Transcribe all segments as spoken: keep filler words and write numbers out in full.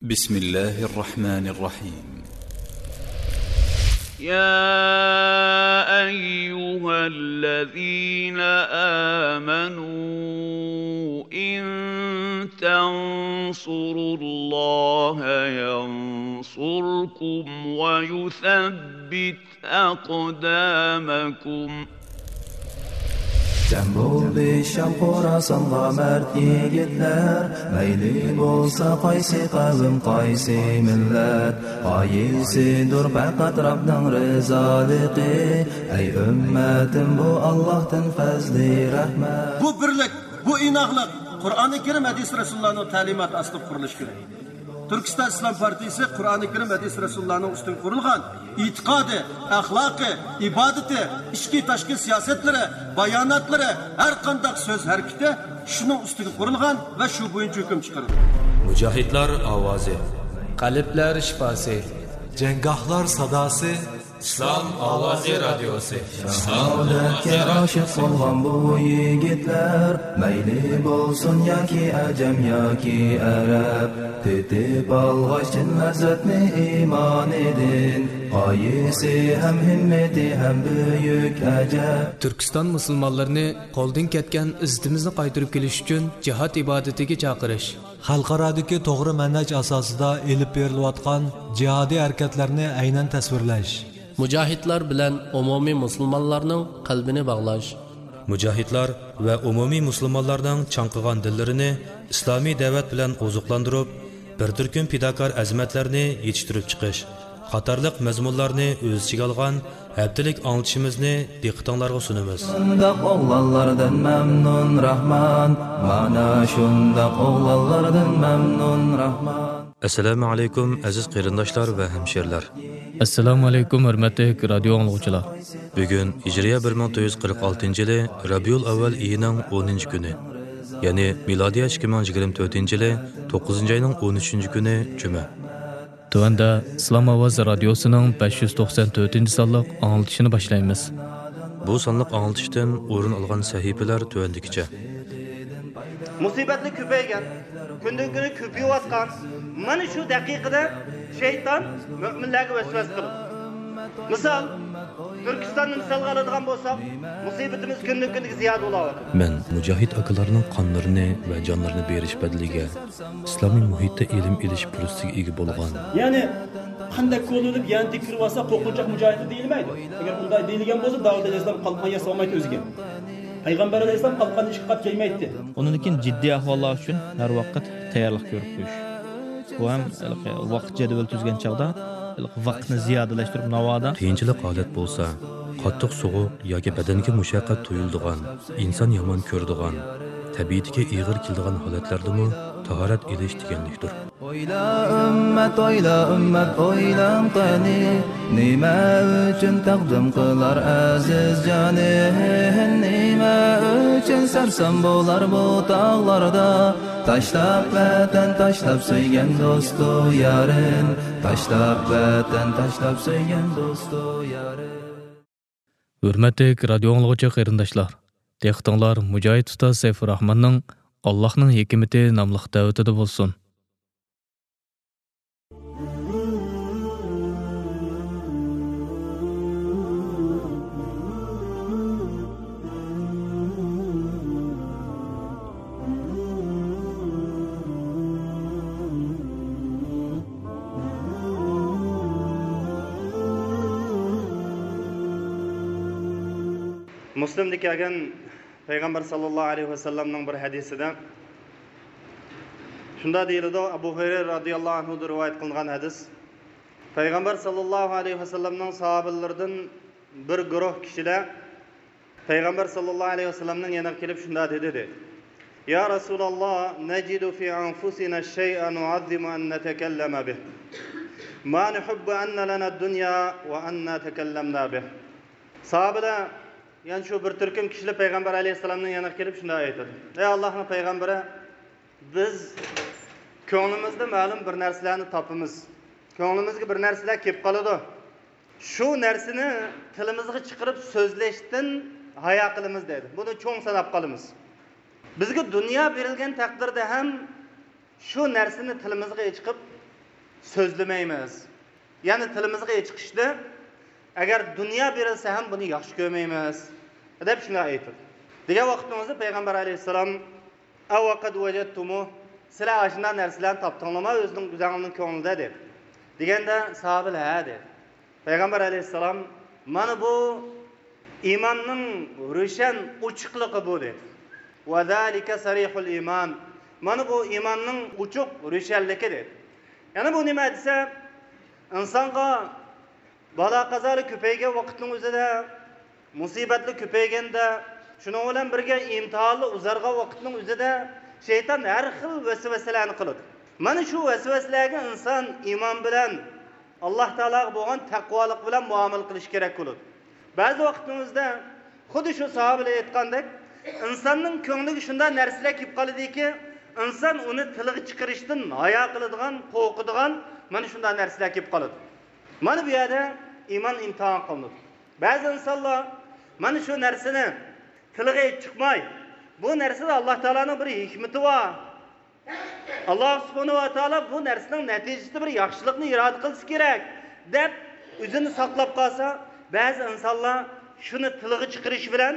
بسم الله الرحمن الرحيم. يا أيها الذين آمنوا إن تنصروا الله ينصركم ويثبت أقدامكم. جەم بولدى شام خوراسانغا مەرد يىگىتلەر، مەيلى بولسا قايسى قەۋم، قايسى مىللەت، غايىسىدۇر پەقەت رەبنىڭ رىزالىقى. ئەي ئۈممەتىم، بۇ ئاللاھتىن پەزلى رەھمەت. بۇ بىرلىك، بۇ ئىناقلىق قۇرئانى كەرىم، ھەدىس رەسۇلۇللانىڭ تەلىماتى ئاستىدا قۇرۇلۇشى كېرەك. تۈركىستان ئىسلام پارتىيىسى قۇرئانى كەرىم، ھەدىس رەسۇلۇللانىڭ ئۈستىگە قۇرۇلغان ئېتىقادى، ئەخلاقى، ئىبادىتى، ئىچكى تاشقى سىياسەتلىرى، باياناتلىرى، ھەر قانداق سۆز ھەرىكىتى شۇنىڭ ئۈستىگە قۇرۇلغان ۋە شۇ بويىچە ھۆكۈم چىقىرىدۇ. مۇجاھىدلار ئاۋازى. قەلبلەر شىپاسى. جەڭگاھلار ساداسى. ئىسلام ئاۋازى رادىيوسى. شاھادەتكە ئاشىق بولغان بۇ يىگىتلەر، مەيلى بولسۇن ياكى ئەجەم ياكى ئەرەب، تېتىپ ئالغاچ چىن لەززەتنى ئىمانىدىن، غايىسى ھەم ھىممىتى ھەم بۈيۈك ئەجەب. تۈركىستان مۇسۇلمانلىرىنى قولدىن كەتكەن ئىززىتىمىزنى قايتۇرۇپ كېلىش ئۈچۈن جىھاد ئىبادىتىگە چاقىرىش. خەلقئارادىكى توغرا مەنھەج ئاساسىدا ئېلىپ بېرىلىۋاتقان جىھادىي ھەرىكەتلەرنى ئەينەن تەسۋىرلەش. مۇجاھىدلار بىلەن ئومۇمىي مۇسۇلمانلارنىڭ قەلبىنى باغلاش. مۇجاھىدلار ۋە ئومۇمىي مۇسۇلمانلارنىڭ چاڭقىغان دىللىرىنى ئىسلامىي دەۋەت بىلەن ئوزۇقلاندۇرۇپ، بىر تۈركۈم پىداكار ئەزىمەتلەرنى يېتىشتۈرۈپ چىقىش قاتارلىق مەزمۇنلارنى ئۆز ئىچىگە ئالغان ھەپتىلىك ئاڭلىتىشىمىزنى دىققىتىڭلارغا سۇنىمىز. شۇنداق ئوغلانلاردىن مەمنۇن راھمان، مانا شۇنداق ئوغلانلاردىن مەمنۇن راھمان. ئەسسالامۇ ئەلەيكۇم، ئەزىز قېرىنداشلار ۋە ھەمشېرىلەر. ئەسسالامۇ ئەلەيكۇم، ھۆرمەتلىك رادىيو ئاڭلىغۇچىلار. بۈگۈن ھىجرىيە بىر مىڭ تۆت يۈز قىرىق ئالتىنچى يىلى رەبىئۇل ئەۋۋەل ئېيىنىڭ ئونىنچى كۈنى، يەنى مىلادىيە ئىككى مىڭ يىگىرمە تۆتىنچى يىلى توققۇزىنچى ئاينىڭ ئون ئۈچىنچى كۈنى جۈمە. تۆۋەندە ئىسلام ئاۋازى رادىيوسىنىڭ بەش يۈز توقسان تۆتىنچى سانلىق ئاڭلىتىشىنى باشلايمىز. بۇ سانلىق ئاڭلىتىشتىن ئورۇن ئالغان سەھىپىلەر تۆۋەندىكىچە. مۇسىبەتلەر كۆپەيگەن، كۈندىن كۈنگە كۆپىيىۋاتقان مانا شۇ دەقىقىدە شەيتان مۆمىنلەرگە ۋەسۋەسە قىلىدۇ. مىسال، تۈركىستاننى مىسالغا ئالىدىغان بولساق، مۇسىبىتىمىز كۈندىن كۈنگە زىيادە بولۇۋاتىدۇ. مەن مۇجاھىد ئاكىلارنىڭ قانلىرىنى ۋە جانلىرىنى بېرىش بەدىلىگە ئىسلامىي مۇھىتتا ئىلىم ئېلىش پۇرسىتىگە ئىگە بولغان. يەنى قانداق كولىلىپ يەنە تېكىرىۋالسا قورقۇنچاق مۇجاھىدلار دېيىلمەيدۇ. ئەگەر ئۇنداق دېيىلگەن بولسا، داۋۇت ئەلەيھىسسالام قالقان ياسىمايتتى ئۆزىگە. پەيغەمبەر ئەلەيھىسسالام قالقان ئىشقا قاپ كەلمەيتتى. ئۇنىڭدىن كېيىن جىددىي ئەھۋاللار ئۈچۈن ھەر ۋاقىت تەييارلىق كۆرۈپ قويۇش. بۇ ھەم ھېلىقى ۋاقىت جەدۋىلى تۈزگەن چاغدا ھېلىقى ۋاقىتنى زىيادىلەشتۈرۈپ ناۋادا. قىيىنچىلىق ھالەت بولسا، قاتتىق سوغۇق ياكى بەدەنگە مۇشەققەت تۇيۇلىدىغان، ئىنسان يامان كۆرىدىغان، تەبىئىتىگە ئېغىر كېلىدىغان ھالەتلەردىمۇ تاھارەت ئېلىش دېگەنلىكتۇر. ئويلا ئۈممەت، ئويلا ئۈممەت، ئويلاڭ قېنى، نېمە ئۈچۈن تەقدىم قىلار ئەزىز جانى؟ نېمە ئۈچۈن سەرسان بولار بۇ تاغلاردا؟ تاشلاپ ۋەتەن، تاشلاپ سۆيگەن دوستۇ يارىن، تاشلاپ ۋەتەن، تاشلاپ سۆيگەن دوستۇ يارىن. ھۆرمەتلىك رادىيو ئاڭلىغۇچى قېرىنداشلار، دىققىتىڭلار مۇجاھىد ئۇستاز سەيپۇرراھماننىڭ «ئاللاھنىڭ ھېكمىتى» ناملىق دەۋىتىدە بولسۇن. مۇسلىمدا كەلگەن پەيغەمبەر ساللاللاھۇ ئەلەيھى ۋەسەللەمنىڭ بىر ھەدىسىدە شۇنداق دېيىلىدۇ، ئەبۇ ھۇرەيرە رازىياللاھۇ ئەنھۇدىن رىۋايەت قىلىنغان ھەدىس. پەيغەمبەر ساللاللاھۇ ئەلەيھى ۋەسەللەمنىڭ ساھابىلىرىدىن بىر گۇرۇھ كىشىلەر پەيغەمبەر ساللاللاھۇ ئەلەيھى ۋەسەللەمنىڭ يېنىغا كېلىپ شۇنداق دېدى، دېدى، يا رەسۇلاللا، نەجىدۇ فى ئەنفۇسىنا شەيئەن نۇئەززىمۇ ئەن نەتەكەللەمە بىھ. ما نۇھىببۇ ئەننە لەنە دۇنيا ۋە ئەننا تەكەللەمنا بىھ. ساھابىلەر، يەنە شۇ بىر تۈركۈم كىشىلەر پەيغەمبەر ئەلەيھىسسالامنىڭ يېنىغا كېلىپ شۇنداق ئېيتىدۇ، ئەي ئاللاھنىڭ پەيغەمبىرى، بىز كۆڭلىمىزدە مەلۇم بىر نەرسىلەرنى تاپىمىز. كۆڭلىمىزگە بىر نەرسىلەر كېلىپ قالىدۇ. شۇ نەرسىنى تىلىمىزغا چىقىرىپ سۆزلەشتىن ھايا قىلىمىز دەيدۇ. بۇنى چوڭ ساناپ قالىمىز. بىزگە دۇنيا بېرىلگەن تەقدىردە ھەم شۇ نەرسىنى تىلىمىزغا چىقىپ سۆزلىمەيمىز. يەنى تىلىمىزغا ئېچىقىشنى، ئەگەر دۇنيا بېرىلسە ھەم بۇنى ياخشى كۆرمەيمىز، دەپ شۇنداق ئېيتىدۇ. دېگەن ۋاقتىمىزدا پەيغەمبەر ئەلەيھىسسالام، «ئەۋ قەد ۋەجەدتۇمۇ، سىلەر ئاشۇنداق نەرسىلەرنى تاپتىڭلارمۇ ئۆزىنىڭ، ئۆزەڭلارنىڭ كۆڭلىدە؟» دېدى. دېگەندە ساھابىلەر، «ھە» دېدى. پەيغەمبەر ئەلەيھىسسالام، «مانا بۇ ئىماننىڭ روشەن ئوچۇقلۇقى بۇ» دېدى. «ۋەزالىكە سەرىھۇل ئىمان»، مانا بۇ ئىماننىڭ ئوچۇق روشەنلىكى دېدى. يەنە بۇ نېمە دېسە، ئىنسانغا بالا-قازالار كۆپەيگەن ۋاقىتنىڭ ئۆزىدە، مۇسىبەتلەر كۆپەيگەندە، شۇنىڭ بىلەن بىرگە ئىمتىھانلار ئۇزارغان ۋاقىتنىڭ ئۆزىدە شەيتان ھەر خىل ۋەسۋەسىلەرنى قىلىدۇ. مانا شۇ ۋەسۋەسىلەرگە ئىنسان ئىمان بىلەن، ئاللاھ تائالاغا بولغان تەقۋالىق بىلەن مۇئامىلە قىلىش كېرەك بولىدۇ. بەزى ۋاقىتنىڭ ئۆزىدە خۇددى شۇ ساھابىلەر ئېيتقاندەك، ئىنساننىڭ كۆڭلىگە شۇنداق نەرسىلەر كېلىپ قالىدۇكى، ئىنسان ئۇنى تىلغا چىقىرىشتىن ھايا قىلىدىغان، قورقىدىغان، مانا شۇنداق نەرسىلەر كېلىپ قالىدۇ. مانا بۇ يەردە ئىمان ئىمتىھان قىلىنىدۇ. بەزى ئىنسانلار مانا شۇ نەرسىنى تىلغا ئېلىپ چىقماي، بۇ نەرسىدە ئاللاھ تائالانىڭ بىر ھېكمىتى بار، ئاللاھ سۇبھانەھۇ ۋە تائالا بۇ نەرسىنىڭ نەتىجىسىدە بىر ياخشىلىقنى ئىرادە قىلسا كېرەك، دەپ ئۆزىنى ساقلاپ قالسا، بەزى ئىنسانلار شۇنى تىلغا چىقىرىش بىلەن،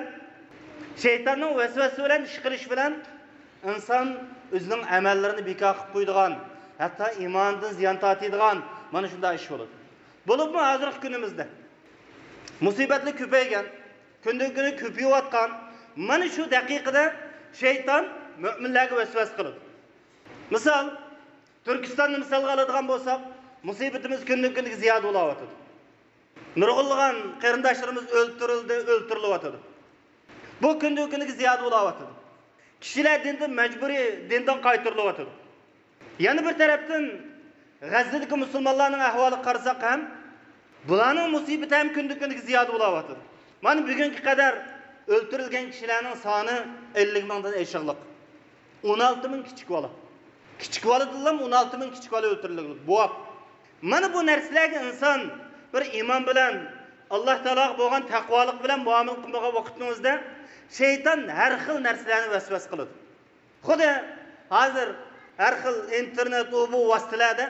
شەيتاننىڭ ۋەسۋەسىسى بىلەن ئىش قىلىش بىلەن ئىنسان ئۆزىنىڭ ئەمەللىرىنى بىكار قىلىپ قويىدىغان، ھەتتا ئىمانىدىن زىيان تارتىدىغان، مانا شۇنداق ئىش بولىدۇ. بولۇپمۇ ھازىرقى كۈنىمىزدە مۇسىبەتلەر كۆپەيگەن، كۈندىن-كۈنگە كۆپىيىۋاتقان، مانا شۇ دەقىقىدە شەيتان مۆمىنلەرگە ۋەسۋەسە قىلىدۇ. مىسال، تۈركىستاننى مىسالغا ئالىدىغان بولساق، مۇسىبىتىمىز كۈندىن-كۈنگە زىيادە بولاۋاتىدۇ. نۇرغۇنلىغان قېرىنداشلىرىمىز ئۆلتۈرۈلدى، ئۆلتۈرۈلۈۋاتىدۇ. بۇ كۈندىن-كۈنگە زىيادە بولاۋاتىدۇ. كىشىلەر دىندىن مەجبۇرىي دىندىن قايتۇرۇلۇۋاتىدۇ. يەنە بىر تەرەپتىن، غەززىدىكى مۇسۇلمانلارنىڭ ئەھۋالىغا قارىساق ھەم، بۇلارنىڭ مۇسىبىتى ھەم كۈندىن-كۈنگە زىيادە بولاۋاتىدۇ. مانا بۈگۈنگە قەدەر ئۆلتۈرۈلگەن كىشىلەرنىڭ سانى ئەللىك مىڭدىن ئېشىقلىق. ئون ئالتە مىڭ كىچىك بالا. كىچىك بالىدىنلا ئون ئالتە مىڭ كىچىك بالا ئۆلتۈرۈلگەن. بوۋاق. مانا بۇ نەرسىلەرگە ئىنسان بىر ئىمان بىلەن، ئاللاھ تائالاغا بولغان تەقۋالىق بىلەن مۇئامىلە قىلمىغان ۋاقىتنىڭ ئۆزىدە شەيتان ھەر خىل نەرسىلەرنى ۋەسۋەسە قىلىدۇ. خۇددى ھازىر ھەر خىل ئىنتېرنېت، ئۇ بۇ ۋاسىتىلەردە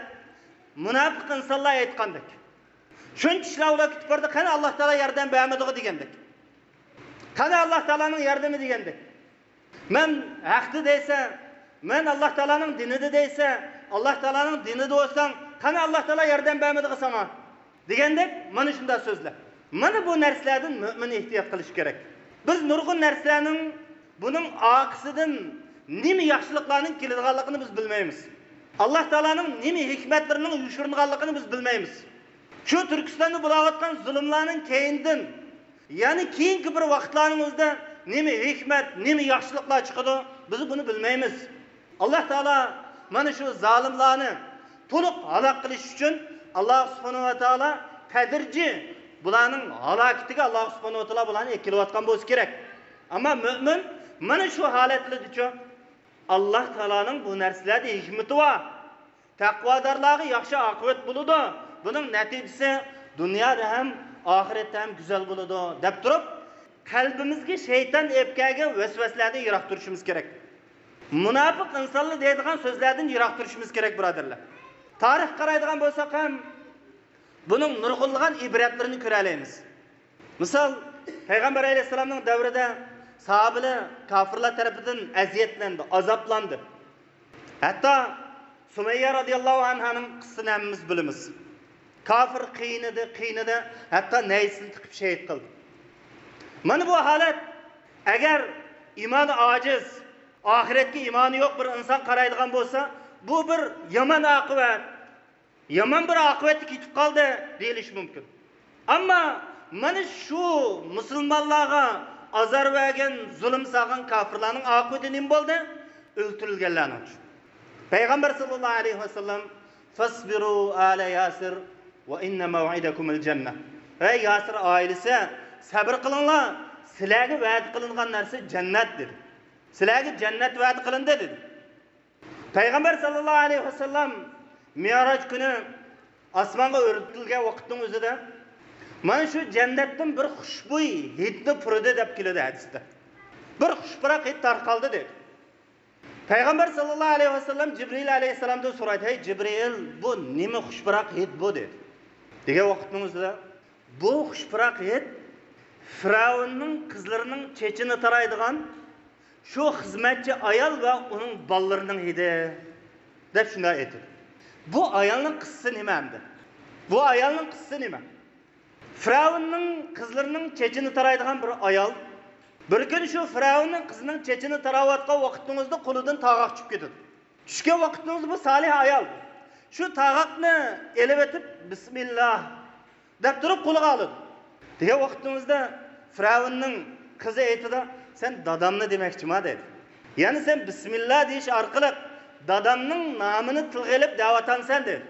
مۇناپىق ئىنسانلار ئېيتقاندەك، شۇنچە ئىشلار ئۇلار كۈتۈپ بارىدۇ، قېنى ئاللاھ تائالا ياردەم بەرمىدىغۇ دېگەندەك. قېنى ئاللاھ تائالانىڭ ياردىمى دېگەندەك. مەن ھەقتە دەيسە، مەن ئاللاھ تائالانىڭ دىنىدا دەيسە، ئاللاھ تائالانىڭ دىنىدا بولساڭ، قېنى ئاللاھ تائالا ياردەم بەرمىدىغۇ ساڭا؟ دېگەندەك، مانا شۇنداق سۆزلەر. مانا بۇ نەرسىلەردىن مۆمىن ئېھتىيات قىلىشى كېرەك. بىز نۇرغۇن نەرسىلەرنىڭ، بۇنىڭ ئارقىسىدىن نېمە ياخشىلىقلارنىڭ كېلىدىغانلىقىنى بىز بىلمەيمىز. ئاللاھ تائالانىڭ نېمە ھېكمەتلىرىنىڭ يوشۇرۇنغانلىقىنى بىز بىلمەيمىز. شۇ تۈركىستاندا بولاۋاتقان زۇلۇملارنىڭ كەينىدىن، يەنى كېيىنكى بىر ۋاقىتلارنىڭ ئۆزىدە نېمە ھېكمەت، نېمە ياخشىلىقلار چىقىدۇ، بىز بۇنى بىلمەيمىز. ئاللاھ تائالا مانا شۇ زالىملارنى تولۇق ھالاك قىلىش ئۈچۈن، ئاللاھ سۇبھانەھۇ ۋە تائالا تەدرىجىي بۇلارنىڭ ھالاكىتىگە ئاللاھ سۇبھانەھۇ ۋە تائالا بۇلارنى ئەكېلىۋاتقان بولسا كېرەك. ئەمما مۆمىن مانا شۇ ھالەتلىرىدىچۇ، ئاللاھ تائالانىڭ بۇ نەرسىلەردە ھېكمىتى بار. تەقۋادارلارغا ياخشى ئاقىۋەت بولىدۇ، بۇنىڭ نەتىجىسى دۇنيادا ھەم ئاخىرەتتە ھەم گۈزەل بولىدۇ، دەپ تۇرۇپ، قەلبىمىزگە شەيتان ئېلىپ كەلگەن ۋەسۋەسىلەردىن يىراق تۇرۇشىمىز كېرەك. مۇناپىق ئىنسانلار دەيدىغان سۆزلەردىن يىراق تۇرۇشىمىز كېرەك، بۇرادەرلەر. تارىخقا قارايدىغان بولساق ھەم، بۇنىڭ نۇرغۇنلىغان ئىبرەتلىرىنى كۆرەلەيمىز. مىسال، پەيغەمبەر ئەلەيھىسسالامنىڭ دەۋرىدە ساھابىلەر كاپىرلار تەرىپىدىن ئەزىيەتلەندى، ئازابلاندى. ھەتتا سۇمەييە رازىياللاھۇ ئەنھانىڭ قىسسىسىنى ھەممىمىز بىلىمىز. كاپىر قىينىدى، قىينىدى، ھەتتا نەيزىسىنى تىقىپ شېھىت قىلدى. مانا بۇ ھالەت، ئەگەر ئىمانى ئاجىز، ئاخىرەتكە ئىمانى يوق بىر ئىنسان قارايدىغان بولسا، بۇ بىر يامان ئاقىۋەت، يامان بىر ئاقىۋەتتە كېتىپ قالدى دېيىلىشى مۇمكىن. ئەمما مانا شۇ مۇسۇلمانلارغا ئازار بەرگەن، زۇلۇم سالغان كاپىرلارنىڭ ئاقىۋىتى نېمە بولدى؟ ئۆلتۈرۈلگەنلەرنىڭ ئۈچۈن. پەيغەمبەر ساللاللاھۇ ئەلەيھى ۋەسەللەم، «فاصبروا آل ياسر، وإن موعدكم الجنة.» «ئەي ياسىر ئائىلىسى، سەبرى قىلىڭلار، سىلەرگە ۋەدە قىلىنغان نەرسە جەننەت» دېدى. «سىلەرگە جەننەت ۋەدە قىلىندى» دېدى. پەيغەمبەر ساللاللاھۇ ئەلەيھى ۋەسەللەم مىئراج كۈنى ئاسمانغا ئۆرتىلگەن ۋاقىتنىڭ ئۆزىدە، مانا شۇ جەننەتتىن بىر خۇشبۇي ھىدنى پۇرىدى دەپ كېلىدۇ ھەدىستە. بىر خۇش پۇراق ھىد تارقالدى دېدى. پەيغەمبەر ساللاللاھۇ ئەلەيھى ۋەسەللەم جىبرىئىل ئەلەيھىسسالامدىن سورايدۇ، ھەي جىبرىئىل، بۇ نېمە خۇش پۇراق ھىد بۇ؟ دېدى. دېگەن ۋاقىتنىڭ ئۆزىدە، بۇ خۇش پۇراق ھىد فىرئەۋننىڭ قىزلىرىنىڭ چېچىنى تارايدىغان شۇ خىزمەتچى ئايال ۋە ئۇنىڭ بالىلىرىنىڭ ھىدى، دەپ شۇنداق ئېيتىدۇ. بۇ ئايالنىڭ قىسسىسى نېمە ئەمدى؟ بۇ ئايالنىڭ قىسسىسى نېمە؟ فىرئەۋننىڭ قىزلىرىنىڭ چېچىنى تارايدىغان بىر ئايال. بىر كۈنى شۇ فىرئەۋننىڭ قىزىنىڭ چېچىنى تاراۋاتقان ۋاقىتنىڭىزدا قولىدىن تاغاق چۈشۈپ كېتىدۇ. چۈشكەن ۋاقىتنىڭىزدا بۇ سالىھ ئايال شۇ تاغاقنى ئېلىۋېتىپ، بىسمىللا دەپ تۇرۇپ قولىغا ئالىدۇ. دېگەن ۋاقىتنىڭىزدا فىرئەۋننىڭ قىزى ئېيتىدۇ، سەن دادامنى دېمەكچىما دەيدۇ. يەنى سەن بىسمىللا دېيىش ئارقىلىق دادامنىڭ نامىنى تىلغا ئېلىپ دەۋاتامسەن دەيدۇ.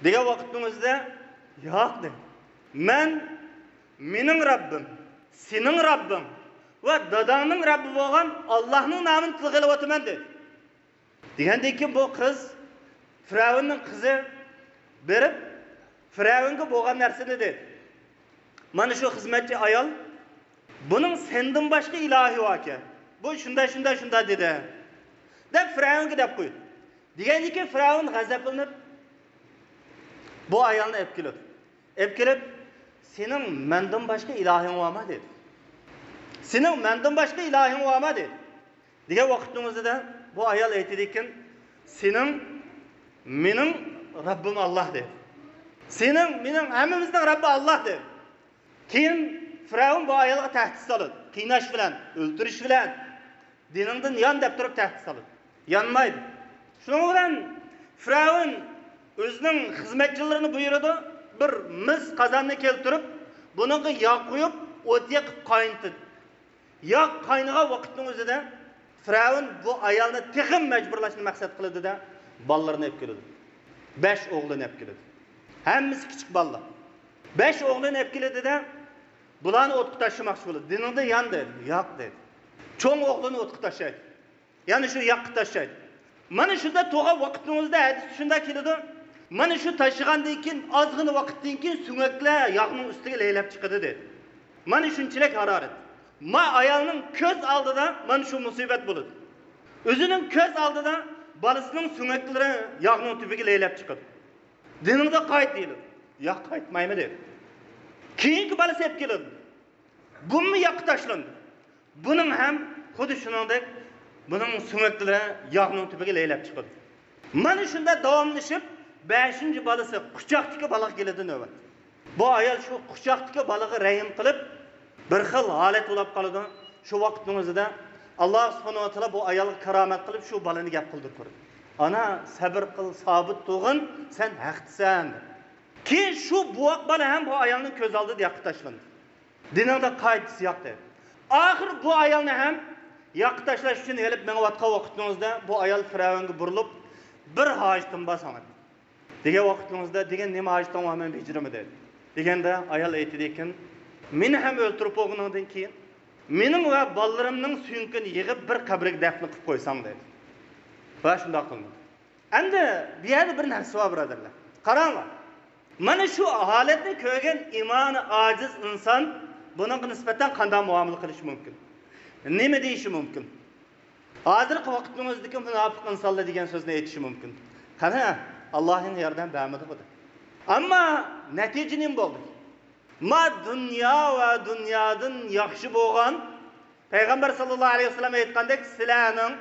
دېگەن ۋاقىتنىڭ ئۆزىدە، ياق دەيدۇ. مەن مېنىڭ رەببىم، سېنىڭ رەببىڭ ۋە داداڭنىڭ رەببى بولغان ئاللاھنىڭ نامىنى تىلغا ئېلىۋاتىمەن دەيدۇ. دېگەندىن كېيىن بۇ قىز، فىرئەۋننىڭ قىزى بېرىپ، فىرئەۋنگە بولغان نەرسىنى دەيدۇ. مانا شۇ خىزمەتچى ئايال، بۇنىڭ سەندىن باشقا ئىلاھى باركەن. بۇ شۇنداق، شۇنداق، شۇنداق دېدى، دەپ فىرئەۋنگە دەپ قويدى. دېگەندىن كېيىن فىرئەۋن غەزەپلىنىپ، بۇ ئايالنى ئېلىپ كېلىدۇ. ئېلىپ كېلىپ، سېنىڭ مەندىن باشقا ئىلاھىڭ بارما دېدى. سېنىڭ مەندىن باشقا ئىلاھىڭ بارما دېدى. دېگەن ۋاقىتنىڭ ئۆزىدە بۇ ئايال ئېيتىدىكەن، سېنىڭ، مېنىڭ رەببىم ئاللاھ دېدى. سېنىڭ، مېنىڭ، ھەممىمىزنىڭ رەببى ئاللاھ دېدى. كېيىن فىرئەۋن بۇ ئايالغا تەھدىت سالىدۇ، قىيناش بىلەن، ئۆلتۈرۈش بىلەن، دىنىڭدىن يان دەپ تۇرۇپ تەھدىت سالىدۇ. يانمايدۇ. شۇنىڭ بىلەن فىرئەۋن ئۆزىنىڭ خىزمەتچىلىرىنى بۇيرۇدى، بىر مىس قازاننى كەلتۈرۈپ، بۇنىڭغا ياغ قۇيۇپ، ئوت يېقىپ قاينىتىدۇ. ياغ قاينىغان ۋاقىتنىڭ ئۆزىدە فىرئەۋن بۇ ئايالنى تېخىمۇ مەجبۇرلاشنى مەقسەت قىلىدۇ-دە، بالىلىرىنى ئېلىپ كېلىدۇ. بەش ئوغلىنى ئېلىپ كېلىدۇ. ھەممىسى كىچىك بالىلار. بەش ئوغلىنى ئېلىپ كېلىدۇ-دە، بۇلارنى ئوتقا تاشلىماقچى بولىدۇ. دىنىڭدا يان دەيدۇ. ياق دەيدۇ. چوڭ ئوغلىنى ئوتقا تاشلايدۇ. يەنە شۇ ياققا تاشلايدۇ. مانا شۇنداق تۇرغان ۋاقىتنىڭ ئۆزىدە ھەدىستە شۇنداق كېلىدۇ. مانا شۇ تاشلىغاندىن كېيىن، ئازغىنە ۋاقىتتىن كېيىن سۆڭەكلەر ياغنىڭ ئۈستىگە لەيلەپ چىقىدۇ دېدى. مانا شۇنچىلىك ھارارەت. ما ئايالنىڭ كۆز ئالدىدا مانا شۇ مۇسىبەت بولىدۇ. ئۆزىنىڭ كۆز ئالدىدا بالىسىنىڭ سۆڭەكلىرى ياغنىڭ تۈۋىگە لەيلەپ چىقىدۇ. دىنىڭدا قايت دېيىلىدۇ. ياق، قايتمايمەن دېدى. كېيىنكى بالىسى ئېلىپ كېلىدۇ. بۇمۇ ياققا تاشلاندى. بۇنىڭ ھەم خۇددى شۇنىڭدەك، بۇنىڭ سۆڭەكلىرى ياغنىڭ تۈۋىگە لەيلەپ چىقىدۇ. مانا شۇنداق داۋاملىشىپ، بەشىنچى بالىسى، قۇچاقتىكى بالىغا كېلىدۇ نۆۋەت. بۇ ئايال شۇ قۇچاقتىكى بالىغا رەھىم قىلىپ، بىر خىل ھالەت بولاپ قالىدۇ. شۇ ۋاقىتنىڭ ئۆزىدە ئاللاھ سۇبھانەھۇ ۋە تائالا بۇ ئايالغا كارامەت قىلىپ، شۇ بالىنى گەپ قىلدۇرۇپ تۇرىدۇ. ئانا، سەبىر قىل، سابىت تۇرغىن، سەن ھەقتىسەن. كېيىن شۇ بوۋاق بالا ھەم بۇ ئايالنىڭ كۆز ئالدىدا ياققا تاشلاندى. دىنىڭدا قايت، ياق دېدى. ئاخىرى بۇ ئايالنى ھەم ياققا تاشلاش ئۈچۈن ئېلىپ مېڭىۋاتقان ۋاقتىڭىزدا بۇ ئايال فىرئەۋنگە بۇرۇلۇپ، بىر ھاجىتىم بار ساڭا دېگەن ۋاقتىڭىزدا، دېگەن نېمە ھاجىتىڭ بار، مەن بېجىرىمەن دېدى. دېگەندە ئايال ئېيتىدىكەن، مېنى ھەم ئۆلتۈرۈپ بولغىنىڭدىن كېيىن مېنىڭ ۋە بالىلىرىمنىڭ سۆڭىكىنى يىغىپ بىر قەبرىگە دەپنە قىلىپ قويساڭ دېدى. ۋە شۇنداق قىلمىدى. ئەمدى بۇ يەردە بىر نەرسە بار، بۇرادەرلەر. قاراڭلار. مانا شۇ ھالەتنى كۆرگەن ئىمانى ئاجىز ئىنسان بۇنىڭغا نىسبەتەن قانداق مۇئامىلە قىلىشى مۇمكىن؟ نېمە دېيىشى مۇمكىن؟ ھازىرقى ۋاقىتنىڭ ئۆزىدىكى مۇناپىق ئىنسانلار دېگەن سۆزنى ئېيتىشى مۇمكىن. قېنى، ئاللاھنىڭ ياردەم بەرمىدى بۇ دەپ. ئەمما نەتىجە نېمە بولدى؟ ما دۇنيا ۋە دۇنيادىن ياخشى بولغان پەيغەمبەر ساللاللاھۇ ئەلەيھى ۋەسەللەم ئېيتقاندەك، سىلەرنىڭ،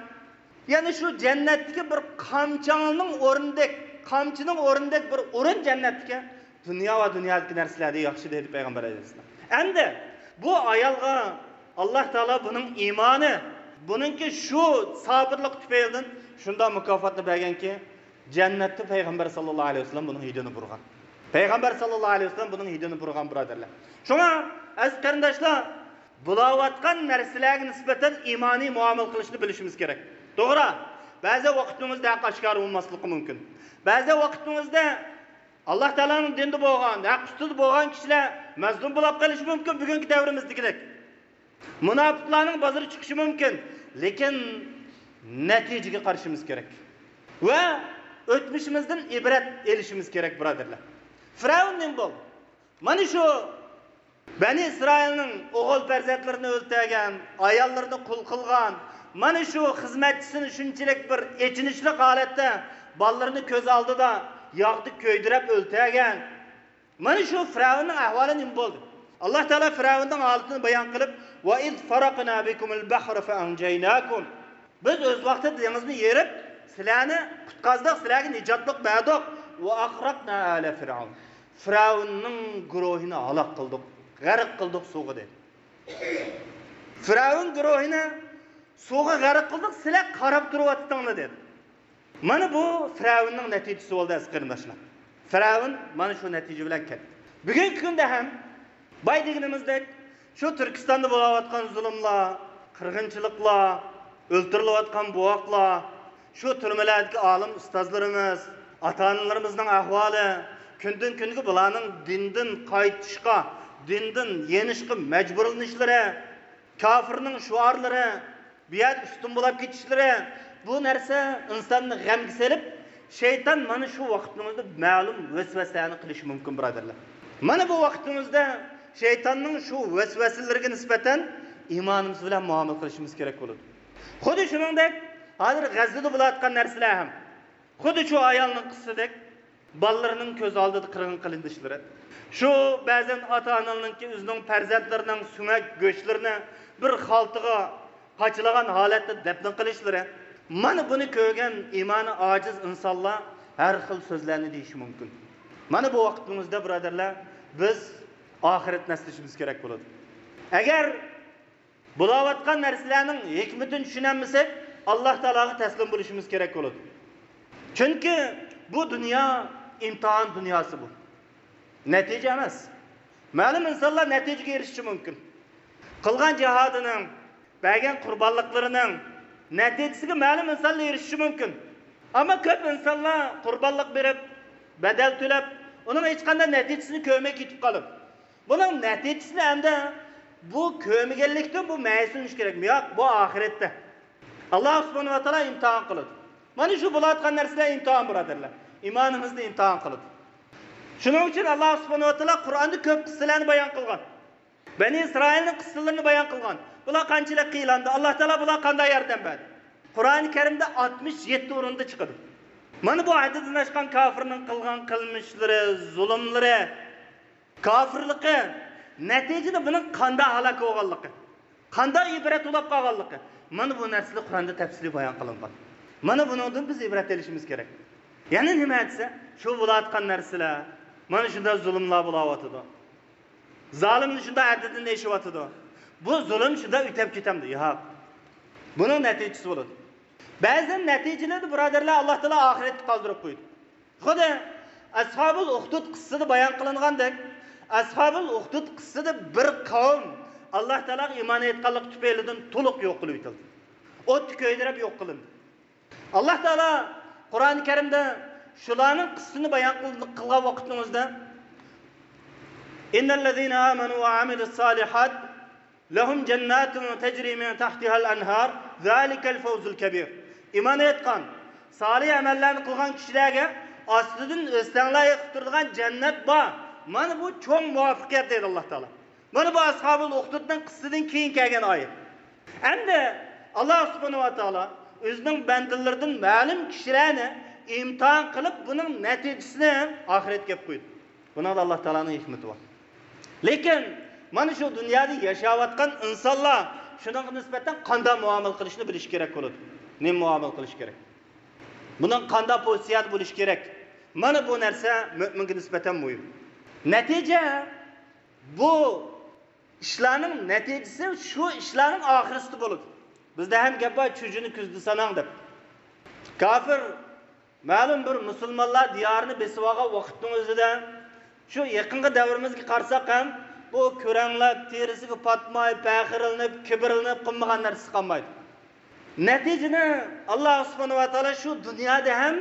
يەنى شۇ جەننەتتىكى بىر قامچاڭنىڭ ئورنىدەك، قامچىنىڭ ئورنىدەك بىر ئورۇن جەننەتتىكى دۇنيا ۋە دۇنيادىكى نەرسىلەردىن ياخشى دېدى پەيغەمبەر ئەلەيھىسسالام. ئەمدى بۇ ئايالغا ئاللاھ تائالا بۇنىڭ ئىمانى، بۇنىڭكى شۇ سابىرلىقى تۈپەيلىدىن شۇنداق مۇكاپاتنى بەرگەنكى، جەننەتتە پەيغەمبەر ساللاللاھۇ ئەلەيھى ۋەسەللەم بۇنىڭ ھىدىنى بۇرىغان. پەيغەمبەر ساللاللاھۇ ئەلەيھى ۋەسەللەم بۇنىڭ ھىدىنى بۇرىغان، بۇرادەرلەر. شۇڭا، ئەزىز قېرىنداشلار، بولاۋاتقان نەرسىلەرگە نىسبەتەن ئىمانىي مۇئامىلە قىلىشنى بىلىشىمىز كېرەك. توغرا، بەزى ۋاقىتنىڭ ئۆزىدە ھەق ئاشكارا بولماسلىقى مۇمكىن. بەزى ۋاقىتنىڭ ئۆزىدە ئاللاھ تائالانىڭ دىنىدا بولغان، ھەق ئۈستىدە بولغان كىشىلەر مەزلۇم بولاپ قېلىشى مۇمكىن، بۈگۈنكى دەۋرىمىزدىكىدەك. مۇناپىقلارنىڭ بازىرى چىقىشى مۇمكىن، لېكىن نەتىجىگە قارىشىمىز كېرەك ۋە ئۆتمۈشىمىزدىن ئىبرەت ئېلىشىمىز كېرەك، بۇرادەرلەر. فىرئەۋن نېمە بولدى؟ مانا شۇ بەنى ئىسرائىلنىڭ ئوغۇل پەرزەنتلىرىنى ئۆلتۈرگەن، ئاياللىرىنى قۇل قىلغان، مانا شۇ خىزمەتچىسىنى شۇنچىلىك بىر ئېچىنىشلىق ھالەتتە بالىلىرىنى كۆز ئالدىدا ياغدا كۆيدۈرۈپ ئۆلتۈرگەن. مانا شۇ فىرئەۋننىڭ ئەھۋالى نېمە بولدى؟ ئاللا تائالا فىرئەۋننىڭ ھالىتىنى بايان قىلىپ، «ۋەئىز فەرەقنا بىكۇمۇل بەھرە فەئەنجەيناكۇم.» بىز ئۆز ۋاقتىدا دېڭىزنى يېرىپ، سىلەرنى قۇتقازدۇق، سىلەرگە نىجاتلىق بەردۇق. «ۋەئەغرەقنا ئالە فىرئەۋن.» فىرئەۋننىڭ گۇرۇھىنى ھالاك قىلدۇق، غەرق قىلدۇق سۇغا، دېدى. فىرئەۋن گۇرۇھىنى سۇغا غەرق قىلدۇق، سىلەر قاراپ تۇرۇۋاتتىڭلار، دېدى. مانا بۇ فىرئەۋننىڭ نەتىجىسى بولدى، ئەزىز قېرىنداشلار. فىرئەۋن مانا شۇ نەتىجە بىلەن كەتتى. بۈگۈنكى كۈندە ھەم باي دېگىنىمىزدەك شۇ تۈركىستاندا بولاۋاتقان زۇلۇملار، قىرغىنچىلىقلار، ئۆلتۈرۈلۈۋاتقان بوۋاقلار، شۇ تۈرمىلەردىكى ئالىم ئۇستازلىرىمىز، ئاتا-ئانىلىرىمىزنىڭ ئەھۋالى، كۈندىن-كۈنگە بۇلارنىڭ دىندىن قايتىشقا، دىندىن يېنىشقا مەجبۇرلىنىشلىرى، كاپىرنىڭ شوئارلىرى، بۇ يەردە ئۈستۈن بولاپ كېتىشلىرى، بۇ نەرسە ئىنساننى غەمگە سېلىپ، شەيتان مانا شۇ ۋاقىتنىڭ ئۆزىدە مەلۇم ۋەسۋەسىلەرنى قىلىشى مۇمكىن، بۇرادەرلەر. مانا بۇ ۋاقىتنىڭ ئۆزىدە شەيتاننىڭ شۇ ۋەسۋەسىلىرىگە نىسبەتەن ئىمانىمىز بىلەن مۇئامىلە قىلىشىمىز كېرەك بولىدۇ. خۇددى شۇنىڭدەك، ھازىر غەززىدە بولۇۋاتقان نەرسىلەر ھەم خۇددى شۇ ئايالنىڭ قىسسىدەك، بالىلىرىنىڭ كۆز ئالدىدا قىرغىن قىلىنىشلىرى. شۇ بەزەن ئاتا-ئانىلارنىڭكى ئۆزىنىڭ پەرزەنتلىرىنىڭ سۆڭەك گۆشلىرىنى بىر خالتىغا قاچىلىغان ھالەتتە دەپنە قىلىشلىرى. مانا بۇنى كۆرگەن ئىمانى ئاجىز ئىنسانلار ھەر خىل سۆزلەرنى دېيىشى مۇمكىن. مانا بۇ ۋاقتىمىزدا، بۇرادەرلەر، بىز ئاخىرەتنى ئەسلىشىمىز كېرەك بولىدۇ. ئەگەر بولاۋاتقان نەرسىلەرنىڭ ھېكمىتىنى چۈشىنەلمىسەك، ئاللا تائالاغا تەسلىم بولۇشىمىز كېرەك بولىدۇ. چۈنكى بۇ دۇنيا ئىمتىھان دۇنياسى بۇ. نەتىجە ئەمەس. مەلۇم ئىنسانلار نەتىجىگە ئېرىشىشى مۇمكىن. قىلغان جىھادىنىڭ، بەرگەن قۇربانلىقلىرىنىڭ نەتىجىسىگە مەلۇم ئىنسانلار ئېرىشىشى مۇمكىن. ئەمما كۆپ ئىنسانلار قۇربانلىق بېرىپ، بەدەل تۆلەپ، ئۇنىڭ ھېچقانداق نەتىجىسىنى كۆرمەي كېتىپ قالىدۇ. بۇنىڭ نەتىجىسىنى ئەمدى بۇ كۆرمىگەنلىكتىن بۇ مەيۈسلىنىش كېرەكمۇ؟ ياق، بۇ ئاخىرەتتە. ئاللا سۇبھانەھۇ ۋە تائالا ئىمتىھان قىلىدۇ. مانا شۇ بولۇۋاتقان نەرسىلەر ئىمتىھان، بۇرادەرلەر. ئىمانىمىزنى ئىمتىھان قىلىدۇ. شۇنىڭ ئۈچۈن ئاللا سۇبھانەھۇ ۋە تائالا قۇرئاندا كۆپ قىسسىلەرنى بايان قىلغان. بەنى ئىسرائىلنىڭ قىسسىلىرىنى بايان قىلغان. بۇلار قانچىلىك قىينالدى؟ ئاللا تائالا بۇلارغا قانداق ياردەم بەردى؟ قۇرئانى كەرىمدە ئاتمىش يەتتە ئورۇندا چىقىدۇ. مانا بۇ ھەددىدىن ئاشقان كاپىرنىڭ قىلغان قىلمىشلىرى، زۇلۇملىرى، كاپىرلىقى نەتىجىدە بۇنىڭ قانداق ھالاك بولغانلىقى، قانداق ئىبرەت ئۇلاپ قالغانلىقى، مانا بۇ نەرسىلەر قۇرئاندا تەپسىلىي بايان قىلىنغان. مانا بۇنىڭدىن بىز ئىبرەت ئېلىشىمىز كېرەك. يەنە نېمە دېسە، شۇ بولۇۋاتقان نەرسىلەر، مانا شۇنداق زۇلۇملار بولۇۋاتىدۇ. زالىمنى شۇنداق ھەددىدىن ئېشىۋاتىدۇ. بۇ زۇلۇم شۇنداق ئۆتەپ كېتەمدۇ؟ ياق. بۇنىڭ نەتىجىسى بولىدۇ. بەزى نەتىجىلەرنى، بۇرادەرلەر، ئاللا تائالا ئاخىرەتكە قالدۇرۇپ قويىدۇ. خۇددى ئەسھابۇل ئۇخدۇد قىسسىسىدا بايان قىلىنغاندەك، ئەسھابۇل ئۇخدۇد قىسسىسىدا بىر قەۋم ئاللا تائالاغا ئىمان ئېيتقانلىقى تۈپەيلىدىن تولۇق يوق قىلىۋېتىلدى. ئوتتا كۆيدۈرۈپ يوق قىلىندى. ئاللا تائالا قۇرئانى كەرىمدە شۇلارنىڭ قىسسىسىنى بايان قىل-، قىلغان ۋاقىتنىڭ ئۆزىدە، «إن الذين آمنوا وعملوا الصالحات لهم جنات تجري من تحتها الأنهار ذلك الفوز الكبير.» ئىمان ئېيتقان، سالىھ ئەمەللەرنى قىلغان كىشىلەرگە ئاستىدىن ئۆستەڭلەر ئېقىپ تۇرىدىغان جەننەت بار. مانا بۇ چوڭ مۇۋەپپەقىيەت، دەيدۇ ئاللا تائالا. مانا بۇ ئەسھابۇل ئۇخدۇدنىڭ قىسسىسىدىن كېيىن كەلگەن ئايەت. ئەمدى ئاللا سۇبھانەھۇ ۋە تائالا ئۆزىنىڭ بەندىلىرىدىن مەلۇم كىشىلەرنى ئىمتىھان قىلىپ، بۇنىڭ نەتىجىسىنى ئاخىرەتكە ئەپ قويدى. بۇنىڭدا ئاللا تائالانىڭ ھېكمىتى بار. لېكىن مانا شۇ دۇنيادا ياشاۋاتقان ئىنسانلار شۇنىڭغا نىسبەتەن قانداق مۇئامىلە قىلىشنى بىلىشى كېرەك بولىدۇ. نېمە مۇئامىلە قىلىش كېرەك؟ بۇنىڭ قانداق پوزىتسىيەدە بولۇشى كېرەك؟ مانا بۇ نەرسە مۆمىنگە نىسبەتەن مۇھىم. نەتىجە، بۇ ئىشلارنىڭ نەتىجىسى شۇ ئىشلارنىڭ ئاخىرىسىدا بولىدۇ. بىزدە ھەم گەپ بار، «چۈجىنى كۈزدە ساناڭ» دەپ. كاپىر مەلۇم بىر مۇسۇلمانلار دىيارىنى بېسىۋالغان ۋاقىتنىڭ ئۆزىدە، شۇ يېقىنقى دەۋرىمىزگە قارىساق ھەم، بۇ كۆرەڭلەپ، تېرىسىگە پاتماي، پەخىرلىنىپ، كىبىرلىنىپ قىلمىغان نەرسىسى قالمايدۇ. نەتىجىنى ئاللا سۇبھانەھۇ ۋە تائالا شۇ دۇنيادا ھەم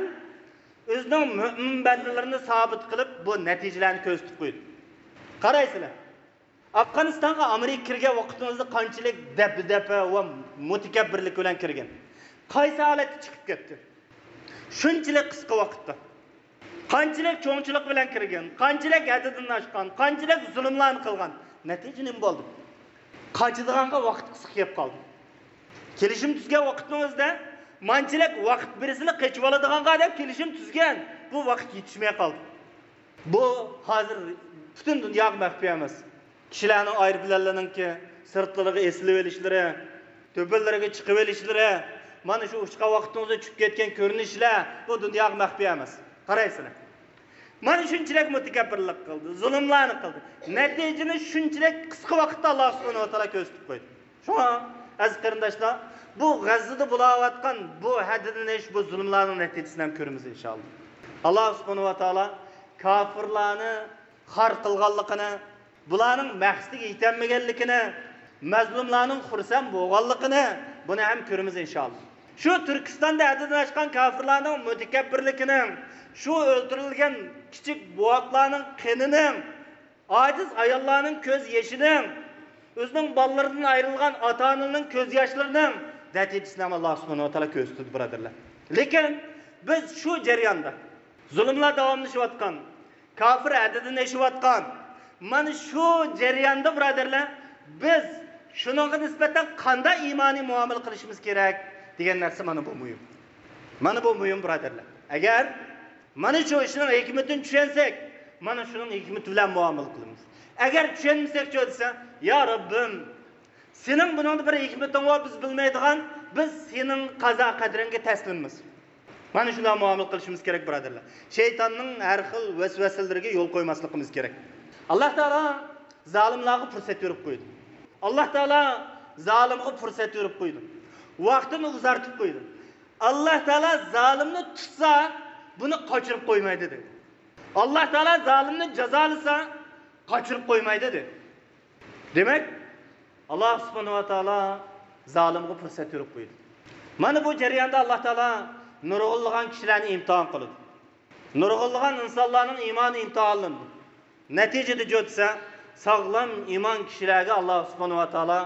ئۆزىنىڭ مۆمىن بەندىلىرىنى سابىت قىلىپ، بۇ نەتىجىلەرنى كۆرسىتىپ قويدى. قارايسىلەر، ئافغانىستانغا ئامېرىكا كىرگەن ۋاقتىمىزدا قانچىلىك دەبدەبە ۋە مۇتەكەببىرلىك بىلەن كىرگەن. قايسى ھالەتتە چىقىپ كەتتى؟ شۇنچىلىك قىسقا ۋاقىتتا. قانچىلىك چوڭچىلىق بىلەن كىرگەن، قانچىلىك ھەددىدىن ئاشقان، قانچىلىك زۇلۇملارنى قىلغان. نەتىجە نېمە بولدى؟ قاچىدىغانغا ۋاقىت قىسقا كېلىپ قالدى. كېلىشىم تۈزگەن ۋاقىتنىڭ ئۆزىدە مانچىلىك ۋاقىت بىرسىلا قېچىۋالىدىغانغا دەپ كېلىشىم تۈزگەن. بۇ ۋاقىت يېتىشمەي قالدى. بۇ ھازىر پۈتۈن دۇنياغا مەخپىي ئەمەس. كىشىلەرنىڭ ئايروپىلانلىرىنىڭكى سىرتلىرىغا ئېسىلىۋېلىشلىرى، تۆپىلىرىگە چىقىۋېلىشلىرى، مانا شۇ ئۇچقان ۋاقتىڭىزدا چۈشۈپ كەتكەن كۆرۈنۈشلەر بۇ دۇنياغا مەخپىي ئەمەس. قارايسىلەر. مانا شۇنچىلىك مۇتەكەببىرلىك قىلدى، زۇلۇملارنى قىلدى. نەتىجىنى شۇنچىلىك قىسقا ۋاقىتتا ئاللا سۇبھانەھۇ ۋە تائالا كۆرسىتىپ قويدى. شۇڭا، ئەزىز قېرىنداشلار، بۇ غەززىدە بولاۋاتقان بۇ ھەددىدىن ئېشىش، بۇ زۇلۇملارنىڭ نەتىجىسىنى ھەم كۆرىمىز، ئىنشائاللا. ئاللا سۇبھانەھۇ ۋە تائالا كافىرلارنى خار قىلغانلىقىنى، بۇلارنىڭ مەقسىتىگە يېتەلمىگەنلىكىنى، مەزلۇملارنىڭ خۇرسەن بولغانلىقىنى، بۇنى ھەم كۆرىمىز، ئىنشائاللا. شۇ تۈركىستاندا ھەددىدىن ئاشقان كافىرلارنىڭ مۇتەكەببىرلىكىنىڭ، شۇ ئۆلتۈرۈلگەن كىچىك بوۋاقلارنىڭ قېنىنىڭ، ئاجىز ئاياللارنىڭ كۆز يېشىنىڭ، ئۆزىنىڭ بالىلىرىدىن ئايرىلغان ئاتا-ئانىنىڭ كۆز ياشلىرىنىڭ نەتىجىسىنى ھەم ئاللا سۇبھانەھۇ ۋە تائالا كۆرسىتىدۇ، بۇرادەرلەر. لېكىن بىز شۇ جەرياندا، زۇلۇملار داۋاملىشىۋاتقان، كافىر ھەددىدىن ئېشىۋاتقان، مانا شۇ جەرياندا، بۇرادەرلەر، بىز شۇنىڭغا نىسبەتەن قانداق ئىمانىي مۇئامىلە قىلىشىمىز كېرەك دېگەن نەرسە، مانا بۇ مۇھىم. مانا بۇ مۇھىم، بۇرادەرلەر. ئەگەر مانا شۇ ئىشنىڭ ھېكمىتىنى چۈشەنسەك، مانا شۇنىڭ ھېكمىتى بىلەن مۇئامىلە قىلىمىز. ئەگەر چۈشەنمىسەكچۇ دېسە، يا رەببىم، سېنىڭ بۇنىڭدا بىر ھېكمىتىڭ بار، بىز بىلمەيدىغان، بىز سېنىڭ قازا قەدرىڭگە تەسلىممىز. مانا شۇنداق مۇئامىلە قىلىشىمىز كېرەك، بۇرادەرلەر. شەيتاننىڭ ھەر خىل ۋەسۋەسىلىرىگە يول قويماسلىقىمىز كېرەك. ئاللا تائالا زالىملارغا پۇرسەت بېرىپ قويىدۇ. ئاللا تائالا زالىمغا پۇرسەت بېرىپ قويىدۇ. ۋاقتىنى ئۇزارتىپ قويىدۇ. ئاللا تائالا زالىمنى تۇتسا، بۇنى قاچۇرۇپ قويمايدۇ، دېدى. ئاللا تائالا زالىمنى جازالىسا، قاچۇرۇپ قويمايدۇ، دېدى. دېمەك، ئاللا سۇبھانەھۇ ۋە تائالا زالىمغا پۇرسەت بېرىپ قويىدۇ. مانا بۇ جەرياندا ئاللا تائالا نۇرغۇنلىغان كىشىلەرنى ئىمتىھان قىلىدۇ. نۇرغۇنلىغان ئىنسانلارنىڭ ئىمانى ئىمتىھانلىنىدۇ. نەتىجىدە جۆتسە، ساغلام ئىمان كىشىلەرگە ئاللا سۇبھانەھۇ ۋە تائالا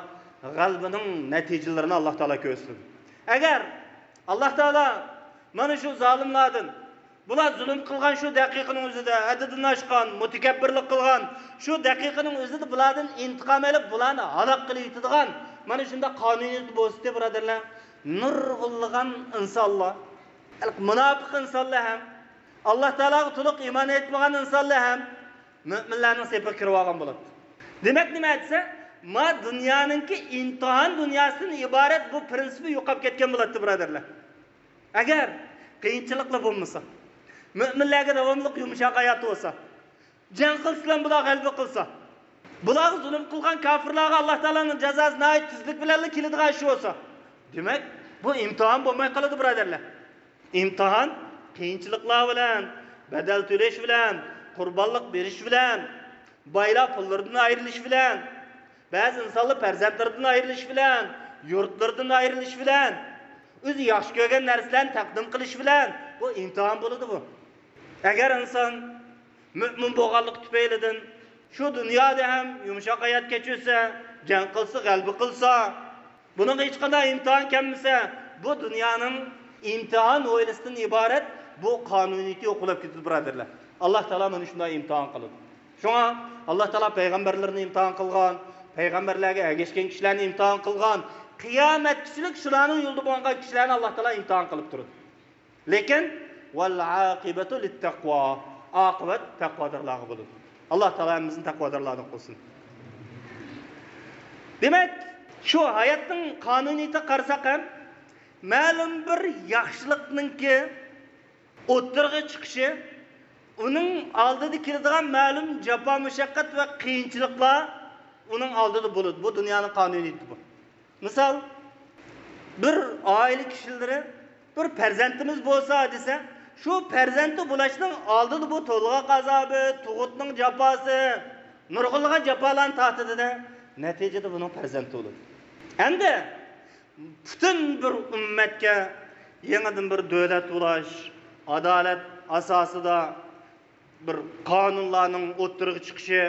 غەلىبىنىڭ نەتىجىلىرىنى ئاللا تائالا كۆرسىتىدۇ. ئەگەر ئاللا تائالا مانا شۇ زالىملاردىن، بۇلار زۇلۇم قىلغان شۇ دەقىقىنىڭ ئۆزىدە، ھەددىدىن ئاشقان، مۇتەكەببىرلىك قىلغان شۇ دەقىقىنىڭ ئۆزىدە بۇلاردىن ئىنتىقام ئېلىپ، بۇلارنى ھالاك قىلىۋېتىدىغان مانا شۇنداق قانۇنىيەت بولسىدى، بۇرادەرلەر، نۇرغۇنلىغان ئىنسانلار، مۇناپىق ئىنسانلار ھەم، ئاللا تائالاغا تولۇق ئىمان ئېيتمىغان ئىنسانلار ھەم مۆمىنلەرنىڭ سېپىگە كىرىۋالغان بولاتتى. دېمەك، نېمە دېسە، ما دۇنيانىڭكى ئىمتىھان دۇنياسىدىن ئىبارەت بۇ پىرىنسىپى يوقاپ كەتكەن بولاتتى، بۇرادەرلەر. ئەگەر قىيىنچىلىقلار بولمىسا، مۆمىنلەرگە داۋاملىق يۇمشاق ھاياتى بولسا، جەڭ قىلسىلا بۇلار غەلىبە قىلسا، بۇلارغا زۇلۇم قىلغان كاپىرلارغا ئاللا تائالانىڭ جازاسى ناھايىتى تېزلىك بىلەنلا كېلىدىغان ئىش بولسا، دېمەك، بۇ ئىمتىھان بولماي قالىدۇ، بۇرادەرلەر. ئىمتىھان قىيىنچىلىقلار بىلەن، بەدەل تۆلەش بىلەن، قۇربانلىق بېرىش بىلەن، بايلار پۇللىرىدىن ئايرىلىش بىلەن، بەزى ئىنسانلار پەرزەنتلىرىدىن ئايرىلىش بىلەن، يۇرتلىرىدىن ئايرىلىش بىلەن، ئۆزى ياخشى كۆرگەن نەرسىلەرنى تەقدىم قىلىش بىلەن، بۇ ئىمتىھان بولىدۇ بۇ. ئەگەر ئىنسان مۆمىن بولغانلىقى تۈپەيلىدىن شۇ دۇنيادا ھەم يۇمشاق ھايات كەچۈرسە، جەڭ قىلسا، غەلىبە قىلسا، بۇنىڭغا ھېچقانداق ئىمتىھان كەلمىسە، بۇ دۇنيانىڭ ئىمتىھان ھويلىسىدىن ئىبارەت بۇ قانۇنىيىتى يوقىلاپ كېتىدۇ، بۇرادەرلەر. ئاللا تائالا مانا شۇنداق ئىمتىھان قىلىدۇ. شۇڭا ئاللا تائالا پەيغەمبەرلىرىنى ئىمتىھان قىلغان، پەيغەمبەرلەرگە ئەگەشكەن كىشىلەرنى ئىمتىھان قىلغان، قىيامەتكىچىلىك شۇلارنىڭ يولىدا بولغان كىشىلەرنى ئاللا تائالا ئىمتىھان قىلىپ تۇرىدۇ. لېكىن، «ۋەلئاقىبەتۇ لىتتەقۋا»، ئاقىۋەت تەقۋادارلارغا بولىدۇ. ئاللا تائالا ھەممىمىزنى تەقۋادارلاردىن قىلسۇن. دېمەك، شۇ ھاياتنىڭ قانۇنىيىتىگە قارىساق ھەم، مەلۇم بىر ياخشىلىقنىڭكى ئوتتۇرىغا چىقىشى، ئۇنىڭ ئالدىدا كېلىدىغان مەلۇم جاپا-مۇشەققەت ۋە قىيىنچىلىقلار ئۇنىڭ ئالدىدا بولىدۇ. بۇ دۇنيانىڭ قانۇنىيىتى بۇ. مىسال، بىر ئائىلە كىشىلىرى، «بىر پەرزەنتىمىز بولسا» دېسە، شۇ پەرزەنتى بولۇشنىڭ ئالدىدا بۇ تولغاق ئازابى، تۇغۇتنىڭ جاپاسى، نۇرغۇنلىغان جاپالارنى تارتىدۇ-دە، نەتىجىدە بۇنىڭ پەرزەنتى بولىدۇ. ئەمدى پۈتۈن بىر ئۈممەتكە يېڭىدىن بىر دۆلەت بولۇش، ئادالەت ئاساسىدا بىر قانۇنلارنىڭ ئوتتۇرىغا چىقىشى،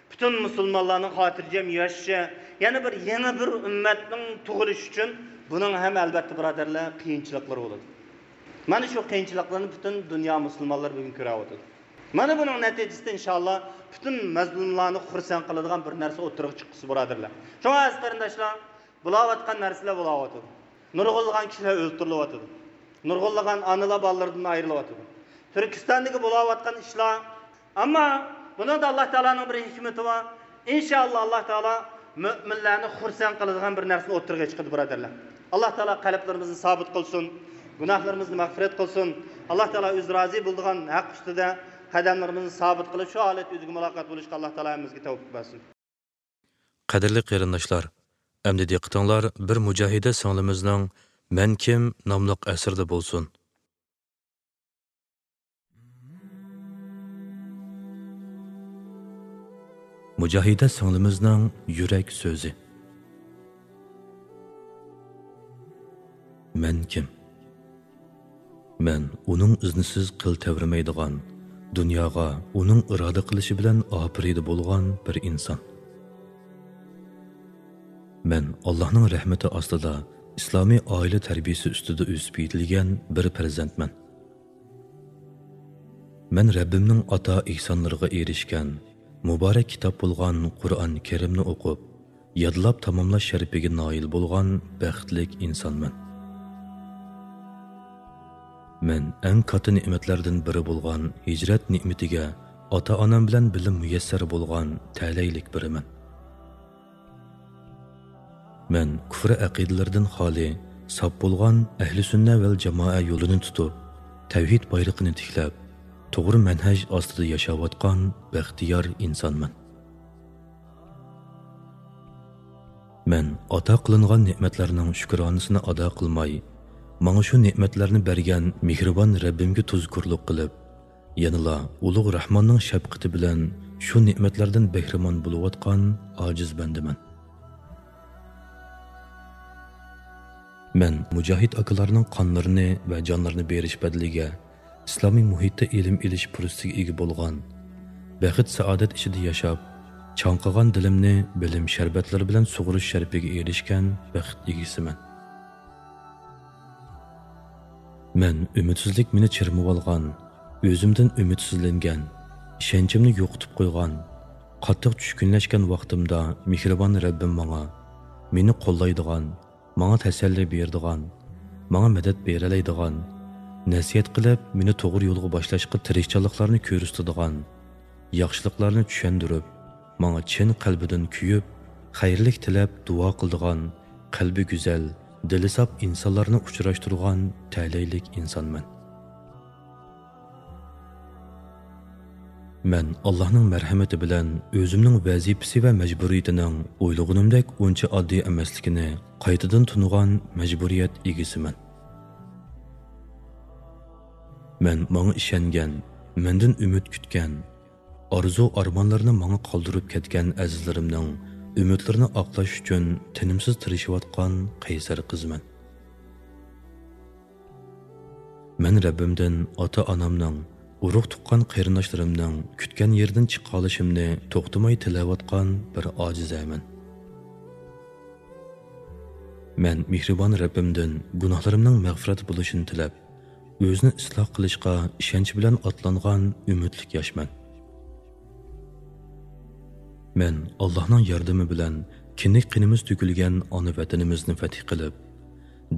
پۈتۈن مۇسۇلمانلارنىڭ خاتىرجەم ياشىشى، يەنە بىر يېڭى بىر ئۈممەتنىڭ تۇغۇلۇشى ئۈچۈن بۇنىڭ ھەم، ئەلۋەتتە، بۇرادەرلەر، قىيىنچىلىقلىرى بولىدۇ. مانا شۇ قىيىنچىلىقلارنى پۈتۈن دۇنيا مۇسۇلمانلىرى بۈگۈن كۆرۈۋاتىدۇ. مانا بۇنىڭ نەتىجىسىدە، ئىنشائاللا، پۈتۈن مەزلۇملارنى خۇرسەن قىلىدىغان بىر نەرسە ئوتتۇرىغا چىققۇسى، بۇرادەرلەر. شۇڭا، ئەزىز قېرىنداشلار، بولاۋاتقان نەرسىلەر بولاۋاتىدۇ. نۇرغۇنلىغان كىشىلەر ئۆلتۈرۈلۈۋاتىدۇ. نۇرغۇنلىغان ئانىلار بالىلىرىدىن ئايرىلىۋاتىدۇ. تۈركىستاندىكى بولاۋاتقان ئىشلار، ئەمما بۇنىڭدا ئاللا تائالانىڭ بىر ھېكمىتى بار. ئىنشائاللا، ئاللا تائالا مۆمىنلەرنى خۇرسەن قىلىدىغان بىر نەرسىنى ئوتتۇرىغا چىقىرىدۇ، بۇرادەرلەر. ئاللا تائالا قەلبلىرىمىزنى سابىت قىلسۇن، گۇناھلىرىمىزنى مەغپىرەت قىلسۇن. ئاللا تائالا ئۆزى رازى بولىدىغان ھەق ئۈستىدە قەدەملىرىمىزنى سابىت قىلىپ، شۇ ھالەتتە ئۆزىگە مۇلاقات بولۇشقا ئاللا تائالا ھەممىمىزگە تەۋپىق بەرسۇن. قەدىرلىك قېرىنداشلار، ئەمدى دىققىتىڭلار بىر مۇجاھىدە سىڭلىمىزنىڭ مەن كىم ناملىق ئەسىرىدە بولسۇن. مۇجاھىدە سىڭلىمىزنىڭ يۈرەك سۆزى. مەن كىم؟ مەن ئۇنىڭ ئىزنىسىز قىل تەۋرىمەيدىغان، دۇنياغا ئۇنىڭ ئىرادە قىلىشى بىلەن ئاپىرىدە بولغان بىر ئىنسان. مەن ئاللاھنىڭ رەھمىتى ئاستىدا ئىسلامىي ئائىلە تەربىيىسى ئۈستىدە ئۆسۈپ يېتىلگەن بىر پەرزەنتمەن. مەن رەببىمنىڭ ئاتا ئېھسانلىرىغا ئېرىشكەن، مۇبارەك كىتاب بولغان قۇرئان كەرىمنى ئوقۇپ، يادلاپ تاماملاش شەرىپىگە نائىل بولغان بەختلىك ئىنسانمەن. مەن ئەڭ كاتتا نېمەتلەردىن بىرى بولغان ھىجرەت نېمىتىگە ئاتا-ئانام بىلەن بىللە مۇيەسسەر بولغان تەلەيلىك بىرىمەن. مەن كۇفر ئەقىدىلىرىدىن خالىي، ساپ بولغان ئەھلى سۈننە ۋەل جامائە يولىنى تۇتۇپ، تەۋھىد بايرىقىنى تىكلەپ، توغرا مەنھەج ئاستىدا ياشاۋاتقان بەختىيار ئىنسانمەن. مەن ئاتا قىلىنغان نېمەتلەرنىڭ شۈكرانىسىنى ئادا قىلماي، ماڭا شۇ نېمەتلەرنى بەرگەن مېھرىبان رەببىمگە تۇزكورلۇق قىلىپ، يەنىلا ئۇلۇغ راھماننىڭ شەپقىتى بىلەن شۇ نېمەتلەردىن بەھرىمەن بولۇۋاتقان ئاجىز بەندىمەن. مەن مۇجاھىد ئاكىلارنىڭ قانلىرىنى ۋە جانلىرىنى بېرىش بەدىلىگە ئىسلامىي مۇھىتتا ئىلىم ئېلىش پۇرسىتىگە ئىگە بولغان، بەخت-سائادەت ئىچىدە ياشاپ، چاڭقىغان دىلىمنى بىلىم شەربەتلىرى بىلەن سۇغۇرۇش شەرىپىگە ئېرىشكەن بەخت ئىگىسىمەن. مەن ئۈمىدسىزلىك مېنى چىرمىۋالغان، ئۆزۈمدىن ئۈمىدسىزلەنگەن، ئىشەنچىمنى يوقىتىپ قويغان، قاتتىق چۈشكۈنلەشكەن ۋاقتىمدا مېھرىبان رەببىم ماڭا، مېنى قوللايدىغان، ماڭا تەسەللى بېرىدىغان، ماڭا مەدەت بېرەلەيدىغان، نەسىھەت قىلىپ، مېنى توغرا يولغا باشلاشقا تىرىشچانلىقلارنى كۆرسىتىدىغان، ياخشىلىقلارنى چۈشەندۈرۈپ، ماڭا چىن قەلبىدىن كۆيۈپ، خەيرلىك تىلەپ دۇئا قىلىدىغان، قەلبى گۈزەل، دىلى ساپ ئىنسانلارنى ئۇچراشتۇرغان تەلەيلىك ئىنسانمەن. مەن ئاللاھنىڭ مەرھەمىتى بىلەن ئۆزۈمنىڭ ۋەزىپىسى ۋە مەجبۇرىيىتىنىڭ ئويلىغىنىمدەك ئۇنچە ئاددىي ئەمەسلىكىنى قايتىدىن تونۇغان مەجبۇرىيەت ئىگىسىمەن. مەن ماڭا ئىشەنگەن، مەندىن ئۈمىد كۈتكەن، ئارزۇ-ئارمانلىرىنى ماڭا قالدۇرۇپ كەتكەن ئەزىزلىرىمنىڭ ئۈمىدلىرىنى ئاقلاش ئۈچۈن تىنىمسىز تىرىشىۋاتقان قەيسەر قىزمەن. مەن رەببىمدىن ئاتا-ئانامنىڭ، ئۇرۇق-تۇغقان قېرىنداشلىرىمنىڭ كۈتكەن يېرىدىن چىقالىشىمنى توختىماي تىلەۋاتقان بىر ئاجىزەمەن. مەن مېھرىبان رەببىمدىن گۇناھلىرىمنىڭ مەغپىرەت بولۇشىنى تىلەپ، ئۆزىنى ئىسلاھ قىلىشقا ئىشەنچ بىلەن ئاتلانغان ئۈمىدلىك ياشمەن. مەن ئاللاھنىڭ ياردىمى بىلەن كىندىك قېنىمىز تۆكۈلگەن ئانا ۋەتىنىمىزنى فەتھ قىلىپ،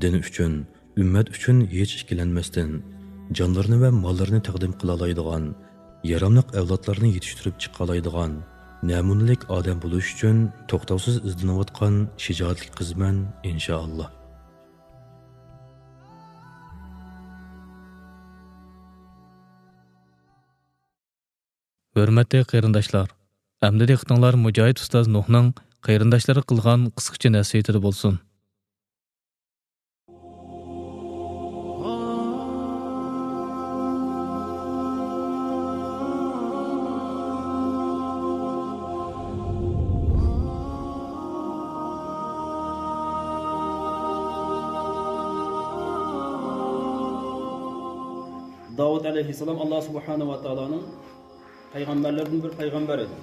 دىن ئۈچۈن، ئۈممەت ئۈچۈن ھېچ ئىككىلەنمەستىن، جانلىرىنى ۋە ماللىرىنى تەقدىم قىلالايدىغان، ياراملىق ئەۋلادلارنى يېتىشتۈرۈپ چىقالايدىغان نەمۇنىلىك ئادەم بولۇش ئۈچۈن توختاۋسىز ئىزدىنىۋاتقان شىجائەتلىك قىزمەن، ئىنشائاللا. ھۆرمەتلىك قېرىنداشلار، ئەمدى دىققىتىڭلار مۇجاھىد ئۇستاز نۇھنىڭ قېرىنداشلىرىغا قىلغان قىسقىچە نەسىھىتىدە بولسۇن. داۋۇت ئەلەيھىسسالام ئاللا سۇبھانەھۇ ۋە تائالانىڭ پەيغەمبەرلىرىدىن بىر پەيغەمبەر ئىدى.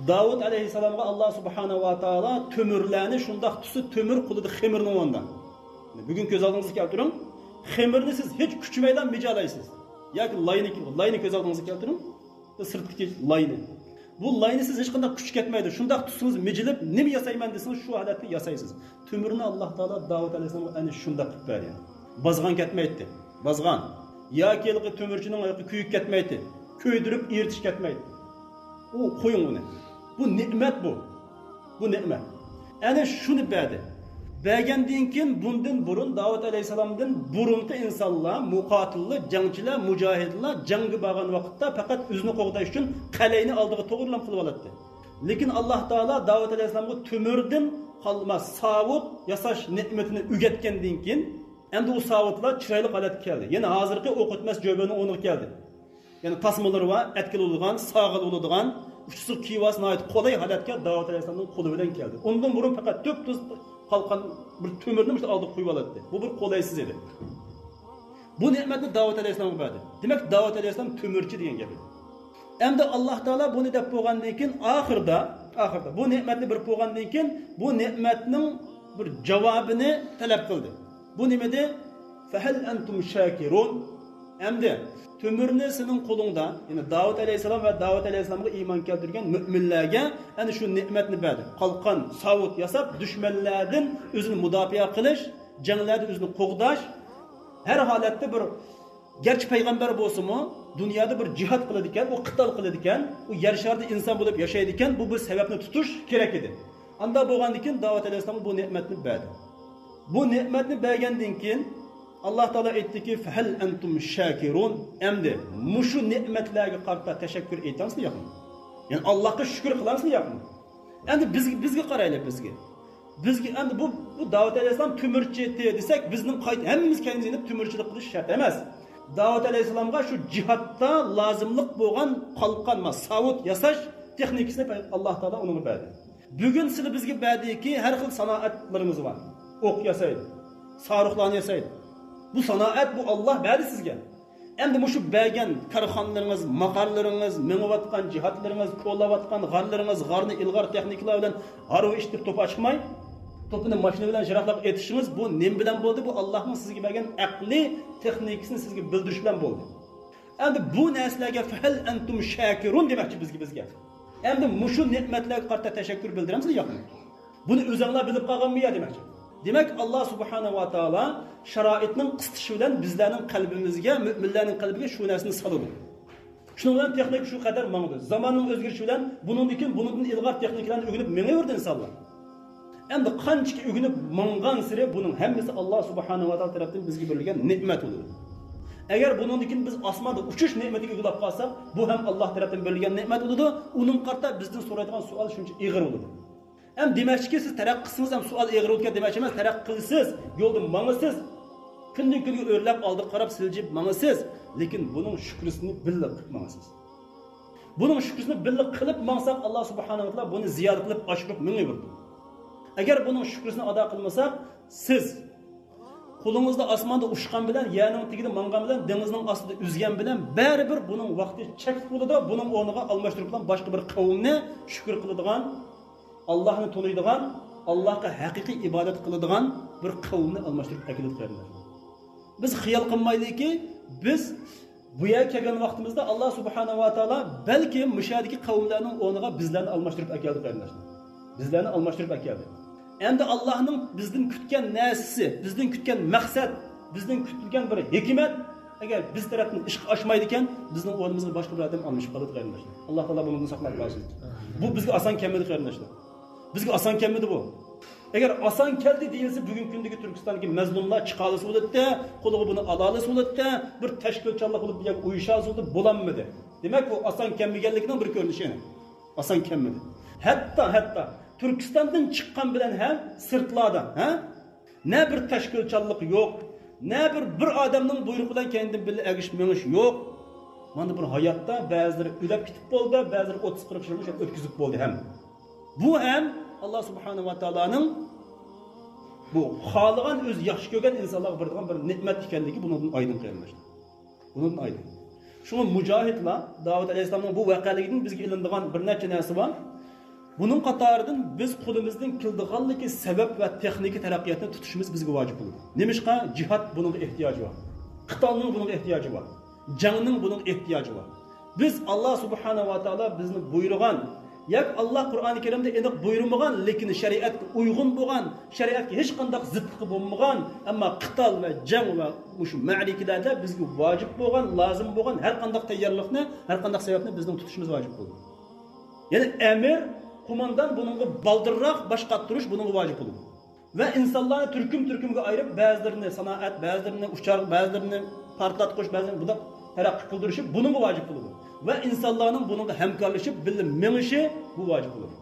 داۋۇت ئەلەيھىسسالامغا ئاللا سۇبھانەھۇ ۋە تائالا تۆمۈرلەرنى شۇنداق تۇتسا، تۆمۈر قولىدا خېمىرنى ئوينىدا. بۈگۈن كۆز ئالدىڭىزغا كەلتۈرۈڭ. خېمىرنى سىز ھېچ كۈچىمەيلا مىجالايسىز. ياكى لاينى، لاينى كۆز ئالدىڭىزغا كەلتۈرۈڭ. سىرتتىكى لاينى. بۇ لاينى سىز ھېچقانداق كۈچ كەتمەيدۇ. شۇنداق تۇتسىڭىز مىجىلىپ، نېمە ياسايمەن دېسىڭىز، شۇ ھالەتتە ياسايسىز. تۆمۈرنى ئاللاھ تائالا داۋۇت ئەلەيھىسسالامغا ئەنە شۇنداق قىلىپ بەردى. بازغان كەتمەيتتى. بازغان. ياكى ھېلىقى تۆمۈرچىنىڭ ھېلىقى كۆيۈك كەتمەيتتى. كۆيدۈرۈپ ئېرىتىش كەتمەيتتى. ئۇ قويۇڭ ئۇنى. بۇ نېمەت بۇ. بۇ نېمەت. ئەنە شۇنى بەردى. بەرگەندىن كېيىن بۇندىن بۇرۇن داۋۇت ئەلەيھىسسالامدىن بۇرۇنقى ئىنسانلار، مۇقاتىللار، جەڭچىلەر، مۇجاھىدلار جەڭگە بارغان ۋاقىتتا پەقەت ئۆزىنى قوغداش ئۈچۈن قەلئەينى ئالدىغا توغرىلاپ قىلىۋالاتتى. لېكىن ئاللاھ تائالا داۋۇت ئەلەيھىسسالامغا تۆمۈردىن قالما ساۋۇت ياساش نېمىتىنى ئۆگەتكەندىن كېيىن، ئەمدى ئۇ ساۋۇتلار چىرايلىق ھالەتكە كەلدى. يەنە ھازىرقى ئوق ئۆتمەس جۆبىنىڭ ئورنىغا كەلدى. يەنى تاسمىلىرى بار، ئەتكىلى بولىدىغان، ساغىلى بولىدىغان، ئۇچىسىغا كىيىۋالسا ناھايىتى قولاي ھالەتكە داۋۇت ئەلەيھىسسالامنىڭ قولى بىلەن كەلدى. ئۇندىن بۇرۇن پەقەت تۈپتۈز قالقان بىر تۆمۈرنى مۇشۇ ئالدىغا قويۇۋالاتتى. بۇ بىر قولايسىز ئىدى. بۇ نېمەتنى داۋۇت ئەلەيھىسسالامغا بەردى. دېمەك، داۋۇت ئەلەيھىسسالام تۆمۈرچى دېگەن گەپ ئىدى. ئەمدى ئاللاھ تائالا بۇنى دەپ بولغاندىن كېيىن، ئاخىردا، ئاخىردا بۇ نېمەتنى بېرىپ بولغاندىن كېيىن، بۇ نېمەتنىڭ بىر جاۋابىنى تەلەپ قىلدى. بۇ نېمىدى؟ فەھەل ئەنتۇم شاكىرۇن؟ ئەمدى تۆمۈرنى سېنىڭ قولۇڭدا، يەنى داۋۇت ئەلەيھىسسالام ۋە داۋۇت ئەلەيھىسسالامغا ئىمان كەلتۈرگەن مۆمىنلەرگە ئەنە شۇ نېمەتنى بەردى. قالقان، ساۋۇت ياساپ، دۈشمەنلەردىن ئۆزىنى مۇداپىئە قىلىش، جەڭلەردە ئۆزىنى قوغداش، ھەر ھالەتتە بىر، گەرچە پەيغەمبەر بولسىمۇ، دۇنيادا بىر جىھاد قىلىدىكەن، ئۇ قىتال قىلىدىكەن، ئۇ يەر شارىدا ئىنسان بولۇپ ياشايدىكەن، بۇ بىر سەۋەبنى تۇتۇش كېرەك ئىدى. ئاندا بولغاندىن كېيىن داۋۇت ئەلەيھىسسالامغا بۇ نېمەتنى بەردى. بۇ نېمەتنى بەرگەندىن كېيىن، ئاللاھ تائالا ئېيتتىكى، فەھەل ئەنتۇم شاكىرۇن؟ ئەمدى مۇشۇ نېمەتلەرگە قارىتا تەشەككۈر ئېيتامسىلەر ياقمۇ؟ يەنى ئاللاھقا شۈكۈر قىلامسىلەر ياقمۇ؟ ئەمدى بىز، بىزگە قارايلى، بىزگە. بىزگە ئەمدى بۇ، بۇ داۋۇت ئەلەيھىسسالام تۆمۈرچى دېسەك، بىزنىڭ قايت-، ھەممىمىز كەينىمىزگە يېنىپ تۆمۈرچىلىك قىلىش شەرت ئەمەس. داۋۇت ئەلەيھىسسالامغا شۇ جىھادتا لازىملىق بولغان قالقان، ما، ساۋۇت ياساش تېخنىكىسىنى ئاللاھ تائالا ئۇنىڭغا بەردى. بۈگۈن سىلى بىزگە بەردىكى ھەر خىل سانائەتلىرىمىز بار. ئوق ياسايدۇ، ساروخلارنى ياسايدۇ. بۇ سانائەت، بۇ ئاللاھ بەردى سىزگە. ئەمدى مۇشۇ بەرگەن كارخانىلىرىڭىز، ماقارلىرىڭىز، مېڭىۋاتقان جىھادلىرىڭىز، كولاۋاتقان غارلىرىڭىز، غارنى ئىلغار تېخنىكىلار بىلەن ھارۋا ئىشلىتىپ توپا چىقماي، توپىنى ماشىنا بىلەن يىراقلارغا ئېتىشىڭىز، بۇ نېمە بىلەن بولدى؟ بۇ ئاللاھنىڭ سىزگە بەرگەن ئەقلى تېخنىكىسىنى سىزگە بىلدۈرۈش بىلەن بولدى. ئەمدى بۇ نەرسىلەرگە فەھەل ئەنتۇم شاكىرۇن دېمەكچى بىزگە، بىزگە. ئەمدى مۇشۇ نېمەتلەرگە قارىتا تەشەككۈر بىلدۈرەمسىلەر ياقمۇ؟ بۇنى ئۆزەڭلار بىلىپ قالغانمۇ يا دېمەكچى. دېمەك، ئاللاھ سۇبھانەھۇ ۋە تائالا شارائىتنىڭ قىستىشى بىلەن بىزلەرنىڭ قەلبىمىزگە، مۆمىنلەرنىڭ قەلبىگە شۇ نەرسىنى سالىدۇ. شۇنىڭ بىلەن تېخنىكا شۇ قەدەر ماڭىدۇ. زاماننىڭ ئۆزگىرىشى بىلەن بۇنىڭدىن كېيىن بۇنىڭدىن ئىلغار تېخنىكىلارنى ئۆگىنىپ مېڭىۋېرىدۇ ئىنسانلار. ئەمدى قانچىكى ئۆگىنىپ ماڭغانسېرى بۇنىڭ ھەممىسى ئاللاھ سۇبھانەھۇ ۋە تائالا تەرەپتىن بىزگە بېرىلگەن نېمەت بولىدۇ. ئەگەر بۇنىڭدىن كېيىن بىز ئاسماندا ئۇچۇش نېمىتىگە ئىگە بولۇپ قالساق، بۇ ھەم ئاللاھ تەرەپتىن بېرىلگەن نېمەت بولىدۇ. ئۇنىڭغا قارىتا بىزدىن سورايدىغان سوئال شۇنچە ئېغىر بولىدۇ. ھەم دېمەكچىكى، سىز تەرەققىي قىلسىڭىز ھەم سوئال ئېغىر بولىدىكەن دېمەكچى ئەمەس، تەرەققىي قىلىسىز، يولدا ماڭىسىز، كۈندىن كۈنگە ئۆرلەپ ئالدىغا قاراپ سىلجىپ ماڭىسىز، لېكىن بۇنىڭ شۈكرىسىنى بىللە قىلىپ ماڭىسىز. بۇنىڭ شۈكرىسىنى بىللە قىلىپ ماڭساق، ئاللاھ سۇبھانەھۇ ۋە تائالا بۇنى زىيادە قىلىپ ئاشۇرۇپ مېڭىۋېرىدۇ. ئەگەر بۇنىڭ شۈكرىسىنى ئادا قىلمىساق، سىز قولىڭىزدا ئاسماندا ئۇچقان بىلەن، يەرنىڭ تېگىدە ماڭغان بىلەن، دېڭىزنىڭ ئاستىدا ئۈزگەن بىلەن بەرىبىر بۇنىڭ ۋاقتى چەكلىك بولىدۇ. بۇنىڭ ئورنىغا ئالماشتۇرۇپ بىلەن باشقا بىر قەۋمنى شۈكۈر قىلىدىغان، ئاللاھنى تونۇيدىغان، ئاللاھقا ھەقىقىي ئىبادەت قىلىدىغان بىر قەۋمنى ئالماشتۇرۇپ ئەكېلىدۇ قېرىنداشلار. بىز خىيال قىلمايلىكى، بىز بۇ يەرگە كەلگەن ۋاقتىمىزدا ئاللاھ سۇبھانەھۇ ۋە تائالا بەلكىم مۇشۇ يەردىكى قەۋملەرنىڭ ئورنىغا بىزلەرنى ئالماشتۇرۇپ ئەكەلدى قېرىنداشلار. بىزلەرنى ئالماشتۇرۇپ ئەكەلدى. ئەمدى ئاللاھنىڭ بىزدىن كۈتكەن نەرسىسى، بىزدىن كۈتكەن مەقسەت، بىزدىن كۈتۈلگەن بىر ھېكمەت ئەگەر بىز تەرەپتىن ئىشقا ئاشمايدىكەن، بىزنىڭ ئورنىمىزغا باشقا بىر ئادەم ئالمىشىپ قالىدۇ قېرىنداشلار. ئاللاھ تائالا بۇنىڭدىن ساقلاپ قالسۇن. بۇ بىزگە ئاسان كەلمىدى قېرىنداشلار. بىزگە ئاسان كەلمىدى بۇ. ئەگەر ئاسان كەلدى دېيىلسە، بۈگۈنكى كۈندىكى تۈركىستاندىكى مەزلۇملار چىقالىسى بولاتتى، قولىغا بۇنى ئالالىسى بولاتتى، بىر تەشكىلچانلىق بولۇپ بۇ يەرگە ئۇيۇشالىسى بولاتتى، بولالمىدى. دېمەك، بۇ ئاسان كەلمىگەنلىكىنىڭ بىر كۆرۈنۈشى. ئاسان كەلمىدى. ھەتتا، ھەتتا تۈركىستاندىن چىققان بىلەن ھەم سىرتلاردا، ھە؟ نە بىر تەشكىلچانلىق يوق، نە بىر، بىر ئادەمنىڭ بۇيرۇقى بىلەن كەينىدىن بىللە ئەگىشىپ مېڭىش يوق. مانا بىر ھاياتتا بەزىلىرى ئۆلۈپ كېتىپ بولدى، بەزىلىرى ئوتتۇز قىرىق يىلنى شۇنداق ئۆتكۈزۈپ بولدى ھەم. بۇ ھەم ئاللاھ سۇبھانەھۇ ۋە تائالانىڭ بۇ خالىغان، ئۆزى ياخشى كۆرگەن ئىنسانلارغا بېرىدىغان بىر نېمەت ئىكەنلىكى بۇنىڭدىن ئايدىڭ قېرىنداشلار. بۇنىڭدىن ئايدىڭ. شۇڭا مۇجاھىدلار، داۋۇت ئەلەيھىسسالامنىڭ بۇ ۋەقەلىكىدىن بىزگە ئېلىنىدىغان بىر نەچچە نەرسە بار. بۇنىڭ قاتارىدىن بىز قولىمىزدىن كېلىدىغانلىكى سەۋەب ۋە تېخنىكا تەرەققىياتنى تۇتۇشىمىز بىزگە ۋاجىپ بولىدۇ. نېمىشقا؟ جىھاد بۇنىڭغا ئېھتىياجى بار. قىتالنىڭ بۇنىڭغا ئېھتىياجى بار. جەڭنىڭ بۇنىڭغا ئېھتىياجى بار. بىز ئاللا سۇبھانەھۇ ۋە تائالا بىزنى بۇيرۇغان ياكى ئاللا قۇرئانى كەرىمدە ئېنىق بۇيرۇمىغان، لېكىن شەرىئەتكە ئۇيغۇن بولغان، شەرىئەتكە ھېچقانداق زىتلىقى بولمىغان، ئەمما قىتال ۋە جەڭ ۋە مۇشۇ مەرىكىلەردە بىزگە ۋاجىپ بولغان، لازىم بولغان ھەر قانداق تەييارلىقنى، ھەر قانداق سەۋەبنى بىزنىڭ تۇتۇشىمىز ۋاجىپ بولىدۇ. يەنى ئەمىر، قوماندان بۇنىڭغا بالدۇرراق باش قاتۇرۇش بۇنىڭغا ۋاجىپ بولىدۇ. ۋە ئىنسانلارنى تۈركۈم-تۈركۈمگە ئايرىپ، بەزىلىرىنى سانائەت، بەزىلىرىنى ئۇچار، بەزىلىرىنى پارتلاتقۇچ، بەزىلىرىنى بۇنداق تەرەققىي قىلدۇرۇشى بۇنىڭغا ۋاجىپ بولىدۇ. ۋە ئىنسانلارنىڭ بۇنىڭغا ھەمكارلىشىپ، بىللە مېڭىشى بۇ ۋاجىپ بولىدۇ.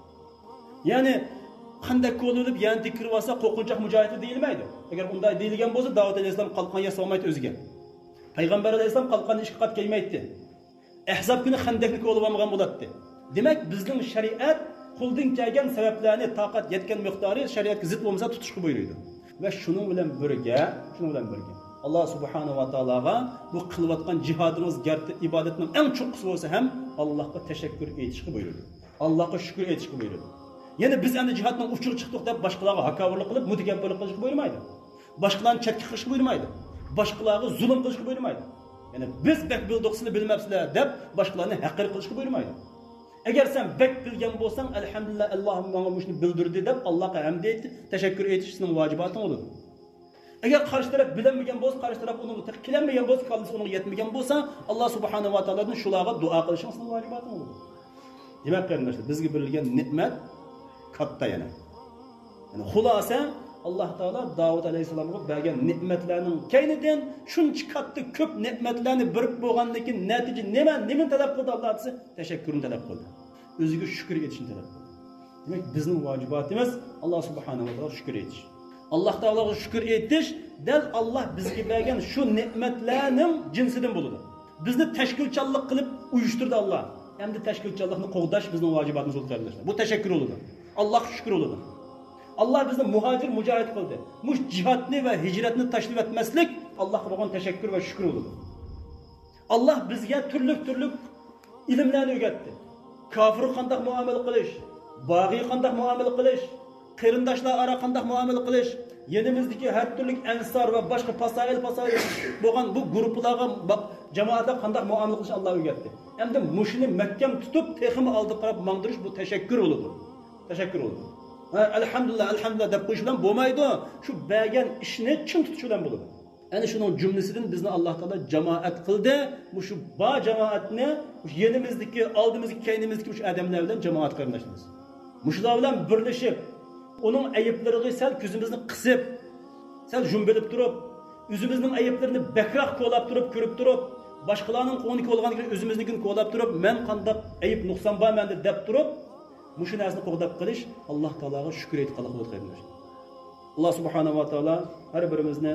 يەنى خەندەك كولىۋېلىپ، يەنە تېكىرىۋالسا، قورقۇنچاق مۇجاھىدلار دېيىلمەيدۇ. ئەگەر ئۇنداق دېيىلگەن بولسا، داۋۇت ئەلەيھىسسالام قالقان ياسىۋالمايتتى ئۆزىگە. پەيغەمبەر ئەلەيھىسسالام قالقاننى ئىككى قات كىيمەيتتى. ئەھزاب كۈنى خەندەكنى كولىۋالمىغان بولاتتى. دېمەك، بىزنىڭ شەرىئەت قولدىن كەلگەن سەۋەبلەرنى تاقەت يەتكەن مىقدارى شەرىئەتكە زىت بولمىسا تۇتۇشقا بۇيرۇيدۇ. ۋە شۇنىڭ بىلەن بىرگە، شۇنىڭ بىلەن بىرگە، ئاللا سۇبھانەھۇ ۋە تائالاغا بۇ قىلىۋاتقان جىھادىڭىز گەرتە ئىبادەتنىڭ ئەڭ چوڭقىسى بولسا ھەم، ئاللاھقا تەشەككۈر ئېيتىشقا بۇيرۇيدۇ. ئاللاھقا شۈكۈر ئېيتىشقا بۇيرۇيدۇ. يەنى بىز ئەمدى جىھادنىڭ ئۇچىغا چىقتۇق دەپ باشقىلارغا ھاكاۋۇرلۇق قىلىپ، مۇتەكەببىرلىك قىلىشقا بۇيرۇمايدۇ. باشقىلارنى چەتكە قىلىشقا بۇيرۇمايدۇ. باشقىلارغا زۇلۇم قىلىشقا بۇيرۇمايدۇ. يەنى بىز بەك بىلدۇق، سىلەر بىلمەپسىلەر دەپ باشقىلارنى ھەقىر قىلىشقا بۇيرۇمايدۇ. ئەگەر سەن بەك بىلگەن بولساڭ، ئەلھەمدۇلىللا، ئاللاھ ماڭا مۇشۇنى بىلدۈردى دەپ ئاللاھقا ھەمد ئېيتىپ، تەشەككۈر ئېيتىش سېنىڭ ۋاجىباتىڭ بولىدۇ. ئەگەر قارشى تەرەپ بىلەلمىگەن بولسا، قارشى تەرەپ ئۇنىڭغا تېخى كېلەلمىگەن بولسا، كاللىسى ئۇنىڭغا يەتمىگەن بولسا، ئاللاھ سۇبھانەھۇ ۋە تائالادىن شۇلارغا دۇئا قىلىشىڭ سېنىڭ ۋاجىباتىڭ بولىدۇ. دېمەك، قېرىنداشلار، بىزگە بېرىلگەن نېمەت كاتتا يەنە. يەنى خۇلاسە، ئاللاھ تائالا داۋۇت ئەلەيھىسسالامغا بەرگەن نېمەتلەرنىڭ كەينىدىن شۇنچە كاتتا كۆپ نېمەتلەرنى بېرىپ بولغاندىن كېيىن نەتىجە نېمە، نېمىنى تەلەپ قىلدى ئاللاھ دېسە، تەشەككۈرنى تەلەپ قىلدى. ئۆزىگە شۈكۈر ئېيتىشنى تەلەپ قىلدى. دېمەك، بىزنىڭ ۋاجىباتىمىز ئاللاھ سۇبھانەھۇ ۋە تائالاغا شۈكۈر ئېيتىش. ئاللاھ تائالاغا شۈكۈر ئېيتىش دەل ئاللاھ بىزگە بەرگەن شۇ نېمەتلەرنىڭ جىنسىدىن بولىدۇ. بىزنى تەشكىلچانلىق قىلىپ ئۇيۇشتۇردى ئاللاھ. ئەمدى تەشكىلچانلىقنى قوغداش بىزنىڭ ۋاجىباتىمىز بولدى، قېرىنداشلار. بۇ تەشەككۈر بولىدۇ. ئاللاھقا شۈكۈر بولىدۇ. ئاللاھ بىزنى مۇھاجىر، مۇجاھىد قىلدى. مۇشۇ جىھادنى ۋە ھىجرەتنى تاشلىۋەتمەسلىك ئاللاھقا بولغان تەشەككۈر ۋە شۈكۈر بولىدۇ. ئاللاھ بىزگە تۈرلۈك-تۈرلۈك ئىلىملەرنى ئۆگەتتى. كاپىرغا قانداق مۇئامىلە قىلىش، باغىيغا قانداق مۇئامىلە قىلىش، قېرىنداشلار ئارا قانداق مۇئامىلە قىلىش، يېنىمىزدىكى ھەر تۈرلۈك ئەنسار ۋە باشقا پاسائىل-پاسائىل بولغان بۇ گۇرۇپپىلارغا، با-، جامائەتلەرگە قانداق مۇئامىلە قىلىشنى ئاللاھ ئۆگەتتى. ئەمدى مۇشۇنى مەھكەم تۇتۇپ، تېخىمۇ ئالدىغا قاراپ ماڭدۇرۇش، بۇ تەشەككۈر بولىدۇ. تەشەككۈر بولىدۇ. ھە، ئەلھەمدۇلىللا، ئەلھەمدۇلىللا دەپ قويۇش بىلەن بولمايدۇ. شۇ بەرگەن ئىشنى چىڭ تۇتۇش بىلەن بولىدۇ. ئەنە شۇنىڭ جۈملىسىدىن بىزنى ئاللاھ تائالا جامائەت قىلدى. مۇشۇ بار جامائەتنى، مۇشۇ يېنىمىزدىكى، ئالدىمىزدىكى، كەينىمىزدىكى مۇشۇ ئادەملەر بىلەن جامائەت قېرىنداشلىرىمىز. مۇشۇلار بىلەن بىرلىشىپ، ئۇنىڭ ئەيىبلىرىگە سەل كۆزىمىزنى قىسىپ، سەل ژۇمبىلىپ تۇرۇپ، ئۆزىمىزنىڭ ئەيىبلىرىنى بەكرەك كولاپ تۇرۇپ، كۆرۈپ تۇرۇپ، باشقىلارنىڭ كۆڭلىنى كولىغاندىن كېيىن ئۆزىمىزنىڭكىنى كولاپ تۇرۇپ، مەن قانداق ئەيىب نۇقسان بار مەندە دەپ تۇرۇپ، مۇشۇ نەرسىنى قوغداپ قېلىش ئاللاھ تائالاغا شۈكۈر ئېيتقانلىق بولىدۇ، قېرىنداشلار. ئاللاھ سۇبھانەھۇ ۋە تائالا ھەر بىرىمىزنى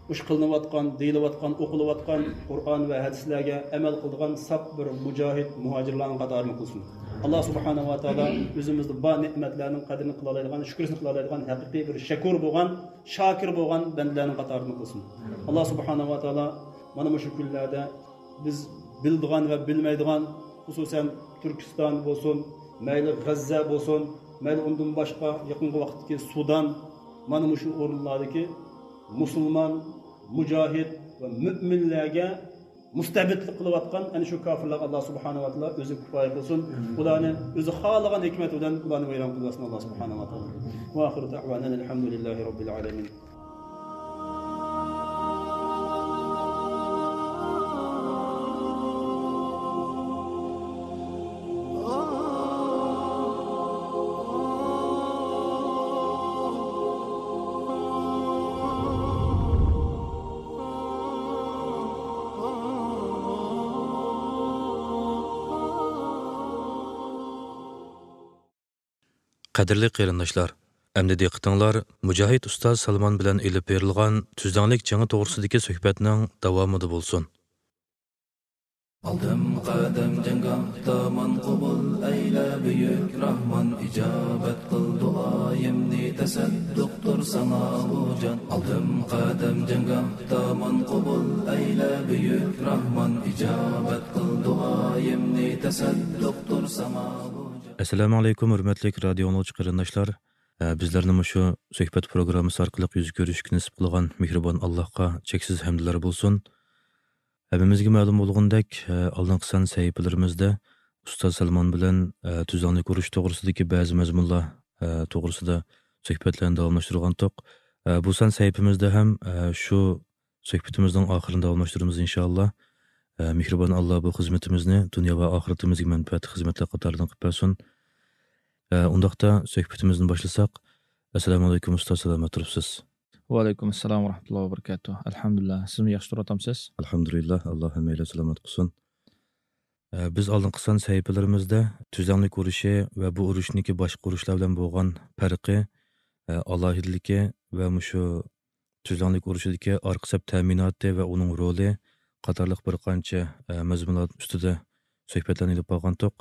مۇشۇ قىلىنىۋاتقان، دېيىلىۋاتقان، ئوقۇلۇۋاتقان قۇرئان ۋە ھەدىسلەرگە ئەمەل قىلىدىغان ساپ بىر مۇجاھىد، مۇھاجىرلارنىڭ قاتارىدىن قىلسۇن. ئاللاھ سۇبھانەھۇ ۋە تائالا ئۆزىمىزدە بار نېمەتلەرنىڭ قەدرىنى قىلالايدىغان، شۈكرىسىنى قىلالايدىغان ھەقىقىي بىر شەكۇر بولغان، شاكىر بولغان بەندىلەرنىڭ قاتارىدىن قىلسۇن. ئاللاھ سۇبھانەھۇ ۋە تائالا مانا مۇشۇ كۈنلەردە بىز بىلىدىغان ۋە بىلمەيدىغان، خۇسۇسەن تۈركىستان بولسۇن، مەيلى غەززە بولسۇن، مەيلى ئۇندىن باشقا يېقىنقى ۋاقىتتىكى سۇدان، مانا مۇشۇ ئورۇنلاردىكى مۇسۇلمان، مۇجاھىد ۋە مۆمىنلەرگە مۇستەبىتلىك قىلىۋاتقان ئەنە شۇ كاپىرلارغا ئاللاھ سۇبھانەھۇ ۋە تائالا ئۆزى كۇپايە قىلسۇن. ئۇلارنى ئۆزى خالىغان ھېكمىتى بىلەن ئۇلارنى ۋەيران قىلىۋەتسۇن ئاللاھ سۇبھانەھۇ ۋە تائالا. ۋە ئاخىرۇ دەئۋانا ئەنىل ھەمدۇلىللاھى رەببىل ئالەمىن. قەدىرلىك قېرىنداشلار، ئەمدى دىققىتىڭلار مۇجاھىد ئۇستاز سالمان بىلەن ئېلىپ بېرىلغان تۈزلەڭلىك جېڭى توغرىسىدىكى سۆھبەتنىڭ داۋامىدا بولسۇن. ئالدىم قەدەم جەڭگاھدا ماڭا قوبۇل ئەيلە بۈيۈك راھمان، ئىجابەت قىل دۇئايىمنى، تەسەددۇقتۇر ساڭا بۇ جان. ئالدىم قەدەم جەڭگاھدا ماڭا قوبۇل ئەيلە بۈيۈك راھمان، ئىجابەت قىل دۇئايىمنى، تەسەددۇقتۇر ساڭا بۇ جان. ئەسسالامۇ ئەلەيكۇم، ھۆرمەتلىك رادىيو ئاڭلىغۇچى قېرىنداشلار. ئە، بىزلەرنى مۇشۇ سۆھبەت پروگراممىسى ئارقىلىق يۈز كۆرۈشكە نېسىپ قىلغان مېھرىبان ئاللاھقا چەكسىز ھەمدلەر بولسۇن. ھەممىمىزگە مەلۇم بولغىنىدەك، ئە، ئالدىنقى سان سەھىپىلىرىمىزدە ئۇستاز سالمان بىلەن، ئە، تۈزلەڭلىك ئۇرۇش توغرىسىدىكى بەزى مەزمۇنلار، ئە، توغرىسىدا سۆھبەتلەرنى داۋاملاشتۇرغانتۇق. ئە، بۇ سان سەھىپىمىزدە ھەم، ئە، شۇ سۆھبىتىمىزنىڭ ئاخىرىنى داۋاملاشتۇرىمىز، ئىنشائاللا. ئە، مېھرىبان ئاللا بۇ خىزمىتىمىزنى دۇنيا ۋە ئاخىرىتىمىزگە مەنپەئەتلىك خىزمەتلەر قاتارىدىن قىلىپ بەرسۇن. ئە، ئۇنداقتا سۆھبىتىمىزنى باشلىساق. ئەسسالامۇ ئەلەيكۇم ئۇستاز، سالامەت تۇرۇپسىز؟ ۋەئەلەيكۇم ئەسسالام ۋە رەھمەتۇللاھى ۋە بەرىكاتۇھ. ئەلھەمدۇلىللا. سىزمۇ ياخشى تۇرۇۋاتامسىز؟ ئەلھەمدۇلىللا، ئاللا ھەممەيلەن سالامەت قىلسۇن. ئە، بىز ئالدىنقى سان سەھىپىلىرىمىزدە تۈزلەڭلىك ئۇرۇشى ۋە بۇ ئۇرۇشنىڭكى باشقا ئۇرۇشلار بىلەن بولغان پەرقى، ئە، ئالاھىدىلىكى ۋە مۇشۇ تۈزلەڭلىك ئۇرۇشىدىكى ئارقا سەپ تەمىناتى ۋە ئۇنىڭ رولى قاتارلىق بىر قانچە، ئە، مەزمۇنلار ئۈستىدە سۆھبەتلەرنى ئېلىپ بارغانتۇق.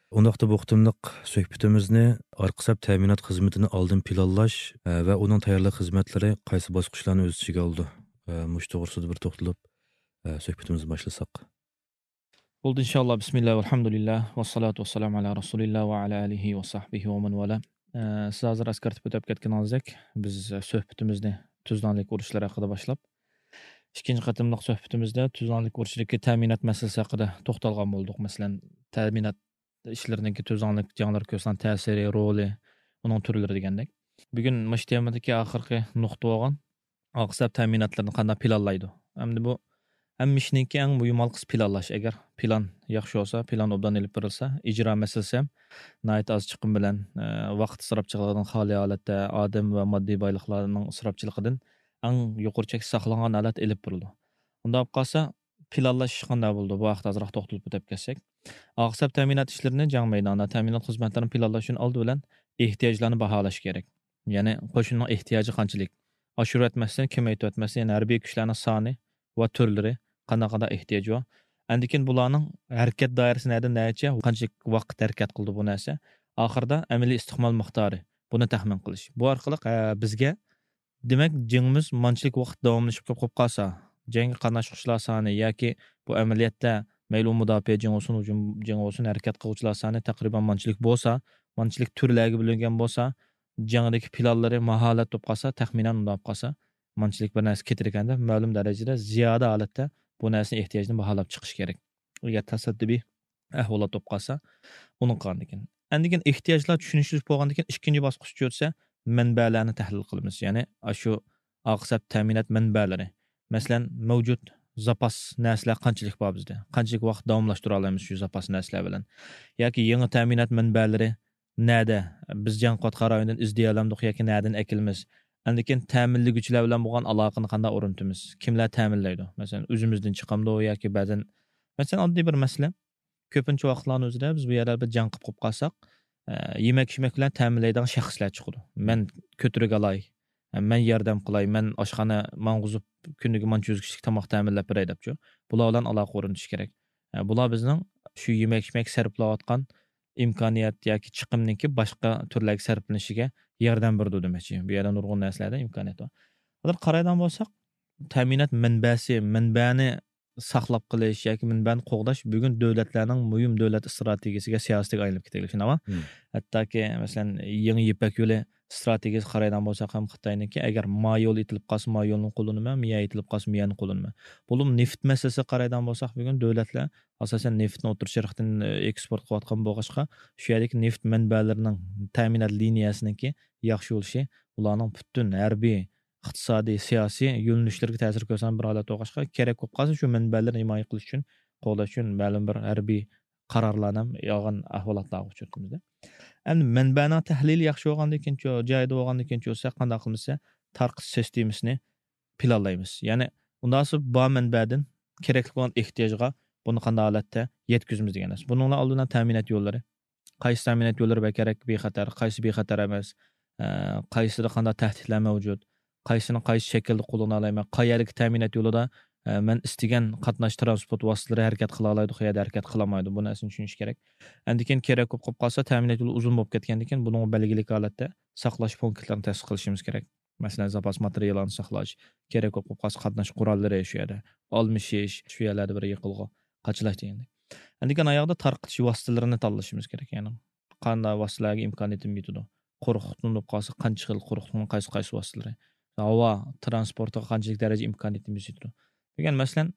ئۇنداقتا بۇ قېتىملىق سۆھبىتىمىزنى ئارقا سەپ تەمىنات خىزمىتىنى ئالدىن پىلانلاش، ئە، ۋە ئۇنىڭ تەييارلىق خىزمەتلىرى قايسى باسقۇچلارنى ئۆز ئىچىگە ئالىدۇ؟ ئە، مۇشۇ توغرىسىدا بىر توختىلىپ، ئە، سۆھبىتىمىزنى باشلىساق. بولدى، ئىنشائاللا. بىسمىللا، ۋەلھەمدۇلىللا، ۋەسسالاتۇ ۋەسسالامۇ ئەلا رەسۇلىللا ۋە ئەلا ئالىھى ۋە سەھبىھى ۋە مەن ۋالا. ئە، سىز ھازىر ئەسكەرتىپ ئۆتۈپ كەتكىنىڭىزدەك، بىز سۆھبىتىمىزنى تۈزلەڭلىك ئۇرۇشلىرى ھەققىدە باشلاپ، ئىككىنچى قېتىملىق سۆھبىتىمىزدە تۈزلەڭلىك ئۇرۇشىدىكى تەمىنات مەسىلىسى ھەققىدە توختالغان بولدۇق. مەسىلەن، تەمىنات ئىشلىرىنىڭكى تۈزلەڭلىك جەڭلەر كۆرسىتىدىغان تەسىرى، رولى، ئۇنىڭ تۈرلىرى دېگەندەك. بۈگۈن مۇشۇ تېمىدىكى ئاخىرقى نۇقتا بولغان ئارقا سەپ تەمىناتلىرىنى قانداق پىلانلايدۇ؟ ئەمدى بۇ ھەممە ئىشنىڭكى ئەڭ مۇھىم ھالقىسى پىلانلاش. ئەگەر پىلان ياخشى بولسا، پىلان ئوبدان ئېلىپ بېرىلسە، ئىجرا مەسىلىسى ھەم ناھايىتى ئاز چىقىم بىلەن، ئە، ۋاقىت ئىسراپچىلىقىدىن خالىي ھالەتتە، ئادەم ۋە ماددىي بايلىقلارنىڭ ئىسراپچىلىقىدىن ئەڭ يۇقىرى چەكتە ساقلانغان ھالەتتە ئېلىپ بېرىلىدۇ. ئۇنداق بولۇپ قالسا، پىلانلاش ئىشى قانداق بولىدۇ؟ بۇ ھەقتە ئازراق توختىلىپ ئۆتۈپ كەتسەك. ئارقا سەپ تەمىنات ئىشلىرىنى جەڭ مەيدانىدا تەمىنات خىزمەتلىرىنى پىلانلاشتىن ئالدى بىلەن ئېھتىياجلارنى باھالاش كېرەك. يەنى قوشۇننىڭ ئېھتىياجى قانچىلىك؟ ئاشۇرۇۋەتمەستىن، كېمەيتىۋەتمەستىن، يەنى ھەربىي كۈچلەرنىڭ سانى ۋە تۈرلىرى قانداق، قانداق ئېھتىياج بار؟ ئاندىن كېيىن بۇلارنىڭ ھەرىكەت دائىرىسى نەدىن نەچچە، قانچىلىك ۋاقىت ھەرىكەت قىلىدۇ بۇ نەرسە؟ ئاخىرىدا ئەمەلىي ئىستېمال مىقدارى، بۇنى تەخمىن قىلىش. بۇ ئارقىلىق، ھە، بىزگە دېمەك، جېڭىمىز مانچىلىك ۋاقىت داۋاملىشىپ قېلىپ قالسا، جەڭگە قاتناشقۇچىلار سانى ياكى بۇ ئەمەلىيەتتە مەيلى ئۇ مۇداپىئە جېڭى بولسۇن، ھۇجۇم جېڭى بولسۇن، ھەرىكەت قىلغۇچىلار سانى تەقرىبەن مانچىلىك بولسا، مانچىلىك تۈرلەرگە بۆلۈنگەن بولسا، جەڭدىكى پىلانلىرى ماھالەت بولۇپ قالسا، تەخمىنەن مۇنداق بولۇپ قالسا، مانچىلىك بىر نەرسە كېتىدىكەن دەپ، مەلۇم دەرىجىدە زىيادە ھالەتتە بۇ نەرسىنىڭ ئېھتىياجىنى باھالاپ چىقىش كېرەك. ئەگەر تاساددىپىي ئەھۋالات بولۇپ قالسا، ئۇنى قىلغاندىن كېيىن. ئاندىن كېيىن ئېھتىياجلار چۈشىنىشلىك بولغاندىن كېيىن، ئىككىنچى باسقۇچ چۈشۈرسە، مەنبەلەرنى تەھلىل قىلىمىز. يەنى، ئاشۇ ئارقا سەپ تەمىنات مەنبەلىرى. مەسىلەن، مەۋجۇت زاپاس نەرسىلەر قانچىلىك بار بىزدە؟ قانچىلىك ۋاقىت داۋاملاشتۇرالايمىز شۇ زاپاس نەرسىلەر بىلەن؟ ياكى يېڭى تەمىنات مەنبەلىرى نەدە؟ بىز جەڭ قىلىۋاتقان رايوندىن ئىزدىيەلەمدۇق ياكى نەدىن ئەكېلىمىز؟ ئاندىن كېيىن تەمىنلىگۈچىلەر بىلەن بولغان ئالاقىنى قانداق ئورنىتىمىز؟ كىملەر تەمىنلەيدۇ؟ مەسىلەن، ئۆزىمىزدىن چىقامدۇ ياكى بەزەن، مەسىلەن، ئاددىي بىر مەسىلە. كۆپىنچە ۋاقىتلارنىڭ ئۆزىدە بىز بۇ يەردە بىر جەڭ قىلىپ قويۇپ قالساق، ئە، يېمەك-ئىچمەك بىلەن تەمىنلەيدىغان شەخسلەر چىقىدۇ. مەن كۆتۈرۈپ ئالاي، مەن ياردەم قىلاي، مەن ئاشخانا ماڭغۇزۇپ، كۈنىگە مانچە يۈز كىشىلىك تاماق تەمىنلەپ بېرەي دەپچۇ. بۇلار بىلەن ئالاقە ئورنىتىش كېرەك. ئە، بۇلار بىزنىڭ شۇ يېمەك-ئىچمەك سەرپلەۋاتقان ئىمكانىيەت ياكى چىقىمنىڭكى باشقا تۈرلەرگە سەرپلىنىشىگە ياردەم بېرىدۇ دېمەكچى. بۇ يەردە نۇرغۇن نەرسىلەردە ئىمكانىيەت بار. ھازىر قارايدىغان بولساق، تەمىنات مەنبەسى، مەنبەنى ساقلاپ قېلىش ياكى مەنبەنى قوغداش بۈگۈن دۆلەتلەرنىڭ مۇھىم دۆلەت ئىستراتېگىيەسىگە، سىياسىتىگە ئايلىنىپ كېتىۋاتىدۇ، شۇنداقمۇ؟ مم. ھەتتاكى، مەسىلەن، يېڭى يىپەك يولى ئىستراتېگىيەسىگە قارايدىغان بولساق ھەم خىتاينىڭكى، ئەگەر ما يول ئېتىلىپ قالسا، ما يولنى قوللىنىمەن، مىيا ئېتىلىپ قالسا، مىيانى قوللىنىمەن. بولۇپ نېفىت مەسىلىسىگە قارايدىغان بولساق، بۈگۈن دۆلەتلەر ئاساسەن نېفىتنى ئوتتۇرا شەرقتىن، ئېكسپورت قىلىۋاتقان بولغاچقا، شۇ يەردىكى نېفىت مەنبەلىرىنىڭ تەمىنات لىنىيەسىنىڭكى ياخشى بولۇشى ئۇلارنىڭ پۈتۈن ھەربىي ئىقتىسادىي، سىياسىي يۆنىلىشلىرىگە تەسىر كۆرسەتكەن بىر ھالەت بولغاچقا، كېرەك بولۇپ قالسا، شۇ مەنبەلەرنى ھىمايە قىلىش ئۈچۈن، قوغداش ئۈچۈن مەلۇم بىر ھەربىي قارارلارنى ھەم ئالغان ئەھۋالاتلارغا ئۇچرىدۇق بىزدە. ئەمدى مەنبەنىڭ تەھلىلى ياخشى بولغاندىن كېيىن، جايىدا بولغاندىن كېيىن بولسا، قانداق قىلىمىز دېسە، تارقىتىش سىستېمىسىنى پىلانلايمىز. يەنى، ئۇنداق بولسا بار مەنبەدىن كېرەكلىك بولغان ئېھتىياجغا بۇنى قانداق ھالەتتە يەتكۈزىمىز دېگەن نەرسە. بۇنىڭ بىلەن ئالدى بىلەن تەمىنات يوللىرى، قايسى تەمىنات يوللىرى بەك كېرەك، بىخەتەر، قايسى بىخەتەر ئەمەس، ئە، قايسىدا قانداق تەھدىتلەر مەۋجۇت، قايسىنى قايسى شەكىلدە قوللىنالايمەن، قەيەردىكى تەمىنات يولىدا، ئە، مەن ئىستىگەن قاتناش تىرانسپورت ۋاسىتىلىرى ھەرىكەت قىلالايدۇ، قەيەردە ھەرىكەت قىلالمايدۇ. بۇ نەرسىنى چۈشىنىش كېرەك. ئاندىن كېيىن كېرەك بولۇپ قالسا، تەمىنات يولى ئۇزۇن بولۇپ كەتكەندىن كېيىن بۇنىڭغا بەلگىلىك ھالەتتە ساقلاش پونكىتلىرىنى تەسىس قىلىشىمىز كېرەك. مەسىلەن، زاپاس ماتېرىياللارنى ساقلاش، كېرەك بولۇپ قالسا قاتناش قوراللىرى شۇ يەردە، ئالمىشىش، شۇ يەرلەردە بىر يىغىلغۇ قاچىلاش دېگەندەك. ئاندىن كېيىن ئاياغدا تارقىتىش ۋاسىتىلىرىنى تاللىشىمىز كېرەك. يەنى قانداق ۋاسىتىلەرگە ئىمكانىيىتىم يېتىدۇ؟ قۇرۇقلۇقتىن بولۇپ قالسا قانچە خىل قۇرۇقلۇقنىڭ قايسى، قايسى ۋاسىتىلىرى؟ ھاۋا تىرانسپورتىغا قانچىلىك دەرىجە ئىمكانىيىتىمىز يېتىدۇ؟ دېگەن مەسىلەن،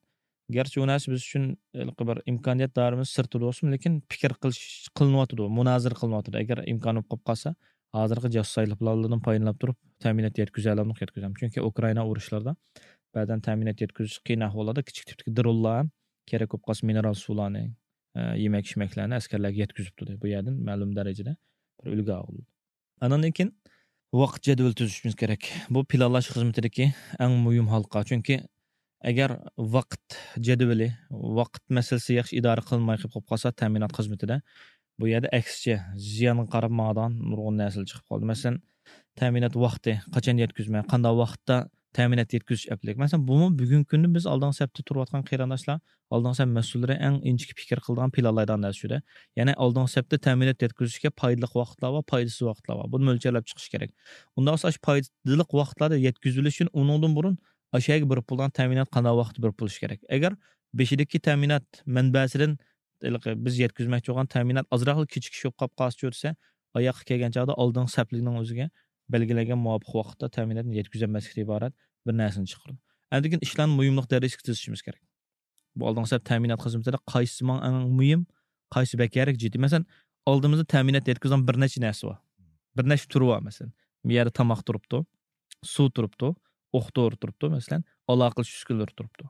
گەرچە ئۇ نەرسە بىز ئۈچۈن ھېلىقى بىر ئىمكانىيەت دائىرىمىز سىرتىدا بولسىمۇ، لېكىن پىكىر قىلىش، قىلىنىۋاتىدۇ، مۇنازىرە قىلىنىۋاتىدۇ. ئەگەر ئىمكان بولۇپ قالىپ قالسا، ھازىرقى جاسۇسايلىق پىلانلاردىن پايدىلىنىپ تۇرۇپ، تەمىنات يەتكۈزەلەمدۇق، يەتكۈزەلمىدۇق. چۈنكى ئۇكرائىنا ئۇرۇشلىرىدا بەزەن تەمىنات يەتكۈزۈش قىيىن ئەھۋاللاردا كىچىك تىپتىكى درونلار ھەم كېرەك بولۇپ قالسا مىنېرال سۇلارنى، ئە، يېمەك-ئىچمەكلەرنى ئەسكەرلەرگە يەتكۈزۈپتۇ. بۇ يەردىن مەلۇم دەرىجىدە بىر ئۈلگە ئالدۇق. ئاندىن كېيىن ۋاقىت جەدۋىلى تۈزۈشىمىز كېرەك. بۇ پىلانلاش خىزمىتىدىكى ئەڭ مۇھىم ھالقا. چۈنكى ئەگەر ۋاقىت جەدۋىلى، ۋاقىت مەسىلىسى ياخشى ئىدارە قىلىنماي قېلىپ قالسا، تەمىنات خىزمىتىدە بۇ يەردە ئەكسىچە زىيانغا قاراپ ماڭىدىغان نۇرغۇن نەرسىلەر چىقىپ قالىدۇ. مەسىلەن، تەمىنات ۋاقتى، قاچان يەتكۈزمە، قانداق ۋاقىتتا تەمىنات يەتكۈزۈش ئەپلىك. مەسىلەن، بۇمۇ بۈگۈنكى كۈندە بىز ئالدىنقى سەپتە تۇرۇۋاتقان قېرىنداشلار، ئالدىنقى سەپ مەسئۇللىرى ئەڭ ئىنچىكە پىكىر قىلىدىغان، پىلانلايدىغان نەرسە شۇ-دە. يەنى ئالدىنقى سەپتە تەمىنات يەتكۈزۈشكە پايدىلىق ۋاقىتلار بار، پايدىسىز ۋاقىتلار بار. بۇنى مۆلچەرلەپ چىقىش كېرەك. ئۇنداق بولسا، ئاشۇ پايدىلىق ۋاقىتلاردا يەتكۈزۈلۈش ئۈچۈن ئۇنىڭدىن بۇرۇن ئاشۇ يەرگە بېرىپ بولىدىغان تەمىنات قانداق ۋاقىتتا بېرىپ بولۇشى كېرەك. ئەگەر بېشىدىكى تەمىنات مەنبەسىدىن ھېلىقى بىز يەتكۈزمەكچى بولغان تەمىنات ئازراقلا كېچىكىش بولۇپ قاپ قالسا چۈرسە، ئاياققا كەلگەن چاغدا ئالدىنقى سەپلىكنىڭ ئۆزىگە بەلگىلەنگەن مۇۋاپىق ۋاقىتتا تەمىناتنى يەتكۈزەلمەسلىكتىن ئىبارەت بىر نەرسىنى چىقىرىدۇ. ئاندىن كېيىن ئىشلارنى مۇھىملىق دەرىجىسىگە تىزىشىمىز كېرەك. بۇ ئالدىنقى سەپ تەمىنات خىزمىتىدە قايسى ماڭا ئەڭ مۇھىم، قايسى بەكرەك جىددىي؟ مەسىلەن، ئالدىمىزدا تەمىنات يەتكۈزىدىغان بىر نەچچە نەرسە بار. بىر نەچچە تۈرى بار، مەسىلەن. بۇ يەردە تاماق تۇرۇپتۇ، سۇ تۇرۇپتۇ، ئوق دورا تۇرۇپتۇ، مەسىلەن، ئالاقىلىشىش ئۈسكۈنىلىرى تۇرۇپتۇ.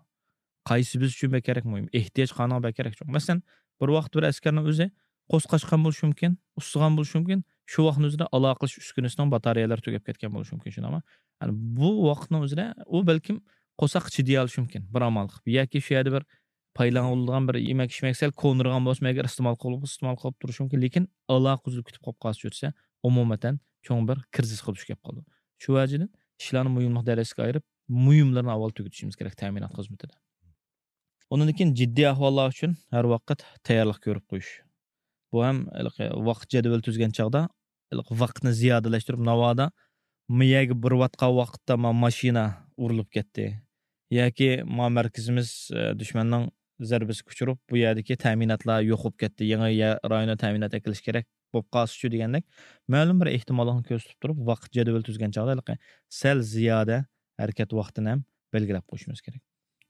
قايسى بىز ئۈچۈن بەكرەك مۇھىم؟ ئېھتىياج قانىڭ بەكرەك چوڭ؟ مەسىلەن، بىر ۋاقىت بىر ئەسكەرنىڭ ئۆزى قورساق قاچقان بولۇشى مۇمكىن، ئۇسسىغان بولۇشى مۇمكىن. شۇ ۋاقىتنىڭ ئۆزىدە ئالاقىلىشىش ئۈسكۈنىسىنىڭ باتارېيەلىرى تۈگەپ كەتكەن بولۇشى مۇمكىن، شۇنداقمۇ؟ يەنى بۇ ۋاقىتنىڭ ئۆزىدە ئۇ بەلكىم قورساق چىدىيالىشى مۇمكىن، بىر ئامال قىلىپ. ياكى شۇ يەردە بىر پايدىلانغان بىر يېمەك-ئىچمەك سەل كونىرىغان بولسىمۇ، ئەگەر ئىستېمال قىلىپ، ئىستېمال قىلىپ تۇرۇشى مۇمكىن، لېكىن ئالاقە ئۈزۈلۈپ كېتىپ قالىپ قالسا چۈرسە، ئومۇمەن چوڭ بىر كىرىزىسقا دۇچ كېلىپ قالىدۇ. شۇ ۋەجىدىن ئىشلارنى مۇھىملىق دەرىجىسىگە ئايرىپ، مۇھىملىرىنى ئاۋۋال تۈگىتىشىمىز كېرەك تەمىنات خىزمىتىدە. ئۇنىڭدىن كېيىن جىددىي ئەھۋاللار ئۈچۈن ھەر ۋاقىت تەييارلىق كۆرۈپ قويۇش. بۇ ھەم ھېلىقى ۋاقىت جەدۋىلى تۈزگەن چاغدا، ھېلىقى ۋاقىتنى زىيادىلەشتۈرۈپ، ناۋادا ما يەرگە بېرىۋاتقان ۋاقىتتا ما ماشىنا ئۇرۇلۇپ كەتتى ياكى ما مەركىزىمىز، ئە، دۈشمەننىڭ زەربىسىگە ئۇچۇرۇپ، بۇ يەردىكى تەمىناتلار يوق بولۇپ كەتتى، يېڭى يە-، رايوندا تەمىنات ئەكېلىش كېرەك بولۇپ قالسىچۇ دېگەندەك، مەلۇم بىر ئېھتىماللىقنى كۆرسىتىپ تۇرۇپ، ۋاقىت جەدۋىلى تۈزگەن چاغدا ھېلىقى سەل زىيادە ھەرىكەت ۋاقتىنى ھەم بەلگىلەپ قويۇشىمىز كېرەك.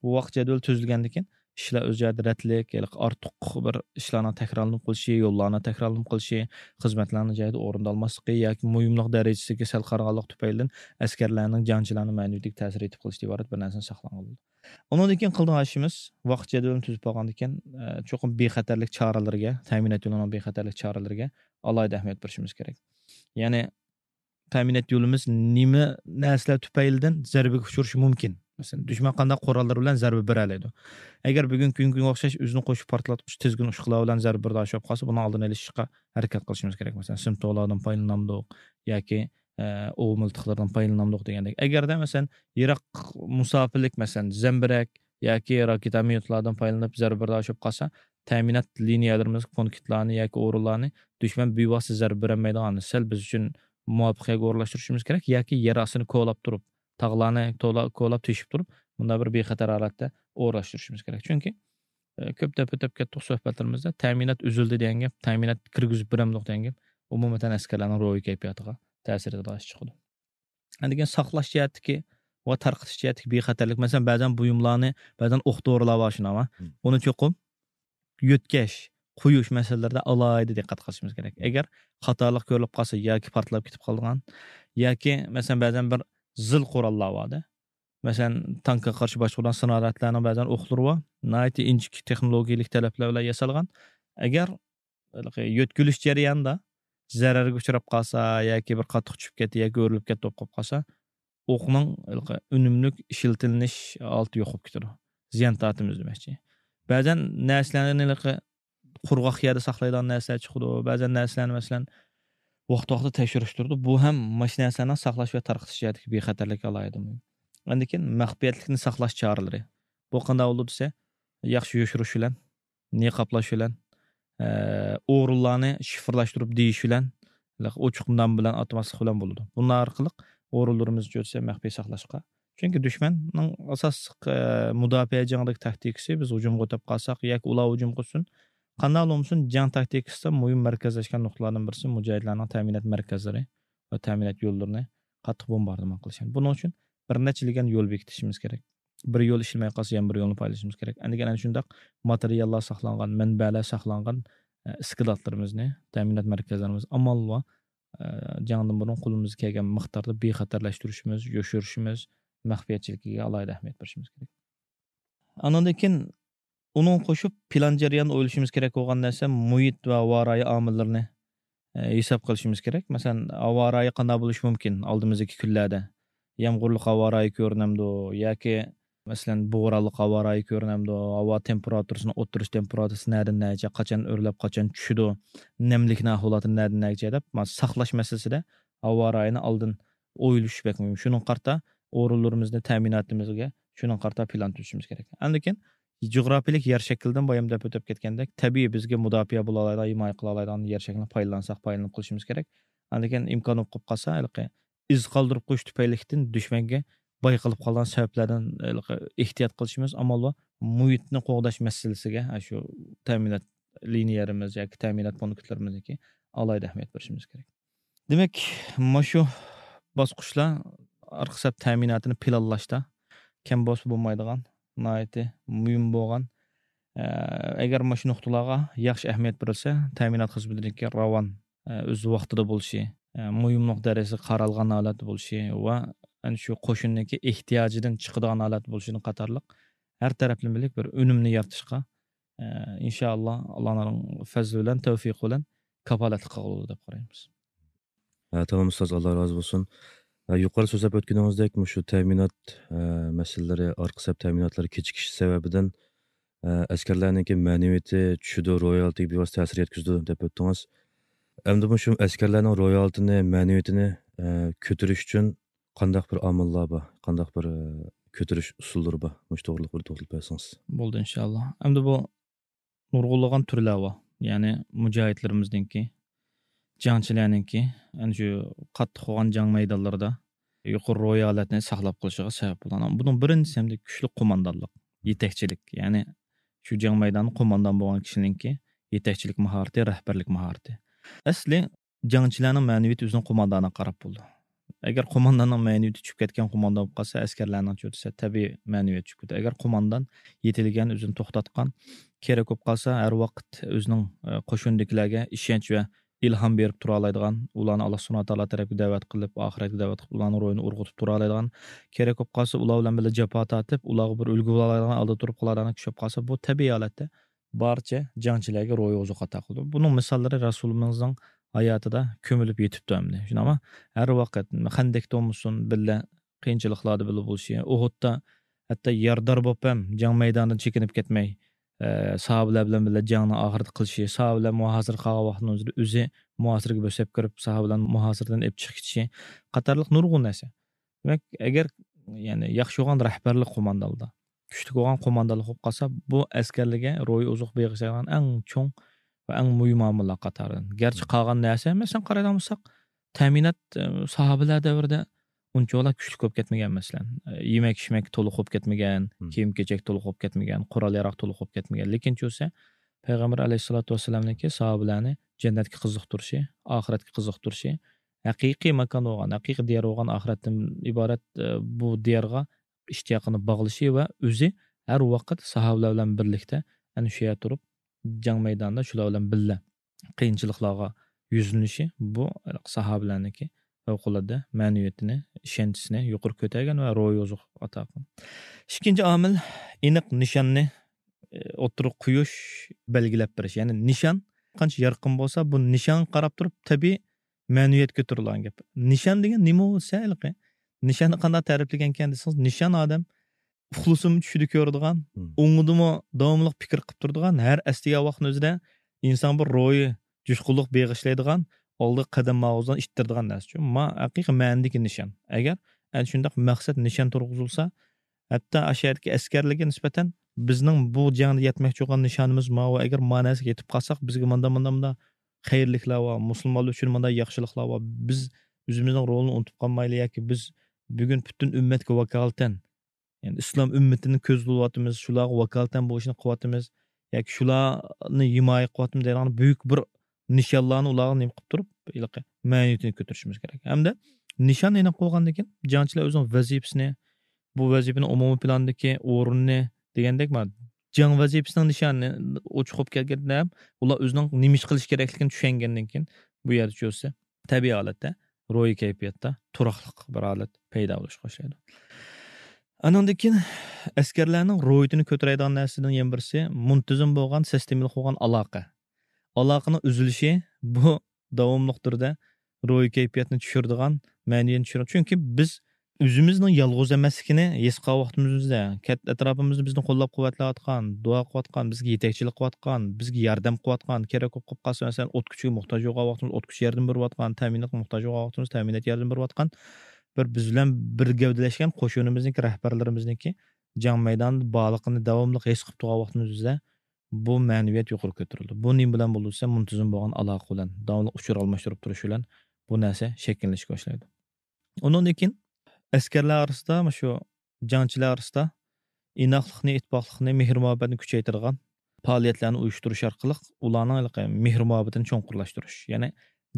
بۇ ۋاقىت جەدۋىلى تۈزۈلگەندىن كېيىن، ئىشلار ئۆز جايىدا رەتلىك، ھېلىقى ئارتۇق بىر ئىشلارنىڭ تەكرارلىنىپ قېلىشى، يوللارنىڭ تەكرارلىنىپ قېلىشى، خىزمەتلەرنىڭ جايىدا ئورۇندالماسلىقى ياكى مۇھىملىق دەرىجىسىگە سەل قارىغانلىق تۈپەيلىدىن ئەسكەرلەرنىڭ، جەڭچىلەرنىڭ مەنىۋىيىتىگە تەسىر يېتىپ قېلىشىدىن ئىبارەت بىر نەرسىنى ساقلىغىلى بولىدۇ. ئۇنىڭدىن كېيىن قىلىدىغان ئىشىمىز، ۋاقىت جەدۋىلىنى تۈزۈپ بولغاندىن كېيىن، ئە، چوقۇم بىخەتەرلىك چارىلىرىگە، تەمىنات يولىنىڭ بىخەتەرلىك چارىلىرىگە ئالاھىدە ئەھمىيەت بېرىشىمىز كېرەك. يەنى، تەمىنات يولىمىز نېمە نەرسىلەر تۈپەيلىدىن زەربىگە ئۇچرىشى مۇمكىن؟ مەسىلەن، دۈشمەن قانداق قوراللار بىلەن زەربە بېرەلەيدۇ؟ ئەگەر بۈگۈنكى كۈنگە ئوخشاش ئۆزىنى قوشۇپ پارتلاتقۇچ تىزگىن ئۇچقۇنلار بىلەن زەربە بېرىدىغان بولۇپ قالسا، بۇنىڭ ئالدىنى ئېلىشقا ھەرىكەت قىلىشىمىز كېرەك. مەسىلەن، سىم تورلاردىن پايدىلىنامدۇق ياكى، ئە، ئوۋ مىلتىقلىرىدىن پايدىلىنامدۇق دېگەندەك. ئەگەردە، مەسىلەن، يىراق مۇساپىلىك، مەسىلەن، زەمبىرەك ياكى راكېتا مىنومېتلاردىن پايدىلىنىپ زەربە بېرىدىغان بولۇپ قالسا، تەمىنات لىنىيەلىرىمىز، پونكىتلارنى ياكى ئورۇنلارنى دۈشمەن بىۋاسىتە زەربە بېرەلمەيدىغان، سەل بىز ئۈچۈن مۇۋاپىق يەرگە ئورۇنلاشتۇرۇشىمىز كېرەك ياكى يەر ئاستىنى كولاپ تۇرۇپ، تاغلارنى تولا-، كولاپ تېشىپ تۇرۇپ، مۇنداق بىر بىخەتەر ھالەتتە ئورۇنلاشتۇرۇشىمىز كېرەك. چۈنكى، ئە، كۆپ دەپ ئۆتۈپ كەتتۇق سۆھبەتلىرىمىزدە، تەمىنات ئۈزۈلدى دېگەن گەپ، تەمىنات كىرگۈزۈپ بېرەمدۇق دېگەن گەپ، ئومۇمەن ئەسكەرلەرنىڭ روھىي كەيپىياتىغا تەسىر ئېتىدىغان ئىش چىقىدۇ. ئاندىن كېيىن ساقلاش جەھەتتىكى ۋە تارقىتىش جەھەتتىكى بىخەتەرلىك، مەسىلەن، بەزەن بۇيۇملارنى، بەزەن ئوق دورىلار بار شۇنداقمۇ؟ مم. ئۇنى چوقۇم يۆتكەش، قويۇش مەسىلىلىرىدە ئالاھىدە دىققەت قىلىشىمىز كېرەك. ئەگەر خاتالىق كۆرۈلۈپ قالسا ياكى پارتلاپ كېتىپ قالىدىغان، ياكى، مەسىلەن، بەزەن بىر زىل قوراللار بار-دە. مەسىلەن، تانكىغا قارشى باشقۇرۇلغان سناريادلارنىڭ بەزەن ئوقلىرى بار. ناھايىتى ئىنچىكە تېخنولوگىيەلىك تەلەپلەر بىلەن ياسالغان. ئەگەر ھېلىقى يۆتكىلىش جەريانىدا زەرەرگە ئۇچراپ قالسا ياكى بىر قاتتىق چۈشۈپ كەتتى ياكى ئۆرۈلۈپ كەتتى بولۇپ قالىپ قالسا، ئوقنىڭ ھېلىقى ئۈنۈملۈك ئىشلىتىلىنىش ھالىتى يوق بولۇپ كېتىدۇ. زىيان تارتىمىز دېمەكچى. بەزەن نەرسىلەرنى ھېلىقى قۇرغاق يەردە ساقلايدىغان نەرسىلەر چىقىدۇ. بەزەن نەرسىلەرنى، مەسىلەن، ۋاقتى-ۋاقتىدا تەكشۈرۈش تۇرىدۇ. بۇ ھەم ماشىنا نەرسىلەرنىڭ ساقلاش ۋە تارقىتىش جەھەتتىكى بىخەتەرلىككە ئالاھىدە مۇھىم. ئاندىن كېيىن مەخپىيەتلىكنى ساقلاش چارىلىرى. بۇ قانداق بولىدۇ دېسە، ياخشى يوشۇرۇش بىلەن، نىقابلاش بىلەن، ئە، ئورۇنلارنى شىفىرلاشتۇرۇپ دېيىش بىلەن، ئوچۇق نام بىلەن ئاتىماسلىق بىلەن بولىدۇ. بۇنىڭ ئارقىلىق ئورۇنلىرىمىزنى چۆرسە مەخپىي ساقلاشقا. چۈنكى دۈشمەننىڭ ئاساسلىق، ئە، مۇداپىئە جېڭىدىكى تاكتىكىسى بىز ھۇجۇمغا ئۆتۈپ قالساق ياكى ئۇلار ھۇجۇم قىلسۇن، قانداق بولمىسۇن، جەڭ تاكتىكىسىدا مۇھىم مەركەزلەشكەن نۇقتىلاردىن بىرسى مۇجاھىدلارنىڭ تەمىنات مەركەزلىرى ۋە تەمىنات يوللىرىنى قاتتىق بومباردىمان قىلىش. بۇنىڭ ئۈچۈن بىر نەچچە لېگەن يول بېكىتىشىمىز كېرەك. بىر يول ئىشلىمەي قالسا، يەنە بىر يولنى پايدىلىنىشىمىز كېرەك. ئەندىكىن ئەنە شۇنداق ماتېرىياللار ساقلانغان، مەنبەلەر ساقلانغان، ئە، ئىسكىلاتلىرىمىزنى، تەمىنات مەركەزلىرىمىزنى ئامال بار، ئە، جەڭدىن بۇرۇن قولىمىزغا كەلگەن مىقداردا بىخەتەرلەشتۈرۈشىمىز، يوشۇرۇشىمىز، مەخپىيەتچىلىكىگە ئالاھىدە ئەھمىيەت بېرىشىمىز كېرەك. ئانىڭدىن كېيىن ئۇنىڭغا قوشۇپ پىلان جەريانىدا ئويلىشىمىز كېرەك بولغان نەرسە مۇھىت ۋە ھاۋا رايى ئامىللىرىنى، ئە، ھېساب قىلىشىمىز كېرەك. مەسىلەن، ھاۋا رايى قانداق بولۇشى مۇمكىن ئالدىمىزدىكى كۈنلەردە؟ يامغۇرلۇق ھاۋا رايى كۆرۈنەمدۇ؟ ياكى، مەسىلەن، بورانلىق ھاۋا رايى كۆرۈنەمدۇ؟ ھاۋا تېمپېراتۇرىسىنىڭ ئوتتۇرىچە تېمپېراتۇرىسى نەدىن نەگىچە، قاچان ئۆرلەپ، قاچان چۈشىدۇ؟ نەملىكنىڭ ئەھۋالاتى نەدىن نەگىچە دەپ، مانا، ساقلاش مەسىلىسىدە ھاۋا رايىنى ئالدىن ئويلىشىش بەك مۇھىم. شۇنىڭغا قارىتا ئورۇنلىرىمىزنى، تەمىناتىمىزگە شۇنىڭغا قارىتا پىلان تۈزۈشىمىز كېرەك. ئاندىن كېيىن جۇغراپىيەلىك يەر شەكلىدىن بايام دەپ ئۆتۈپ كەتكەندەك، تەبىئىي بىزگە مۇداپىئە بولالايدىغان، ھىمايە قىلالايدىغان يەر شەكلىنى پايدىلانساق، پايدىلىنىپ قېلىشىمىز كېرەك. ئاندىن كېيىن ئىمكان بولۇپ قالسا، ھېلىقى ئىز قالدۇرۇپ قويۇش تۈپەيلىكتىن دۈشمەنگە بايقىلىپ قالغان سەۋەبلەردىن، ھېلىقى ئېھتىيات قىلىشىمىز، ئامال بار مۇھىتنى قوغداش مەسىلىسىگە، ئاشۇ تەمىنات لىنىيەلىرىمىز ياكى تەمىنات پونكىتلىرىمىزدىكى ئالاھىدە ئەھمىيەت بېرىشىمىز كېرەك. دېمەك، مۇشۇ باسقۇچلار ئارقا سەپ تەمىناتىنى پىلانلاشتا كەم بولسا بولمايدىغان، ناھايىتى مۇھىم بولغان. ئە، ئەگەر مۇشۇ نۇقتىلارغا ياخشى ئەھمىيەت بېرىلسە، تەمىنات خىزمىتىنىڭكى راۋان، ئە، ئۆز ۋاقتىدا بولۇشى، ئە، مۇھىملىق دەرىجىسى قارالغان ھالەتتە بولۇشى ۋە ئەنە شۇ قوشۇننىڭكى ئېھتىياجىدىن چىقىدىغان ھالەتتە بولۇشىدىن قاتارلىق ھەر تەرەپلىمىلىك بىر ئۈنۈمنى يارىتىشقا، ئە، ئىنشائاللا، ئاللانىڭ پەزلى بىلەن، تەۋفىقى بىلەن كاپالەتلىك قىلغۇلۇق دەپ قارايمىز. ھە، تامام ئۇستاز، ئاللا رازى بولسۇن. ھە، يۇقىرىدا سۆزلەپ ئۆتكىنىڭىزدەك، مۇشۇ تەمىنات، ھە، مەسىلىلىرى، ئارقا سەپ تەمىناتلىرى كېچىكىشى سەۋەبىدىن، ھە، ئەسكەرلەرنىڭكى مەنىۋىيىتى چۈشىدۇ، روھىي ھالىتىگە بىۋاسىتە تەسىر يەتكۈزىدۇ دەپ ئۆتتىڭىز. ئەمدى مۇشۇ ئەسكەرلەرنىڭ روھىي ھالىتىنى، مەنىۋىيىتىنى، ھە، كۆتۈرۈش ئۈچۈن قانداق بىر ئامىللار بار، قانداق بىر، ھە، كۆتۈرۈش ئۇسۇللىرى بار؟ مۇشۇ توغرىلىق بىر توختىلىپ بەرسىڭىز. بولدى، ئىنشائاللا. ئەمدى بۇ نۇرغۇنلىغان تۈرلەر بار. يەنى مۇجاھىدلىرىمىزنىڭكى، جەڭچىلەرنىڭكى، ئەنە شۇ قاتتىق بولغان جەڭ مەيدانلىرىدا يۇقىرى روھىي ھالەتنى ساقلاپ قېلىشىغا سەۋەب بولغان. بۇنىڭ بىرىنچىسى ھەمدە كۈچلۈك قوماندانلىق، يېتەكچىلىك. يەنى شۇ جەڭ مەيدانىدا قوماندان بولغان كىشىنىڭكى يېتەكچىلىك ماھارىتى، رەھبەرلىك ماھارىتى. ئەسلى جەڭچىلەرنىڭ مەنىۋىيىتى ئۆزىنىڭ قوماندانىغا قاراپ بولىدۇ. ئەگەر قومانداننىڭ مەنىۋىيىتى چۈشۈپ كەتكەن قوماندان بولۇپ قالسا، ئەسكەرلەرنىڭچۇ دېسە، تەبىئىي مەنىۋىيەت چۈشۈپ كېتىدۇ. ئەگەر قوماندان يېتىلگەن، ئۆزىنى توختاتقان، كېرەك بولۇپ قالسا، ھەر ۋاقىت ئۆزىنىڭ، ئە، قوشۇندىكىلەرگە ئىشەنچ ۋە ئىلھام بېرىپ تۇرالايدىغان، ئۇلارنى ئاللا سۇبھانەھۇ ۋە تائالا تەرەپكە دەۋەت قىلىپ، ئاخىرەتكە دەۋەت قىلىپ، ئۇلارنىڭ روھىنى ئۇرغۇتۇپ تۇرالايدىغان، كېرەك بولۇپ قالسا، ئۇلار بىلەن بىللە جاپا تارتىپ، ئۇلارغا بىر ئۈلگە بولالايدىغان، ئالدىدا تۇرۇپ قالالايدىغان كىشى بولۇپ قالسا، بۇ تەبىئىي ھالەتتە بارچە جەڭچىلەرگە روھىي ئوزۇق ئاتا قىلىدۇ. بۇنىڭ مىساللىرى رەسۇلىمىزنىڭ ھاياتىدا كۆمۈلۈپ يېتىپتۇ ئەمدى. شۇنداقمۇ؟ ھەر ۋاقىت خەندەكتە بولمىسۇن، بىللە قىيىنچىلىقلاردا بىللە بولۇشى، ئۇھۇدتا ھەتتا يارىدار بولۇپ ھەم جەڭ مەيدانىدىن چېكىنىپ كەتمەي، ئە، ساھابىلەر بىلەن بىللە جەڭنى ئاخىرىدا قىلىشى، ساھابىلەر مۇھاسىرە قىلغان ۋاقتىنىڭ ئۆزىدە ئۆزى مۇھاسىرىگە بۆسۈپ كىرىپ، ساھابىلەرنى مۇھاسىرىدىن ئېلىپ چىقىپ كېتىشى قاتارلىق نۇرغۇن نەرسە. دېمەك، ئەگەر، يەنى، ياخشى بولغان رەھبەرلىك قوماندانلىقتا، كۈچلۈك بولغان قوماندانلىق بولۇپ قالسا، بۇ ئەسكەرلەرگە روھىي ئوزۇق بېغىشلايدىغان ئەڭ چوڭ ۋە ئەڭ مۇھىم ئامىللار قاتارىدىن. گەرچە قالغان نەرسە، مەسىلەن، قارايدىغان بولساق، تەمىنات، ئە، ساھابىلەر دەۋرىدە ئۇنچىۋالا كۈچلۈك بولۇپ كەتمىگەن، مەسىلەن. ئە، يېمەك-ئىچمەك تولۇق بولۇپ كەتمىگەن، كىيىم-كېچەك تولۇق بولۇپ كەتمىگەن، قورال-ياراغ تولۇق بولۇپ كەتمىگەن. لېكىن چۈشسە، پەيغەمبەر ئەلەيھىسسالاتۇ ۋەسسالامنىڭكى ساھابىلەرنى جەننەتكە قىزىقتۇرۇشى، ئاخىرەتكە قىزىقتۇرۇشى، ھەقىقىي ماكان بولغان، ھەقىقىي دىيار بولغان ئاخىرەتتىن ئىبارەت، ئە، بۇ دىيارغا ئىشتىياقىنى باغلىشى ۋە ئۆزى ھەر ۋاقىت ساھابىلەر بىلەن بىرلىكتە ئەنە شۇ يەردە تۇرۇپ، جەڭ مەيدانىدا شۇلار بىلەن بىللە قىيىنچىلىقلارغا يۈزلىنىشى، بۇ ساھابىلەرنىڭكى پەۋقۇلئاددە مەنىۋىيىتىنى، ئىشەنچىسىنى يۇقىرى كۆتەرگەن ۋە روھىي ئوزۇق ئاتا قىلغان. ئىككىنچى ئامىل، ئېنىق نىشاننى، ئى، ئوتتۇرىغا قويۇش، بەلگىلەپ بېرىش. يەنى نىشان قانچە يارقىن بولسا، بۇ نىشانغا قاراپ تۇرۇپ تەبىئىي مەنىۋىيەت كۆتۈرۈلىدىغان گەپ. نىشان دېگەن نېمە بولسا ھېلىقى؟ نىشاننى قانداق تەرىپلىگەنكەن دېسىڭىز، نىشان ئادەم ئۇخلىسىمۇ چۈشىدە كۆرىدىغان، مم. ئوڭىدىمۇ داۋاملىق پىكىر قىلىپ تۇرىدىغان، ھەر ئەسلىگەن ۋاقىتنىڭ ئۆزىدە ئىنسان بىر روھىي جۇشقۇنلۇق بېغىشلايدىغان، ئالدىغا قەدەم ماڭغۇزىدىغان، ئىتتىرىدىغان نەرسە. شۇ ما ھەقىقىي مەنىدىكى نىشان. ئەگەر ئەنە شۇنداق مەقسەت نىشان تۇرغۇزۇلسا، ھەتتا ئاشۇ يەردىكى ئەسكەرلەرگە نىسبەتەن بىزنىڭ بۇ جەڭدە يەتمەكچى بولغان نىشانىمىز ماۋۇ، ئەگەر ما نەرسىگە يېتىپ قالساق، بىزگە مۇنداق، مۇنداق، مۇنداق خەيرلىكلەر بار، مۇسۇلمانلار ئۈچۈن مۇنداق ياخشىلىقلار بار، بىز ئۆزىمىزنىڭ رولىنى ئۇنتۇپ قالمايلى ياكى بىز بۈگۈن پۈتۈن ئۈممەتكە ۋاكالىتەن، يەنى ئىسلام ئۈممىتىنى كۆزلىۋاتىمىز، شۇلارغا ۋاكالىتەن بۇ ئىشنى قىلىۋاتىمىز ياكى شۇلارنى ھىمايە قىلىۋاتىمىز دەيدىغان بۈيۈك بىر نىشانلارنى ئۇلارغا نېمە قىلىپ تۇرۇپ، ھېلىقى مەنىۋىيىتىنى كۆتۈرۈشىمىز كېرەك. ھەمدە نىشان ئېنىق بولغاندىن كېيىن، جەڭچىلەر ئۆزىنىڭ ۋەزىپىسىنى، بۇ ۋەزىپىنىڭ ئومۇمىي پىلاندىكى ئورنىنى دېگەندەك، مانا جەڭ ۋەزىپىسىنىڭ نىشانى ئوچۇق بولۇپ كەلگەندە، ئۇلار ئۆزىنىڭ نېمە ئىش قىلىش كېرەكلىكىنى چۈشەنگەندىن كېيىن، بۇ يەردە چۆسە تەبىئىي ھالەتتە، روھىي كەيپىياتتا تۇراقلىق بىر ھالەت پەيدا بولۇشقا باشلايدۇ. ئانىڭدىن كېيىن ئەسكەرلەرنىڭ روھىيىتىنى كۆتۈرەيدىغان نەرسىدىن يەنە بىرسى، مۇنتىزىم بولغان، سىستېمىلىق بولغان ئالاقە. ئالاقىنىڭ ئۈزۈلۈشى بۇ داۋاملىق تۈردە روھىي كەيپىياتنى چۈشۈرىدىغان، مەنىۋىيەتنى چۈشۈرىدىغان. چۈنكى بىز ئۆزىمىزنىڭ يالغۇز ئەمەسلىكىنى ھېس قىلغان ۋاقتىمىزدا، كەت-، ئەتراپىمىزدا بىزنى قوللاپ-قۇۋۋەتلەۋاتقان، دۇئا قىلىۋاتقان، بىزگە يېتەكچىلىك قىلىۋاتقان، بىزگە ياردەم قىلىۋاتقان، كېرەك بولۇپ قالسا، مەسىلەن، ئوت كۈچىگە موھتاج بولغان ۋاقتىمىزدا ئوت كۈچى ياردەم بېرىۋاتقان، تەمىناتقا موھتاج بولغان ۋاقتىمىزدا تەمىنات ياردەم بېرىۋاتقان، بىر بىز بىلەن بىر گەۋدىلەشكەن قوشۇنىمىزنىڭكى، رەھبەرلىرىمىزنىڭكى جەڭ مەيدانىدا بارلىقىنى داۋاملىق ھېس قىلىپ تۇرغان ۋاقتىمىزدا، بۇ مەنىۋىيەت يۇقىرى كۆتۈرۈلىدۇ. بۇ نېمە بىلەن بولىدۇ دېسە، مۇنتىزىم بولغان ئالاقە بىلەن، داۋاملىق ئۇچۇر ئالماشتۇرۇپ تۇرۇش بىلەن بۇ نەرسە شەكىللىنىشكە باشلايدۇ. ئۇنىڭدىن كېيىن ئەسكەرلەر ئارىسىدا مۇشۇ جەڭچىلەر ئارىسىدا ئىناقلىقنى، ئىتتىپاقلىقنى، مېھىر-مۇھەببەتنى كۈچەيتىدىغان پائالىيەتلەرنى ئۇيۇشتۇرۇش ئارقىلىق ئۇلارنىڭ ھېلىقى مېھىر-مۇھەببىتىنى چوڭقۇرلاشتۇرۇش. يەنى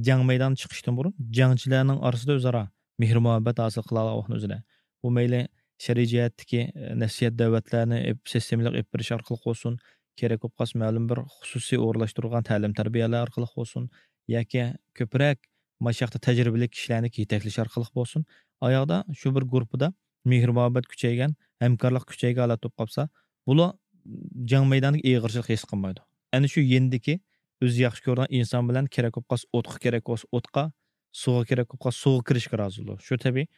جەڭ مەيدانىغا چىقىشتىن بۇرۇن جەڭچىلەرنىڭ ئارىسىدا ئۆزئارا مېھىر-مۇھەببەت ھاسىل قىلالىغان ۋاقىتنىڭ ئۆزىدە، بۇ مەيلى شەرئىي جەھەتتىكى، ئە، نەسىھەت دەۋەتلەرنى ئېپ-، سىستېمىلىق ئېلىپ بېرىش ئارقىلىق بولسۇن، كېرەك بولۇپ قالسا مەلۇم بىر خۇسۇسىي ئورۇنلاشتۇرۇلغان تەلىم-تەربىيەلەر ئارقىلىق بولسۇن، ياكى كۆپرەك مانا شۇ ياقتا تەجرىبىلىك كىشىلەرنى يېتەكلەش ئارقىلىق بولسۇن، ئاياغدا شۇ بىر گۇرۇپپىدا مېھىر-مۇھەببەت كۈچەيگەن، ھەمكارلىق كۈچەيگەن ھالەت بولۇپ قالسا، بۇلار جەڭ مەيدانىدىكى ئېغىرچىلىق ھېس قىلمايدۇ. ئەنە شۇ يېنىدىكى ئۆزى ياخشى كۆرىدىغان ئىنسان بىلەن كېرەك بولۇپ قالسا ئوتقا، كېرەك بولسا ئوتقا، سۇغا كېرەك بولۇپ قالسا سۇغا كىرىشكە رازى بولىدۇ. شۇ تەبىئىي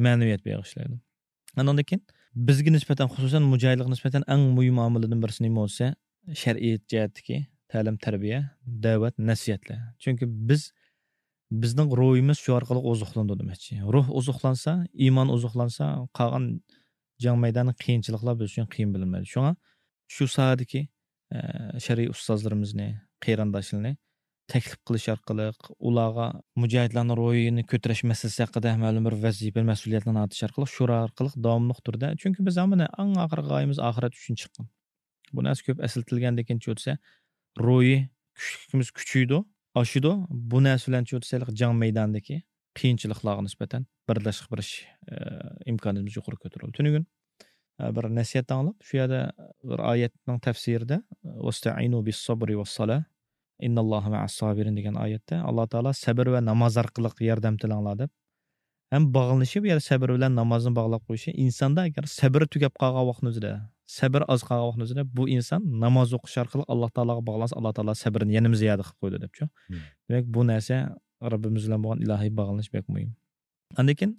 مەنىۋىيەت بېغىشلايدۇ. ئانىڭدىن كېيىن بىزگە نىسبەتەن، خۇسۇسەن مۇجاھىدلارغا نىسبەتەن ئەڭ مۇھىم ئامىلىدىن بىرسى نېمە بولسا، شەرئىي جەھەتتىكى تەلىم-تەربىيە، دەۋەت، نەسىھەتلەر. چۈنكى بىز، بىزنىڭ روھىمىز شۇ ئارقىلىق ئوزۇقلىنىدۇ دېمەكچى. روھ ئوزۇقلانسا، ئىمان ئوزۇقلانسا، قالغان جەڭ مەيدانى قىيىنچىلىقلار بىز ئۈچۈن قىيىن بىلىنمەيدۇ. شۇڭا شۇ ساھەدىكى، ئە، شەرئىي ئۇستازلىرىمىزنى، قېرىنداشلىرىنى تەكلىپ قىلىش ئارقىلىق، ئۇلارغا مۇجاھىدلارنىڭ روھىنى كۆتۈرۈش مەسىلىسى ھەققىدە مەلۇم بىر ۋەزىپە، مەسئۇلىيەتلەرنى ئارتىش ئارقىلىق، شۇ ئارقىلىق داۋاملىق تۈردە، چۈنكى بىز ھەممىنى ئەڭ ئاخىرقى غايىمىز ئاخىرەت ئۈچۈن چىققان. بۇ نەرسە كۆپ ئەسلىتىلگەندىن كېيىن چۆتسە، روھىي كۈچلۈكىمىز كۈچىيىدۇ، ئاشىدۇ. بۇ نەرسە بىلەن چۆتسە، جەڭ مەيدانىدىكى قىيىنچىلىقلارغا نىسبەتەن بىرداشلىق بېرىش، ئە، ئىمكانىيىتىمىز يۇقىرى كۆتۈرۈلدى. تۈنۈگۈن، ئە، بىر نەسىھەت ئاڭلاپ، شۇ يەردە بىر ئايەتنىڭ تەپسىرىدە، «ۋەستەئىنۇ بىسسابرى ۋەسسالە، ئىنناللاھە مەئەسسابىرىن» دېگەن ئايەتتە ئاللا تائالا سەبر ۋە ناماز ئارقىلىق ياردەم تىلەڭلار دەپ، ھەم باغلىنىشى بۇ يەردە سەبر بىلەن نامازنى باغلاپ قويۇشى، ئىنساندا ئەگەر سەبرى تۈگەپ قالغان ۋاقتىنىڭ ئۆزىدە، سەبرى ئاز قالغان ۋاقتىنىڭ ئۆزىدە، بۇ ئىنسان ناماز ئوقۇش ئارقىلىق ئاللا تائالاغا باغلانسا، ئاللا تائالا سەبرىنى يەنىمۇ زىيادە قىلىپ قويىدۇ دەپچۇ. مم. دېمەك، بۇ نەرسە رەببىمىز بىلەن بولغان ئىلاھىي باغلىنىش بەك مۇھىم. ئاندىن كېيىن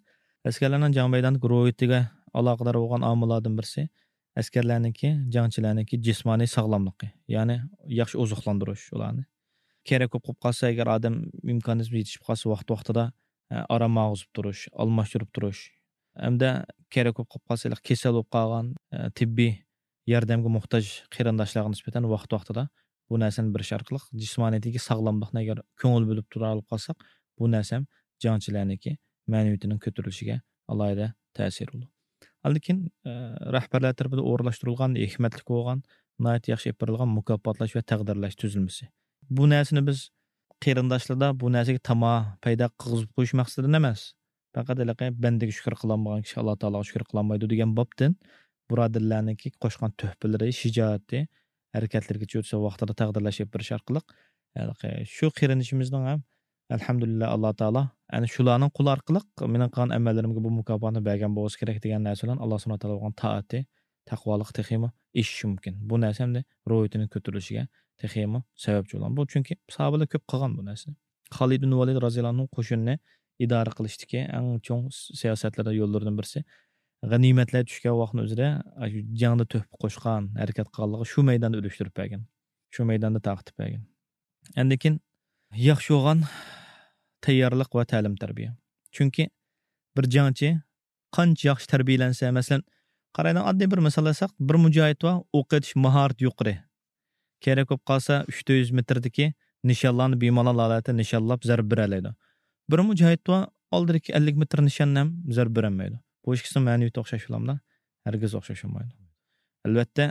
ئەسكەرلەرنىڭ جەڭ مەيدانىدىكى روھىيىتىگە ئالاقىدار بولغان ئامىللاردىن بىرسى، ئەسكەرلەرنىڭكى، جەڭچىلەرنىڭكى جىسمانىي ساغلاملىقى، يەنى ياخشى ئوزۇقلاندۇرۇش ئۇلارنى. كېرەك بولۇپ قالسا، ئەگەر ئادەم ئىمكانىيىتى يېتىشىپ قالسا، ۋاقتى ۋاقتىدا، ئە، ئارام ئالغۇزۇپ تۇرۇش، ئالماشتۇرۇپ تۇرۇش، ھەمدە كېرەك بولۇپ قالسا، كېسەل بولۇپ قالغان، ئە، تېببىي ياردەمگە موھتاج قېرىنداشلارغا نىسبەتەن ۋاقتى ۋاقتىدا بۇ نەرسىنى بېرىش ئارقىلىق جىسمانىيىتىگە ساغلاملىقنى ئەگەر كۆڭۈل بۆلۈپ تۇرالىپ قالساق، بۇ نەرسە ھەم جەڭچىلەرنىڭكى مەنىۋىيىتىنىڭ كۆتۈرۈلۈشىگە ئالاھىدە تەسىرى بولىدۇ. ئاندىن كېيىن، ئە، رەھبەرلەر تەرىپىدىن ئورۇنلاشتۇرۇلغان ھېكمەتلىك بولغان، ناھايىتى ياخشى ئېلىپ بېرىلغان مۇكاپاتلاش ۋە تەقدىرلەش تۈزۈلمىسى. بۇ نەرسىنى بىز قېرىنداشلاردا بۇ نەرسىگە تاما پەيدا قىلغۇزۇپ قويۇش مەقسىتىدىن ئەمەس. پەقەت ھېلىقى بەندىگە شۈكۈر قىلالمىغان كىشى ئاللا تائالاغا شۈكۈر قىلالمايدۇ دېگەن بابتىن بۇرادەرلەرنىڭكى قوشقان تۆھپىلىرى، شىجائىتى، ھەرىكەتلىرىگە چۆتسە ۋاقتىدا تەقدىرلەش ئېلىپ بېرىش ئارقىلىق، ھېلىقى شۇ قېرىندىشىمىزنىڭ ھەم، ئەلھەمدۇلىللا، ئاللا تائالا ئەنە شۇلارنىڭ قولى ئارقىلىق مېنىڭ قىلغان ئەمەللىرىمگە بۇ مۇكاپاتنى بەرگەن بولسا كېرەك دېگەن نەرسە بىلەن ئاللا سۇبھانەھۇ ۋە تائالا بولغان تائەتى، تەقۋالىقى تېخىمۇ ئېشىشى مۇمكىن. بۇ نەرسە ھەمدە روھىيىتىنىڭ كۆتۈرۈلۈشىگە تېخىمۇ سەۋەبچى بولغان. بۇ چۈنكى ساھابىلەر كۆپ قىلغان بۇ نەرسىنى. خالىد بىن ۋالىد رازىياللاھۇ ئەنھۇ قوشۇننى ئىدارە قىلىشتىكى ئەڭ چوڭ سىياسەتلىرى، يوللىرىدىن بىرسى، غەنىيمەتلەر چۈشكەن ۋاقىتنىڭ ئۆزىدە، ئاشۇ جەڭدە تۆھپە قوشقان، ھەرىكەت قىلغانلىقى شۇ مەيداندا ئۈلۈشتۈرۈپ بەرگەن. شۇ مەيداندا تارقىتىپ بەرگەن. ئاندىن كېيىن ياخشى بولغان تەييارلىق ۋە تەلىم-تەربىيە. چۈنكى بىر جەڭچى قانچە ياخشى تەربىيەلەنسە، مەسىلەن، قارايلى، ئاددىي بىر مىسال ئالساق، بىر مۇجاھىد بار، ئوق ئېتىش ماھارىتى يۇقىرى. كېرەك بولۇپ قالسا، ئۈچ يۈز مېتىردىكى نىشانلارنى بىمالال ھالەتتە نىشانلاپ زەربە بېرەلەيدۇ. بىر مۇجاھىد بار، ئالدىدىكى ئەللىك مېتىر نىشاننى ھەم زەربە بېرەلمەيدۇ. بۇ ئىككىسىنىڭ مەنىۋىيىتى ئوخشاش بولامدۇ؟ ھەرگىز ئوخشاش بولمايدۇ. ئەلۋەتتە،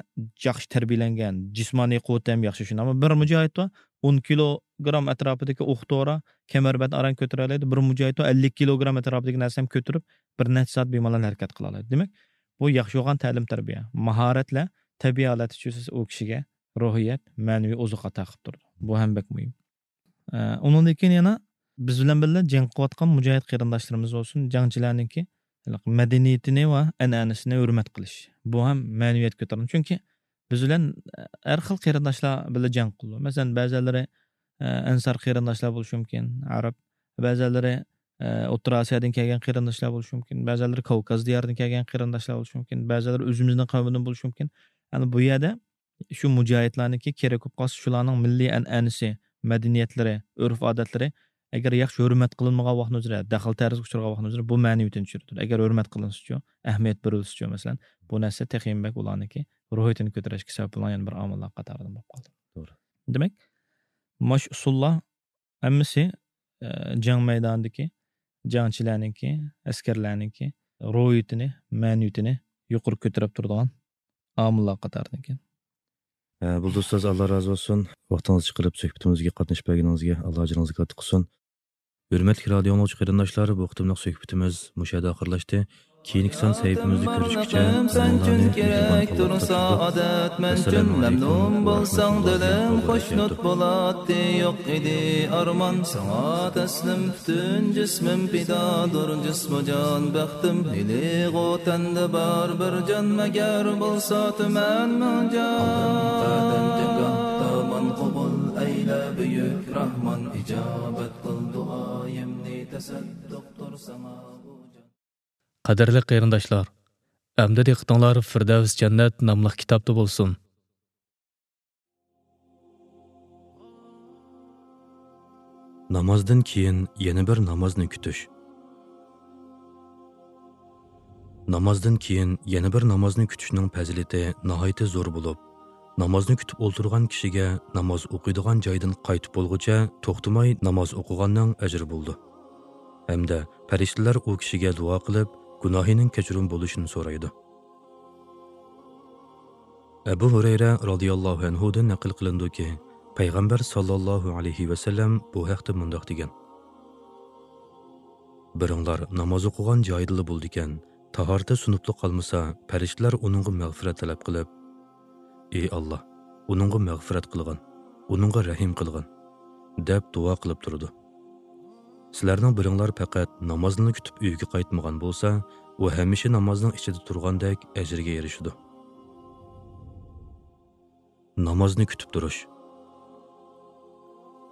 ياخشى تەربىيەلەنگەن، جىسمانىي قۇۋۋىتى ھەم ياخشى شۇنداق. ئەمما بىر مۇجاھىد بار، ئون كىلوگرام ئەتراپىدىكى ئوق دورا، كەمەربەند ئاران كۆتۈرەلەيدۇ. بىر مۇجاھىد بار، ئەللىك كىلوگرام ئەتراپىدىكى نەرسە ھەم كۆتۈرۈپ، بىر نەچچە سائەت بىمالال ھەرىكەت قىلالايدۇ. دېمەك، بۇ ياخشى بولغان تەلىم-تەربىيە، ماھارەتلەر تەبىئىي ھالەتتە چۈشسە، ئۇ كىشىگە روھىيەت، مەنىۋى ئوزۇق ئاتا قىلىپ تۇرىدۇ. بۇ ھەم بەك مۇھىم. ئە، ئۇنىڭدىن كېيىن يەنە بىز بىلەن بىللە جەڭ قىلىۋاتقان مۇجاھىد قېرىنداشلىرىمىز بولسۇن، جەڭچىلەرنىڭكى مەدەنىيىتىنى ۋە ئەنئەنىسىنى ھۆرمەت قىلىش. بۇ ھەم مەنىۋىيەت كۆتۈرىدۇ. چۈنكى بىز بىلەن ھەر خىل قېرىنداشلار بىللە جەڭ قىلىدۇ. مەسىلەن، بەزەنلىرى، ئە، ئەنسار قېرىنداشلار بولۇشى مۇمكىن، ئەرەب. بەزەنلىرى، ئە، ئوتتۇرا ئاسىيادىن كەلگەن قېرىنداشلار بولۇشى مۇمكىن. بەزەنلىرى كاۋكاز دىيارىدىن كەلگەن قېرىنداشلار بولۇشى مۇمكىن. بەزەنلىرى ئۆزىمىزنىڭ قەۋمىدىن بولۇشى مۇمكىن. يەنى بۇ يەردە شۇ مۇجاھىدلارنىڭكى كېرەك بولۇپ قالسا، شۇلارنىڭ مىللىي ئەنئەنىسى، مەدەنىيەتلىرى، ئۆرپ-ئادەتلىرى ئەگەر ياخشى ھۆرمەت قىلىنمىغان ۋاقتىنىڭ ئۆزىدە، دەخلى-تەرۇزغا ئۇچرىغان ۋاقتىنىڭ ئۆزىدە بۇ مەنىۋىيىتىنى چۈشۈرىدۇ. ئەگەر ھۆرمەت قىلىنسىچۇ، ئەھمىيەت بېرىلسىچۇ، مەسىلەن، بۇ نەرسە تېخىمۇ بەك ئۇلارنىڭكى روھىيىتىنى كۆتۈرۈشكە سەۋەب بولغان يەنە بىر ئامىللار قاتارىدىن بولۇپ قالدى. توغرا. دېمەك، ماش ئۇسۇللار ھەممىسى، ئە، جەڭ مەيدانىدىكى جەڭچىلەرنىڭكى، ئەسكەرلەرنىڭكى روھىيىتىنى، مەنىۋىيىتىنى يۇقىرى كۆتۈرۈپ تۇرىدىغان ئامىللار قاتارىدىكەن. ھە، بۇلدۇز ئۇستاز، ئاللا رازى بولسۇن. ۋاقتىڭىزنى چىقىرىپ سۆھبىتىمىزگە قاتنىشىپ بەرگىنىڭىزگە ئاللا ئەجرىڭىزنى كاتتا قىلسۇن. ھۆرمەتلىك رادىيو ئاڭلىغۇچى قېرىنداشلار، بۇ قېتىملىق سۆھبىتىمىز مۇشۇ يەردە ئاخىرلاشتى. كېيىنكى سان سەھىپىمىزدە كۆرۈشكىچە، ھەممىڭلارنى مېھرىبان ئاللاھ تۇتۇپ تۇرسۇن. ئادەت مەمتىم، مەمنۇن بولساڭ دىلىم خۇشنۇت بولاتتى، يوق ئىدى ئارمان ساڭا تەسلىم، پۈتۈن جىسمىم پىدادۇر، جىسمۇ جان بەختىم، ھېلىغۇ تەندە بار بىر جان، مەگەر بولسا تۈمەن مىڭ جان. ئالدىم قەدەم جاكان، دامان قوبۇل ئەيلە بۈيۈك راھمان، ئىجابەت قىل دۇئايىمنى، تەسەددۇقتۇر ساڭا بۇ جان. قەدىرلىك قېرىنداشلار، ئەمدى دىققىتىڭلار فىردەۋس جەننەت ناملىق كىتابتا بولسۇن. نامازدىن كېيىن يەنە بىر نامازنى كۈتۈش. نامازدىن كېيىن يەنە بىر نامازنى كۈتۈشنىڭ پەزىلىتى ناھايىتى زور بولۇپ، نامازنى كۈتۈپ ئولتۇرغان كىشىگە ناماز ئوقۇيدىغان جايدىن قايتىپ بولغۇچە توختىماي ناماز ئوقۇغاننىڭ ئەجرى بولىدۇ. ھەمدە پەرىشتىلەر ئۇ كىشىگە دۇئا قىلىپ، گۇناھىنىڭ كەچۈرۈم بولۇشىنى سورايدۇ. ئەبۇ ھۇرەيرە رازىياللاھۇ ئەنھۇدىن نەقىل قىلىنىدۇكى، پەيغەمبەر ساللاللاھۇ ئەلەيھى ۋەسەللەم بۇ ھەقتە مۇنداق دېگەن: بىرىڭلار ناماز ئوقۇغان جايىدىلا بولىدىكەن، تاھارىتى سۇنۇپلا قالمىسا، پەرىشتىلەر ئۇنىڭغا مەغپىرەت تەلەپ قىلىپ، ئى ئاللاھ، ئۇنىڭغا مەغپىرەت قىلغىن، ئۇنىڭغا رەھىم قىلغىن، دەپ دۇئا قىلىپ تۇرىدۇ. سىلەرنىڭ بىرىڭلار پەقەت نامازنىلا كۈتۈپ ئۆيىگە قايتمىغان بولسا، ئۇ ھەمىشە نامازنىڭ ئىچىدە تۇرغاندەك ئەجىرگە ئېرىشىدۇ. نامازنى كۈتۈپ تۇرۇش.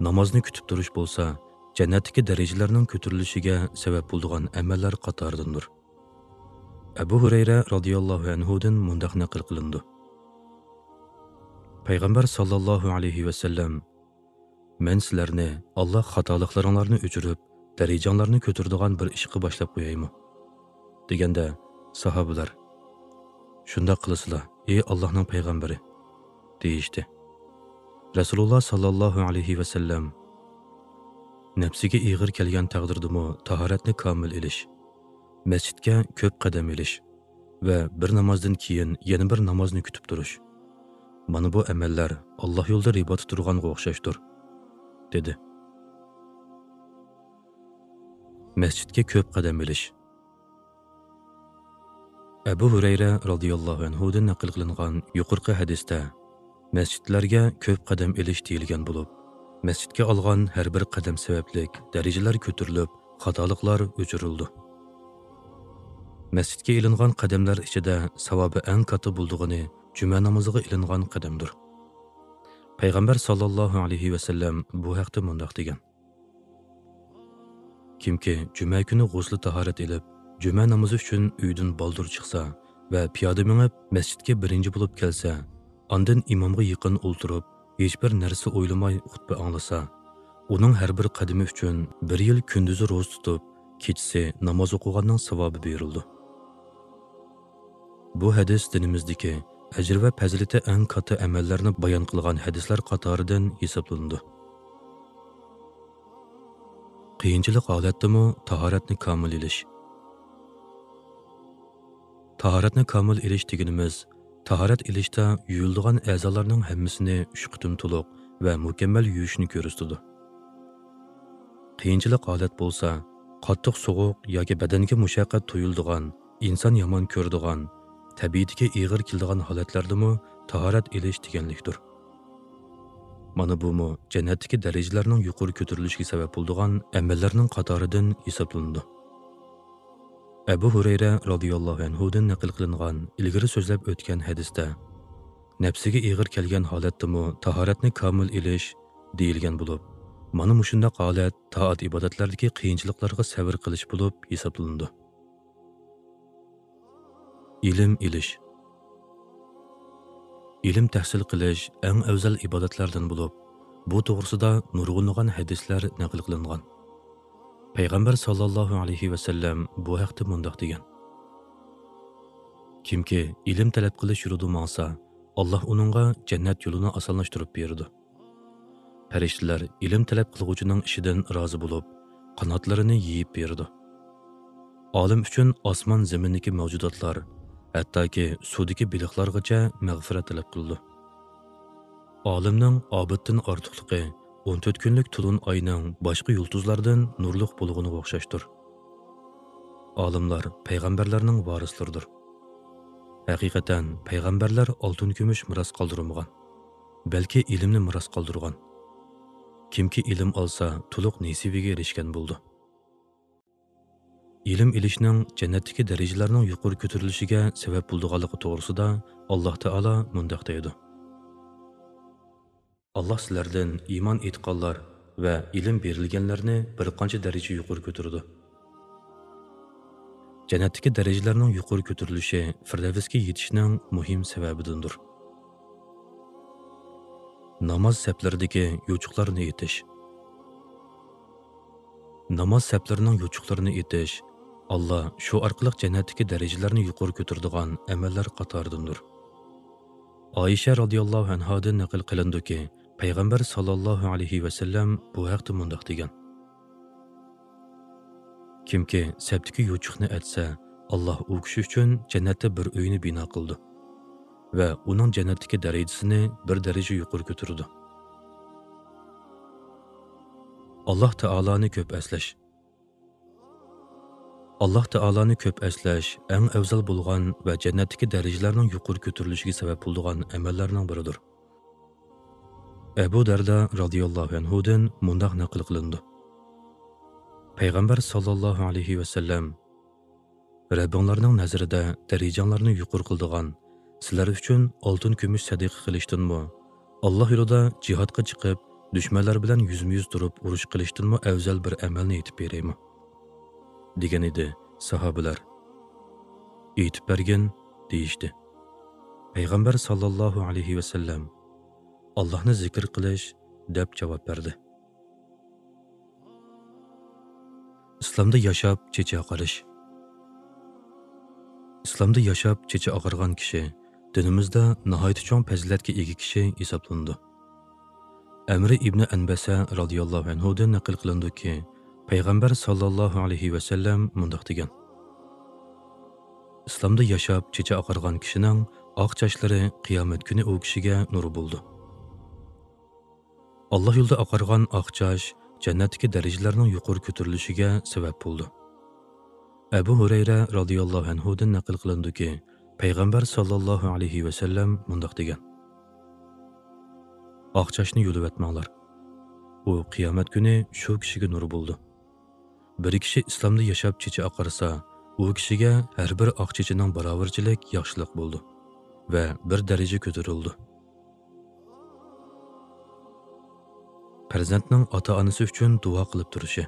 نامازنى كۈتۈپ تۇرۇش بولسا، جەننەتتىكى دەرىجىلەرنىڭ كۆتۈرۈلۈشىگە سەۋەب بولىدىغان ئەمەللەر قاتارىدىندۇر. ئەبۇ ھۇرەيرە رازىياللاھۇ ئەنھۇدىن مۇنداق نەقىل قىلىنىدۇ. پەيغەمبەر ساللاللاھۇ ئەلەيھى ۋەسەللەم، مەن سىلەرنى ئاللاھ خاتالىقلىرىڭلارنى ئۆچۈرۈپ، دەرىجەڭلارنى كۆتۈرىدىغان بىر ئىشقا باشلاپ قويايمۇ؟ دېگەندە، ساھابىلەر، شۇنداق قىلىسىلا، ئى ئاللاھنىڭ پەيغەمبىرى، دېيىشتى. رەسۇلۇللاھ ساللاللاھۇ ئەلەيھى ۋەسەللەم، نەپسىگە ئېغىر كەلگەن تەقدىردىمۇ تاھارەتنى كامىل ئېلىش، مەسچىتكە كۆپ قەدەم ئېلىش ۋە بىر نامازدىن كېيىن يەنە بىر نامازنى كۈتۈپ تۇرۇش، مانا بۇ ئەمەللەر ئاللاھ يولىدا رىباتتا تۇرغانغا ئوخشاشتۇر، دېدى. مەسچىتكە كۆپ قەدەم ئېلىش. ئەبۇ ھۇرەيرە رازىياللاھۇ ئەنھۇدىن نەقىل قىلىنغان يۇقىرىقى ھەدىستە، مەسچىتلەرگە كۆپ قەدەم ئېلىش دېيىلگەن بولۇپ، مەسچىتكە ئالغان ھەر بىر قەدەم سەۋەبلىك دەرىجىلەر كۆتۈرۈلۈپ، خاتالىقلار ئۆچۈرۈلىدۇ. مەسچىتكە ئېلىنغان قەدەملەر ئىچىدە ساۋابى ئەڭ كاتتا بولىدىغىنى جۈمە نامىزىغا ئېلىنغان قەدەمدۇر. پەيغەمبەر ساللاللاھۇ ئەلەيھى ۋەسەللەم بۇ ھەقتە مۇنداق دېگەن: كىمكى جۈمە كۈنى غۇسلى تاھارەت ئېلىپ، جۈمە نامىزى ئۈچۈن ئۆيدىن بالدۇر چىقسا ۋە پىيادە مېڭىپ، مەسچىتكە بىرىنچى بولۇپ كەلسە، ئاندىن ئىمامغا يېقىن ئولتۇرۇپ، ھېچبىر نەرسە ئويلىماي خۇتبە ئاڭلىسا، ئۇنىڭ ھەر بىر قەدىمى ئۈچۈن بىر يىل كۈندۈزى روزا تۇتۇپ، كېچىسى ناماز ئوقۇغاننىڭ ساۋابى بېرىلىدۇ. بۇ ھەدىس دىنىمىزدىكى ئەجرى ۋە پەزىلىتى ئەڭ كاتتا ئەمەللەرنى بايان قىلغان ھەدىسلەر قاتارىدىن ھېسابلىنىدۇ. قىيىنچىلىق ھالەتتىمۇ تاھارەتنى كامىل ئېلىش. تاھارەتنى كامىل ئېلىش دېگىنىمىز، تاھارەت ئېلىشتا يۇيۇلىدىغان ئەزالارنىڭ ھەممىسىنى ئۈچ قېتىم تولۇق ۋە مۇكەممەل يۇيۇشنى كۆرسىتىدۇ. قىيىنچىلىق ھالەت بولسا، قاتتىق سوغۇق ياكى بەدەنگە مۇشەققەت تۇيۇلىدىغان، ئىنسان يامان كۆرىدىغان، تەبىئىتىگە ئېغىر كېلىدىغان ھالەتلەردىمۇ تاھارەت ئېلىش دېگەنلىكتۇر. مانا بۇمۇ جەننەتتىكى دەرىجىلەرنىڭ يۇقىرى كۆتۈرۈلۈشىگە سەۋەب بولىدىغان ئەمەللەرنىڭ قاتارىدىن ھېسابلىنىدۇ. ئەبۇ ھۇرەيرە رازىياللاھۇ ئەنھۇدىن نەقىل قىلىنغان ئىلگىرى سۆزلەپ ئۆتكەن ھەدىستە، نەپسىگە ئېغىر كەلگەن ھالەتتىمۇ تاھارەتنى كامىل ئېلىش دېيىلگەن بولۇپ، مانا مۇشۇنداق ھالەت تائەت-ئىبادەتلەردىكى قىيىنچىلىقلارغا سەۋر قىلىش بولۇپ ھېسابلىنىدۇ. ئىلىم ئېلىش. ئىلىم تەھسىل قىلىش ئەڭ ئەۋزەل ئىبادەتلەردىن بولۇپ، بۇ توغرىسىدا نۇرغۇنلىغان ھەدىسلەر نەقىل قىلىنغان. پەيغەمبەر ساللاللاھۇ ئەلەيھى ۋەسەللەم بۇ ھەقتە مۇنداق دېگەن: كىمكى ئىلىم تەلەپ قىلىش يولىدا ماڭسا، ئاللاھ ئۇنىڭغا جەننەت يولىنى ئاسانلاشتۇرۇپ بېرىدۇ. پەرىشتىلەر ئىلىم تەلەپ قىلغۇچىنىڭ ئىشىدىن رازى بولۇپ، قاناتلىرىنى يېيىپ بېرىدۇ. ئالىم ئۈچۈن ئاسمان زېمىندىكى مەۋجۇداتلار، ھەتتاكى سۇدىكى بېلىقلارغىچە مەغپىرەت تەلەپ قىلىدۇ. ئالىمنىڭ ئابىدتىن ئارتۇقلۇقى ئون تۆت كۈنلۈك تولۇن ئاينىڭ باشقا يۇلتۇزلاردىن نۇرلۇق بولغىنىغا ئوخشاشتۇر. ئالىملار پەيغەمبەرلەرنىڭ ۋارىسلىرىدۇر. ھەقىقەتەن، پەيغەمبەرلەر ئالتۇن-كۈمۈش مىراس قالدۇرمىغان، بەلكى ئىلىمنى مىراس قالدۇرغان. كىمكى ئىلىم ئالسا، تولۇق نېسىۋىگە ئېرىشكەن بولىدۇ. ئىلىم ئېلىشنىڭ جەننەتتىكى دەرىجىلەرنىڭ يۇقىرى كۆتۈرۈلۈشىگە سەۋەب بولىدىغانلىقى توغرىسىدا ئاللاھ تائالا مۇنداق دەيدۇ: ئاللاھ سىلەردىن ئىمان ئېيتقانلار ۋە ئىلىم بېرىلگەنلەرنى بىر قانچە دەرىجە يۇقىرى كۆتۈرىدۇ. جەننەتتىكى دەرىجىلەرنىڭ يۇقىرى كۆتۈرۈلۈشى فىردەۋسكە يېتىشنىڭ مۇھىم سەۋەبىدىندۇر. ناماز سەپلىرىدىكى يوچۇقلارنى ئېتىش. ناماز سەپلىرىنىڭ يوچۇقلىرىنى ئېتىش، ئاللاھ شۇ ئارقىلىق جەننەتتىكى دەرىجىلەرنى يۇقىرى كۆتۈرىدىغان ئەمەللەر قاتارىدىندۇر. ئائىشە رازىياللاھۇ ئەنھادىن نەقىل قىلىنىدۇكى، پەيغەمبەر ساللاللاھۇ ئەلەيھى ۋەسەللەم بۇ ھەقتە مۇنداق دېگەن: كىمكى سەپتىكى يوچۇقنى ئەتسە، ئاللاھ ئۇ كىشى ئۈچۈن جەننەتتە بىر ئۆينى بىنا قىلىدۇ ۋە ئۇنىڭ جەننەتتىكى دەرىجىسىنى بىر دەرىجە يۇقىرى كۆتۈرىدۇ. ئاللاھ تائالانى كۆپ ئەسلەش. ئاللاھ تائالانى كۆپ ئەسلەش ئەڭ ئەۋزەل بولغان ۋە جەننەتتىكى دەرىجىلەرنىڭ يۇقىرى كۆتۈرۈلۈشىگە سەۋەب بولىدىغان ئەمەللەرنىڭ بىرىدۇر. ئەبۇ دەردە رازىياللاھۇ ئەنھۇدىن مۇنداق نەقىل قىلىنىدۇ: پەيغەمبەر ساللاللاھۇ ئەلەيھى ۋەسەللەم، رەببىڭلارنىڭ نەزىرىدە دەرىجەڭلارنى يۇقىرى قىلىدىغان، سىلەر ئۈچۈن ئالتۇن-كۈمۈش سەدىقە قىلىشتىنمۇ، ئاللاھ يولىدا جىھادقا چىقىپ، دۈشمەنلەر بىلەن يۈزمۇ-يۈز تۇرۇپ ئۇرۇش قىلىشتىنمۇ ئەۋزەل بىر ئەمەلنى ئېيتىپ بېرەيمۇ؟ دېگەن ئىدى. ساھابىلەر، ئېيتىپ بەرگىن، دېيىشتى. پەيغەمبەر ساللاللاھۇ ئەلەيھى ۋەسەللەم، ئاللاھنى زىكىر قىلىش، دەپ جاۋاب بەردى. ئىسلامدا ياشاپ چېچى ئاقىرىش. ئىسلامدا ياشاپ چېچى ئاقارغان كىشى دىنىمىزدا ناھايىتى چوڭ پەزىلەتكە ئىگە كىشى ھېسابلىنىدۇ. ئەمرى ئىبنى ئەنبەسە رازىياللاھۇ ئەنھۇدىن نەقىل قىلىنىدۇكى، پەيغەمبەر ساللاللاھۇ ئەلەيھى ۋەسەللەم مۇنداق دېگەن: ئىسلامدا ياشاپ چېچى ئاقارغان كىشىنىڭ ئاق چاچلىرى قىيامەت كۈنى ئۇ كىشىگە نۇر بولىدۇ. ئاللاھ يولىدا ئاقارغان ئاق چاچ جەننەتتىكى دەرىجىلەرنىڭ يۇقىرى كۆتۈرۈلۈشىگە سەۋەب بولىدۇ. ئەبۇ ھۇرەيرە رازىياللاھۇ ئەنھۇدىن نەقىل قىلىنىدۇكى، پەيغەمبەر ساللاللاھۇ ئەلەيھى ۋەسەللەم مۇنداق دېگەن: ئاق چاچنى يۇلۇۋەتمەڭلار. ئۇ قىيامەت كۈنى شۇ كىشىگە نۇر بولىدۇ. بىر كىشى ئىسلامدا ياشاپ چېچى ئاقارسا، ئۇ كىشىگە ھەر بىر ئاق چېچىنىڭ باراۋىرىچىلىك ياخشىلىق بولىدۇ ۋە بىر دەرىجە كۆتۈرۈلىدۇ. پەرزەنتنىڭ ئاتا-ئانىسى ئۈچۈن دۇئا قىلىپ تۇرۇشى.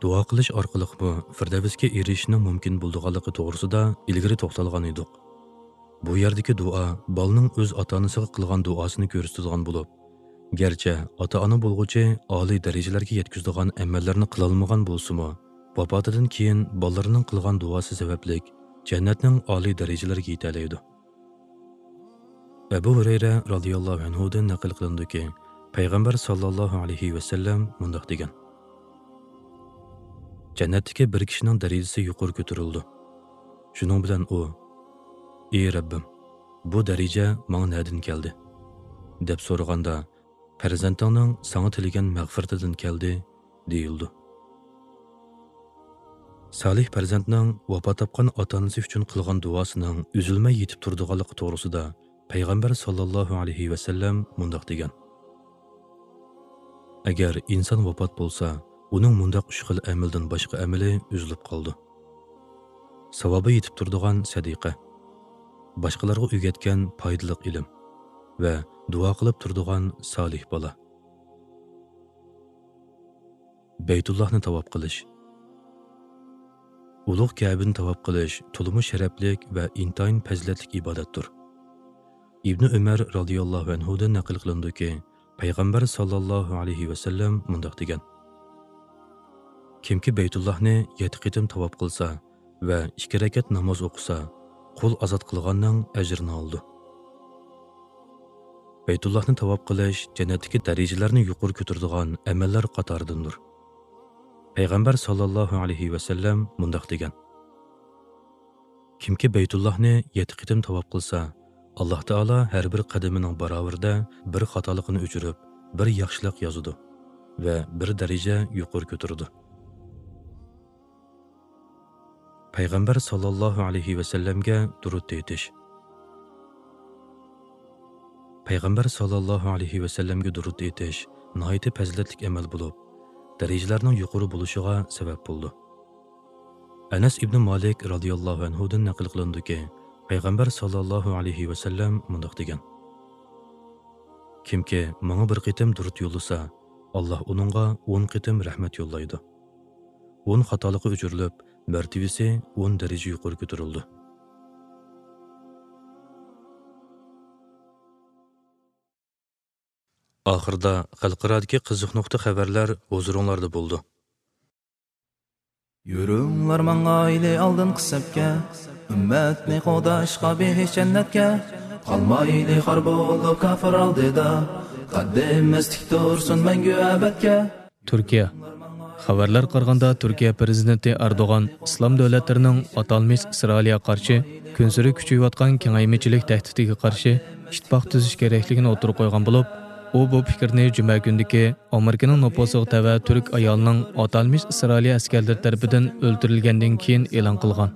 دۇئا قىلىش ئارقىلىقمۇ فىردەۋسكە ئېرىشىشنىڭ مۇمكىن بولىدىغانلىقى توغرىسىدا ئىلگىرى توختالغان ئىدۇق. بۇ يەردىكى دۇئا بالىنىڭ ئۆز ئاتا-ئانىسىغا قىلغان دۇئاسىنى كۆرسىتىدىغان بولۇپ، گەرچە ئاتا-ئانا بولغۇچى ئالىي دەرىجىلەرگە يەتكۈزىدىغان ئەمەللەرنى قىلالمىغان بولسىمۇ، ۋاپاتىدىن كېيىن بالىلىرىنىڭ قىلغان دۇئاسى سەۋەبلىك جەننەتنىڭ ئالىي دەرىجىلىرىگە يېتەلەيدۇ. ئەبۇ ھۇرەيرە رازىياللاھۇ ئەنھۇدىن نەقىل قىلىنىدۇكى، پەيغەمبەر ساللاللاھۇ ئەلەيھى ۋەسەللەم مۇنداق دېگەن: جەننەتتىكى بىر كىشىنىڭ دەرىجىسى يۇقىرى كۆتۈرۈلىدۇ. شۇنىڭ بىلەن ئۇ، ئى رەببىم، بۇ دەرىجە ماڭا نەدىن كەلدى؟ دەپ سورىغاندا، پەرزەنتىڭنىڭ ساڭا تىلىگەن مەغپىرىتىدىن كەلدى، دېيىلىدۇ. سالىھ پەرزەنتنىڭ ۋاپات تاپقان ئاتا-ئانىسى ئۈچۈن قىلغان دۇئاسىنىڭ ئۈزۈلمەي يېتىپ تۇرىدىغانلىقى توغرىسىدا پەيغەمبەر ساللاللاھۇ ئەلەيھى ۋەسەللەم مۇنداق دېگەن: ئەگەر ئىنسان ۋاپات بولسا، ئۇنىڭ مۇنداق ئۈچ خىل ئەمەلدىن باشقا ئەمىلى ئۈزۈلۈپ قالىدۇ. ساۋابى يېتىپ تۇرىدىغان سەدىقە، باشقىلارغا ئۆگەتكەن پايدىلىق ئىلىم ۋە دۇئا قىلىپ تۇرىدىغان سالىھ بالا. بەيتۇللاھنى تاۋاپ قىلىش. ئۇلۇغ كەبىنى تاۋاپ قىلىش تولىمۇ شەرەپلىك ۋە ئىنتايىن پەزىلەتلىك ئىبادەتتۇر. ئىبنى ئۆمەر رازىياللاھۇ ئەنھۇدىن نەقىل قىلىنىدۇكى، پەيغەمبەر ساللاللاھۇ ئەلەيھى ۋەسەللەم مۇنداق دېگەن: كىمكى بەيتۇللاھنى يەتتە قېتىم تاۋاپ قىلسا ۋە ئىككى رەكەت ناماز ئوقۇسا، قۇل ئازاد قىلغاننىڭ ئەجرىنى ئالىدۇ. بەيتۇللاھنى تاۋاپ قىلىش جەننەتتىكى دەرىجىلەرنى يۇقىرى كۆتۈرىدىغان ئەمەللەر قاتارىدىندۇر. پەيغەمبەر ساللاللاھۇ ئەلەيھى ۋەسەللەم مۇنداق دېگەن: كىمكى بەيتۇللاھنى يەتتە قېتىم تاۋاپ قىلسا، ئاللاھ تائالا ھەر بىر قەدىمىنىڭ باراۋىرىدە بىر خاتالىقىنى ئۆچۈرۈپ، بىر ياخشىلىق يازىدۇ ۋە بىر دەرىجە يۇقىرى كۆتۈرىدۇ. پەيغەمبەر ساللاللاھۇ ئەلەيھى ۋەسەللەمگە دۇرۇت ئېيتىش. پەيغەمبەر ساللاللاھۇ ئەلەيھى ۋەسەللەمگە دۇرۇت ئېيتىش ناھايىتى پەزىلەتلىك ئەمەل بولۇپ، دەرىجىلەرنىڭ يۇقىرى بولۇشىغا سەۋەب بولىدۇ. ئەنەس ئىبنى مالىك رازىياللاھۇ ئەنھۇدىن نەقىل قىلىنىدۇكى، پەيغەمبەر ساللاللاھۇ ئەلەيھى ۋەسەللەم مۇنداق دېگەن: كىمكى ماڭا بىر قېتىم دۇرۇت يوللىسا، ئاللاھ ئۇنىڭغا ئون قېتىم رەھمەت يوللايدۇ. ئون خاتالىقى ئۆچۈرۈلۈپ، مەرتىۋىسى ئون دەرىجە يۇقىرى كۆتۈرۈلىدۇ. ئاخىرىدا خەلقئارادىكى قىزىق نۇقتا خەۋەرلەر ھۇزۇرۇڭلاردا بولىدۇ. يۈرۈڭلار ماڭايلى ئالدىنقى سەپكە، ئۈممەتنى قوغداشقا بېھىش جەننەتكە. قالمايلى خار بولۇپ كاپىر ئالدىدا، قەددىمىز تىك تۇرسۇن مەڭگۈ ئەبەدكە. تۈركىيە. خەۋەرلەرگە قارىغاندا، تۈركىيە پىرېزىدېنتى ئەردوغان ئىسلام دۆلەتلىرىنىڭ ئاتالمىش ئىسرائىلىيە قارشى كۈنسېرى كۈچىيىۋاتقان كېڭەيمىچىلىك تەھدىتىگە قارشى ئىتتىپاق تۈزۈش كېرەكلىكىنى ئوتتۇرىغا قويغان بولۇپ، ئۇ بۇ پىكىرنى جۈمە كۈنىدىكى ئامېرىكىنىڭ نوپۇزىغا تەۋە تۈرك ئايالىنىڭ ئاتالمىش ئىسرائىلىيە ئەسكەرلىرى تەرىپىدىن ئۆلتۈرۈلگەندىن كېيىن ئېلان قىلغان.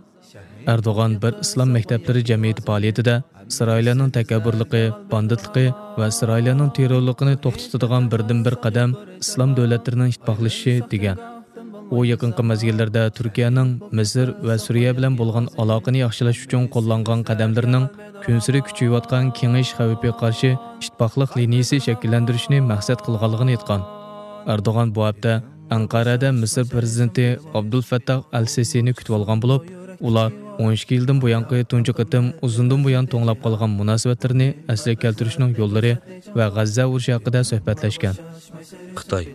ئەردوغان بىر ئىسلام مەكتەپلىرى جەمئىيىتى پائالىيىتىدە ئىسرائىلىيەنىڭ تەكەببۇرلۇقى، باندىتلىقى ۋە ئىسرائىلىيەنىڭ تېررورلۇقىنى توختىتىدىغان بىردىنبىر قەدەم ئىسلام دۆلەتلىرىنىڭ ئىتتىپاقلىشىشى، دېگەن. ئۇ يېقىنقى مەزگىللەردە تۈركىيەنىڭ مىسىر ۋە سۈرىيە بىلەن بولغان ئالاقىنى ياخشىلاش ئۈچۈن قوللانغان قەدەملىرىنىڭ كۈنسېرى كۈچىيىۋاتقان كېڭىيىش خەۋپىگە قارشى ئىتتىپاقلىق لىنىيىسى شەكىللەندۈرۈشنى مەقسەت قىلغانلىقىنى ئېيتقان. ئەردوغان بۇ ھەپتە ئەنقەرەدە مىسىر پىرېزىدېنتى ئابدۇلفەتتاھ ئەل سىسىنى كۈتۈۋالغان بولۇپ، ئۇلار ئون ئىككى يىلدىن بۇيانقى تۇنجى قېتىم ئۇزۇندىن بۇيان توڭلاپ قالغان مۇناسىۋەتلىرىنى ئەسلىگە كەلتۈرۈشنىڭ يوللىرى ۋە غەززە ئۇرۇشى ھەققىدە سۆھبەتلەشكەن. خىتاي.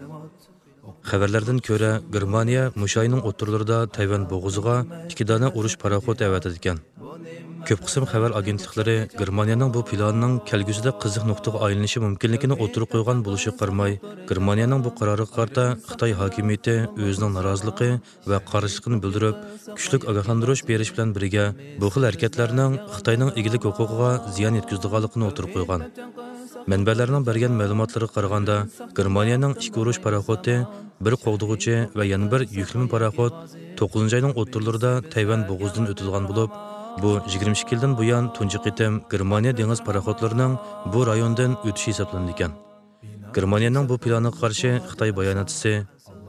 خەۋەرلەردىن كۆرە، گېرمانىيە مۇشۇ ئاينىڭ ئوتتۇرىلىرىدا تەيۋەن بوغۇزىغا ئىككى دانە ئۇرۇش پاراخوتى ئەۋەتىدىكەن. كۆپ قىسىم خەۋەر ئاگېنتلىقلىرى گېرمانىيەنىڭ بۇ پىلانىنىڭ كەلگۈسىدە قىزىق نۇقتىغا ئايلىنىشى مۇمكىنلىكىنى ئوتتۇرىغا قويغان بولۇشىغا قارىماي، گېرمانىيەنىڭ بۇ قارارىغا قارىتا خىتاي ھاكىمىيىتى ئۆزىنىڭ نارازىلىقى ۋە قارشىلىقىنى بىلدۈرۈپ، كۈچلۈك ئاگاھلاندۇرۇش بېرىش بىلەن بىرگە، بۇ خىل ھەرىكەتلەرنىڭ خىتاينىڭ ئىگىلىك ھوقۇقىغا زىيان يەتكۈزىدىغانلىقىنى ئوتتۇرىغا قويغان. مەنبەلەرنىڭ بەرگەن مەلۇماتلىرىغا قارىغاندا، گېرمانىيەنىڭ ئىككى ئۇرۇش پاراخوتى، بىر قوغدىغۇچى ۋە يەنە بىر يۈكلىمە پاراخوت توققۇزىنچى ئاينىڭ ئوتتۇرىلىرىدا تەيۋەن بوغۇزىدىن ئۆتىدىغان بولۇپ، بۇ يىگىرمە ئىككى يىلدىن بۇيان تۇنجى قېتىم گېرمانىيە دېڭىز پاراخوتلىرىنىڭ بۇ رايوندىن ئۆتۈشى ھېسابلىنىدىكەن. گېرمانىيەنىڭ بۇ پىلانىغا قارشى خىتاي باياناتچىسى،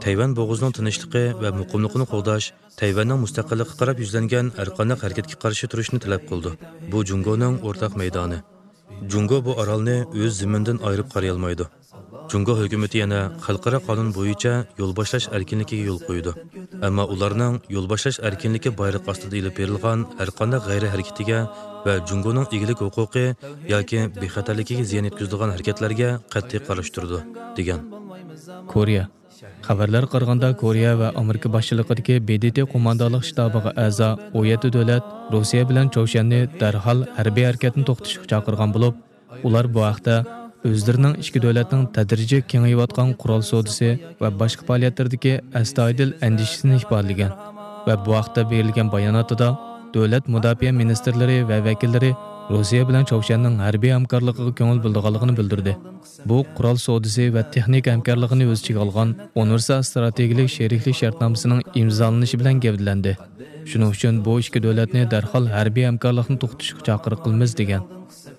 تەيۋەن بوغۇزىنىڭ تىنچلىقى ۋە مۇقىملىقىنى قوغداش تەيۋەننىڭ مۇستەقىللىقىغا قاراپ يۈزلەنگەن ھەرقانداق ھەرىكەتكە قارشى تۇرۇشنى تەلەپ قىلىدۇ. بۇ جۇڭگونىڭ ئورتاق مەيدانى. جۇڭگو بۇ ئارالنى ئۆز زېمىنىدىن ئايرىپ قارىيالمايدۇ. جۇڭگو ھۆكۈمىتى يەنە خەلقئارا قانۇن بويىچە يول باشلاش ئەركىنلىكىگە يول قويىدۇ. ئەمما ئۇلارنىڭ يول باشلاش ئەركىنلىكى بايرىقى ئاستىدا ئېلىپ بېرىلغان ھەرقانداق غەيرىي ھەرىكىتىگە ۋە جۇڭگونىڭ ئىگىلىك ھوقۇقى ياكى بىخەتەرلىكىگە زىيان يەتكۈزىدىغان ھەرىكەتلەرگە قەتئىي قارشى تۇرىدۇ، دېگەن. كورېيە. خەۋەرلەرگە قارىغاندا، كورېيە ۋە ئامېرىكا باشچىلىقىدىكى بې دې تې قوماندانلىق شتابىغا ئەزا ئون يەتتە دۆلەت روسىيە بىلەن چاۋشيەننى دەرھال ھەربىي ھەرىكەتنى توختىتىشقا چاقىرغان بولۇپ، ئۇلار بۇ ھەقتە ئۆزلىرىنىڭ ئىككى دۆلەتنىڭ تەدرىجىي كېڭىيىۋاتقان قورال سودىسى ۋە باشقا پائالىيەتلىرىدىكى ئەستايىدىل ئەندىشىسىنى ئىپادىلىگەن ۋە بۇ ھەقتە بېرىلگەن باياناتىدا، دۆلەت مۇداپىئە مىنىستىرلىرى ۋە ۋەكىللىرى روسىيە بىلەن چاۋشيەننىڭ ھەربىي ھەمكارلىقىغا كۆڭۈل بۆلىدىغانلىقىنى بىلدۈردى. بۇ قورال سودىسى ۋە تېخنىكا ھەمكارلىقىنى ئۆز ئىچىگە ئالغان ئۇنىۋېرسال ئىستراتېگىيەلىك شېرىكلىك شەرتنامىسىنىڭ ئىمزالىنىشى بىلەن گەۋدىلەندى. شۇنىڭ ئۈچۈن بۇ ئىككى دۆلەتنى دەرھال ھەربىي ھەمكارلىقنى توختىتىشقا چاقىرىق قىلىمىز، دېگەن.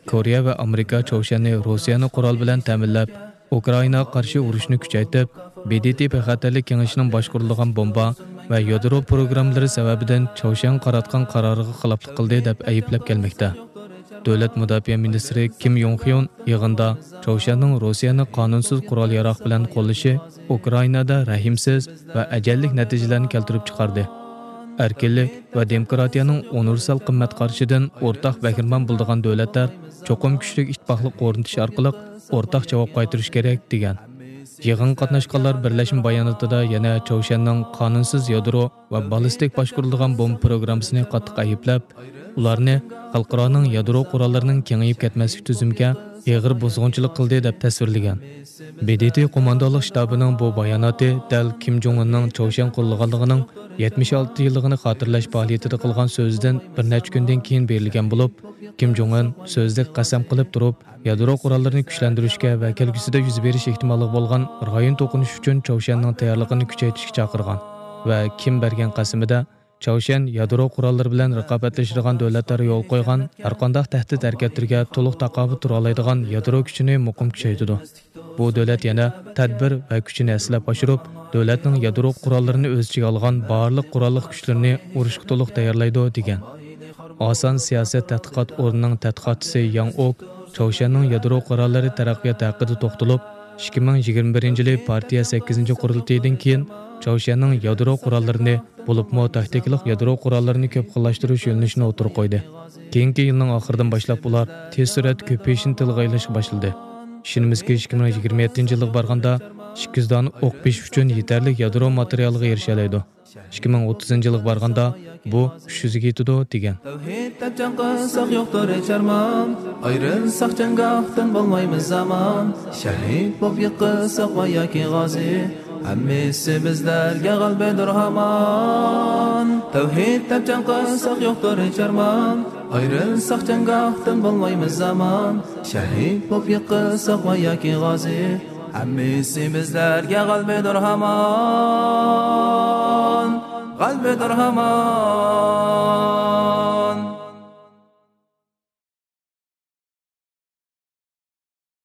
كورېيە ۋە ئامېرىكا چاۋشيەننى روسىيەنى قورال بىلەن تەمىنلەپ، ئۇكرائىناغا قارشى ئۇرۇشنى كۈچەيتىپ، ب د ت بىخەتەرلىك كېڭىشىنىڭ باشقۇرىدىغان بومبا ۋە يادرو پروگراممىلىرى سەۋەبىدىن چاۋشيەنگە قاراتقان قارارىغا خىلاپلىق قىلدى، دەپ ئەيىبلەپ كەلمەكتە. دۆلەت مۇداپىئە مىنىستىرى كىم يوڭ خيون يىغىندا چاۋشيەننىڭ روسىيەنى قانۇنسىز قورال ياراغ بىلەن قوللىشى ئۇكرائىنادا رەھىمسىز ۋە ئەجەللىك نەتىجىلەرنى كەلتۈرۈپ چىقاردى. ئەركىنلىك ۋە دېموكراتىيەنىڭ ئۇنىۋېرسال قىممەت قارىشىدىن ئورتاق بەھرىمەن بولىدىغان دۆلەتلەر چوقۇم كۈچلۈك ئىتتىپاقلىق ئورنىتىش ئارقىلىق ئورتاق جاۋاب قايتۇرۇش كېرەك، دېگەن. يىغىنغا قاتناشقانلار بىرلەشمە باياناتىدا يەنە چاۋشيەننىڭ قانۇنسىز يادرو ۋە باللىستىك باشقۇرۇلىدىغان بومبا پروگراممىسىنى قاتتىق ئەيىبلەپ، ئۇلارنى خەلقئارانىڭ يادرو قوراللىرىنىڭ كېڭىيىپ كەتمەسلىك تۈزۈمىگە ئېغىر بۇزغۇنچىلىق قىلدى، دەپ تەسۋىرلىگەن. ب د ت قوماندانلىق شتابىنىڭ بۇ باياناتى دەل كىم جوڭ ئۇننىڭ چاۋشيەن قوللىغانلىقىنىڭ يەتمىش ئالتە يىللىقىنى خاتىرىلەش پائالىيىتىدە قىلغان سۆزىدىن بىر نەچچە كۈندىن كېيىن بېرىلگەن بولۇپ، كىم جوڭ ئۇن سۆزىدە قەسەم قىلىپ تۇرۇپ، يادرو قوراللىرىنى كۈچلەندۈرۈشكە ۋە كەلگۈسىدە يۈز بېرىش ئېھتىماللىقى بولغان رايون توقۇنۇشى ئۈچۈن چاۋشيەننىڭ تەييارلىقىنى كۈچەيتىشكە چاقىرغان ۋە كىم بەرگەن قەسىمىدە چاۋشيەن يادرو قوراللىرى بىلەن رىقابەتلىشىدىغان دۆلەتلەر يولغا قويغان ھەرقانداق تەھدىت ھەرىكەتلىرىگە تولۇق تاقابىل تۇرالايدىغان يادرو كۈچىنى مۇقىم كۈچەيتىدۇ. بۇ دۆلەت يەنە تەدبىر ۋە كۈچىنى ھەسسىلەپ ئاشۇرۇپ، دۆلەتنىڭ يادرو قوراللىرىنى ئۆز ئىچىگە ئالغان بارلىق قوراللىق كۈچلىرىنى ئۇرۇشقا تولۇق تەييارلايدۇ، دېگەن. ئاسان سىياسەت تەتقىقات ئورنىنىڭ تەتقىقاتچىسى ياڭ ئوك چاۋشيەننىڭ يادرو قوراللىرى تەرەققىياتى ھەققىدە توختىلىپ، ئىككى مىڭ يىگىرمە بىرىنچى يىلى پارتىيە سەككىزىنچى قۇرۇلتىيىدىن كېيىن چاۋشيەننىڭ يادرو قوراللىرىنى، بولۇپمۇ تاكتىكىلىق يادرو قوراللىرىنى كۆپ خىللاشتۇرۇش يۆنىلىشىنى ئوتتۇرىغا قويدى. كېيىنكى يىلنىڭ ئاخىرىدىن باشلاپ ئۇلار تېز سۈرئەتتە كۆپىيىشنى تىلغا ئېلىشقا باشلىدى. ئىشىنىمىزكى، ئىككى مىڭ يىگىرمە يەتتىنچى يىلغا بارغاندا ئىككى يۈز دانە ئوق بېسىش ئۈچۈن يېتەرلىك يادرو ماتېرىيالىغا ئېرىشەلەيدۇ. ئىككى مىڭ ئوتتۇزىنچى يىلغا بارغاندا بۇ ئۈچ يۈزگە يېتىدۇ، دېگەن. تەۋھىد دەپ جەڭ قىلساق يوقتۇر ھېچ ئارمان، ئايرىلساق جەڭگاھتىن بولمايمىز ئامان، شەھىد بولۇپ يىقىلساق ۋە ياكى غازى، ھەممىسى بىزلەرگە غەلىبىدۇر ھامان. تەۋھىد دەپ جەڭ قىلساق يوقتۇر ھېچ ئارمان، ئايرىلساق جەڭگاھتىن بولمايمىز ئامان، شەھىد بولۇپ يىقىلساق ۋە ياكى غازى، ھەممىسى بىزلەرگە غەلىبىدۇر ھامان، غەلىبىدۇر ھامان.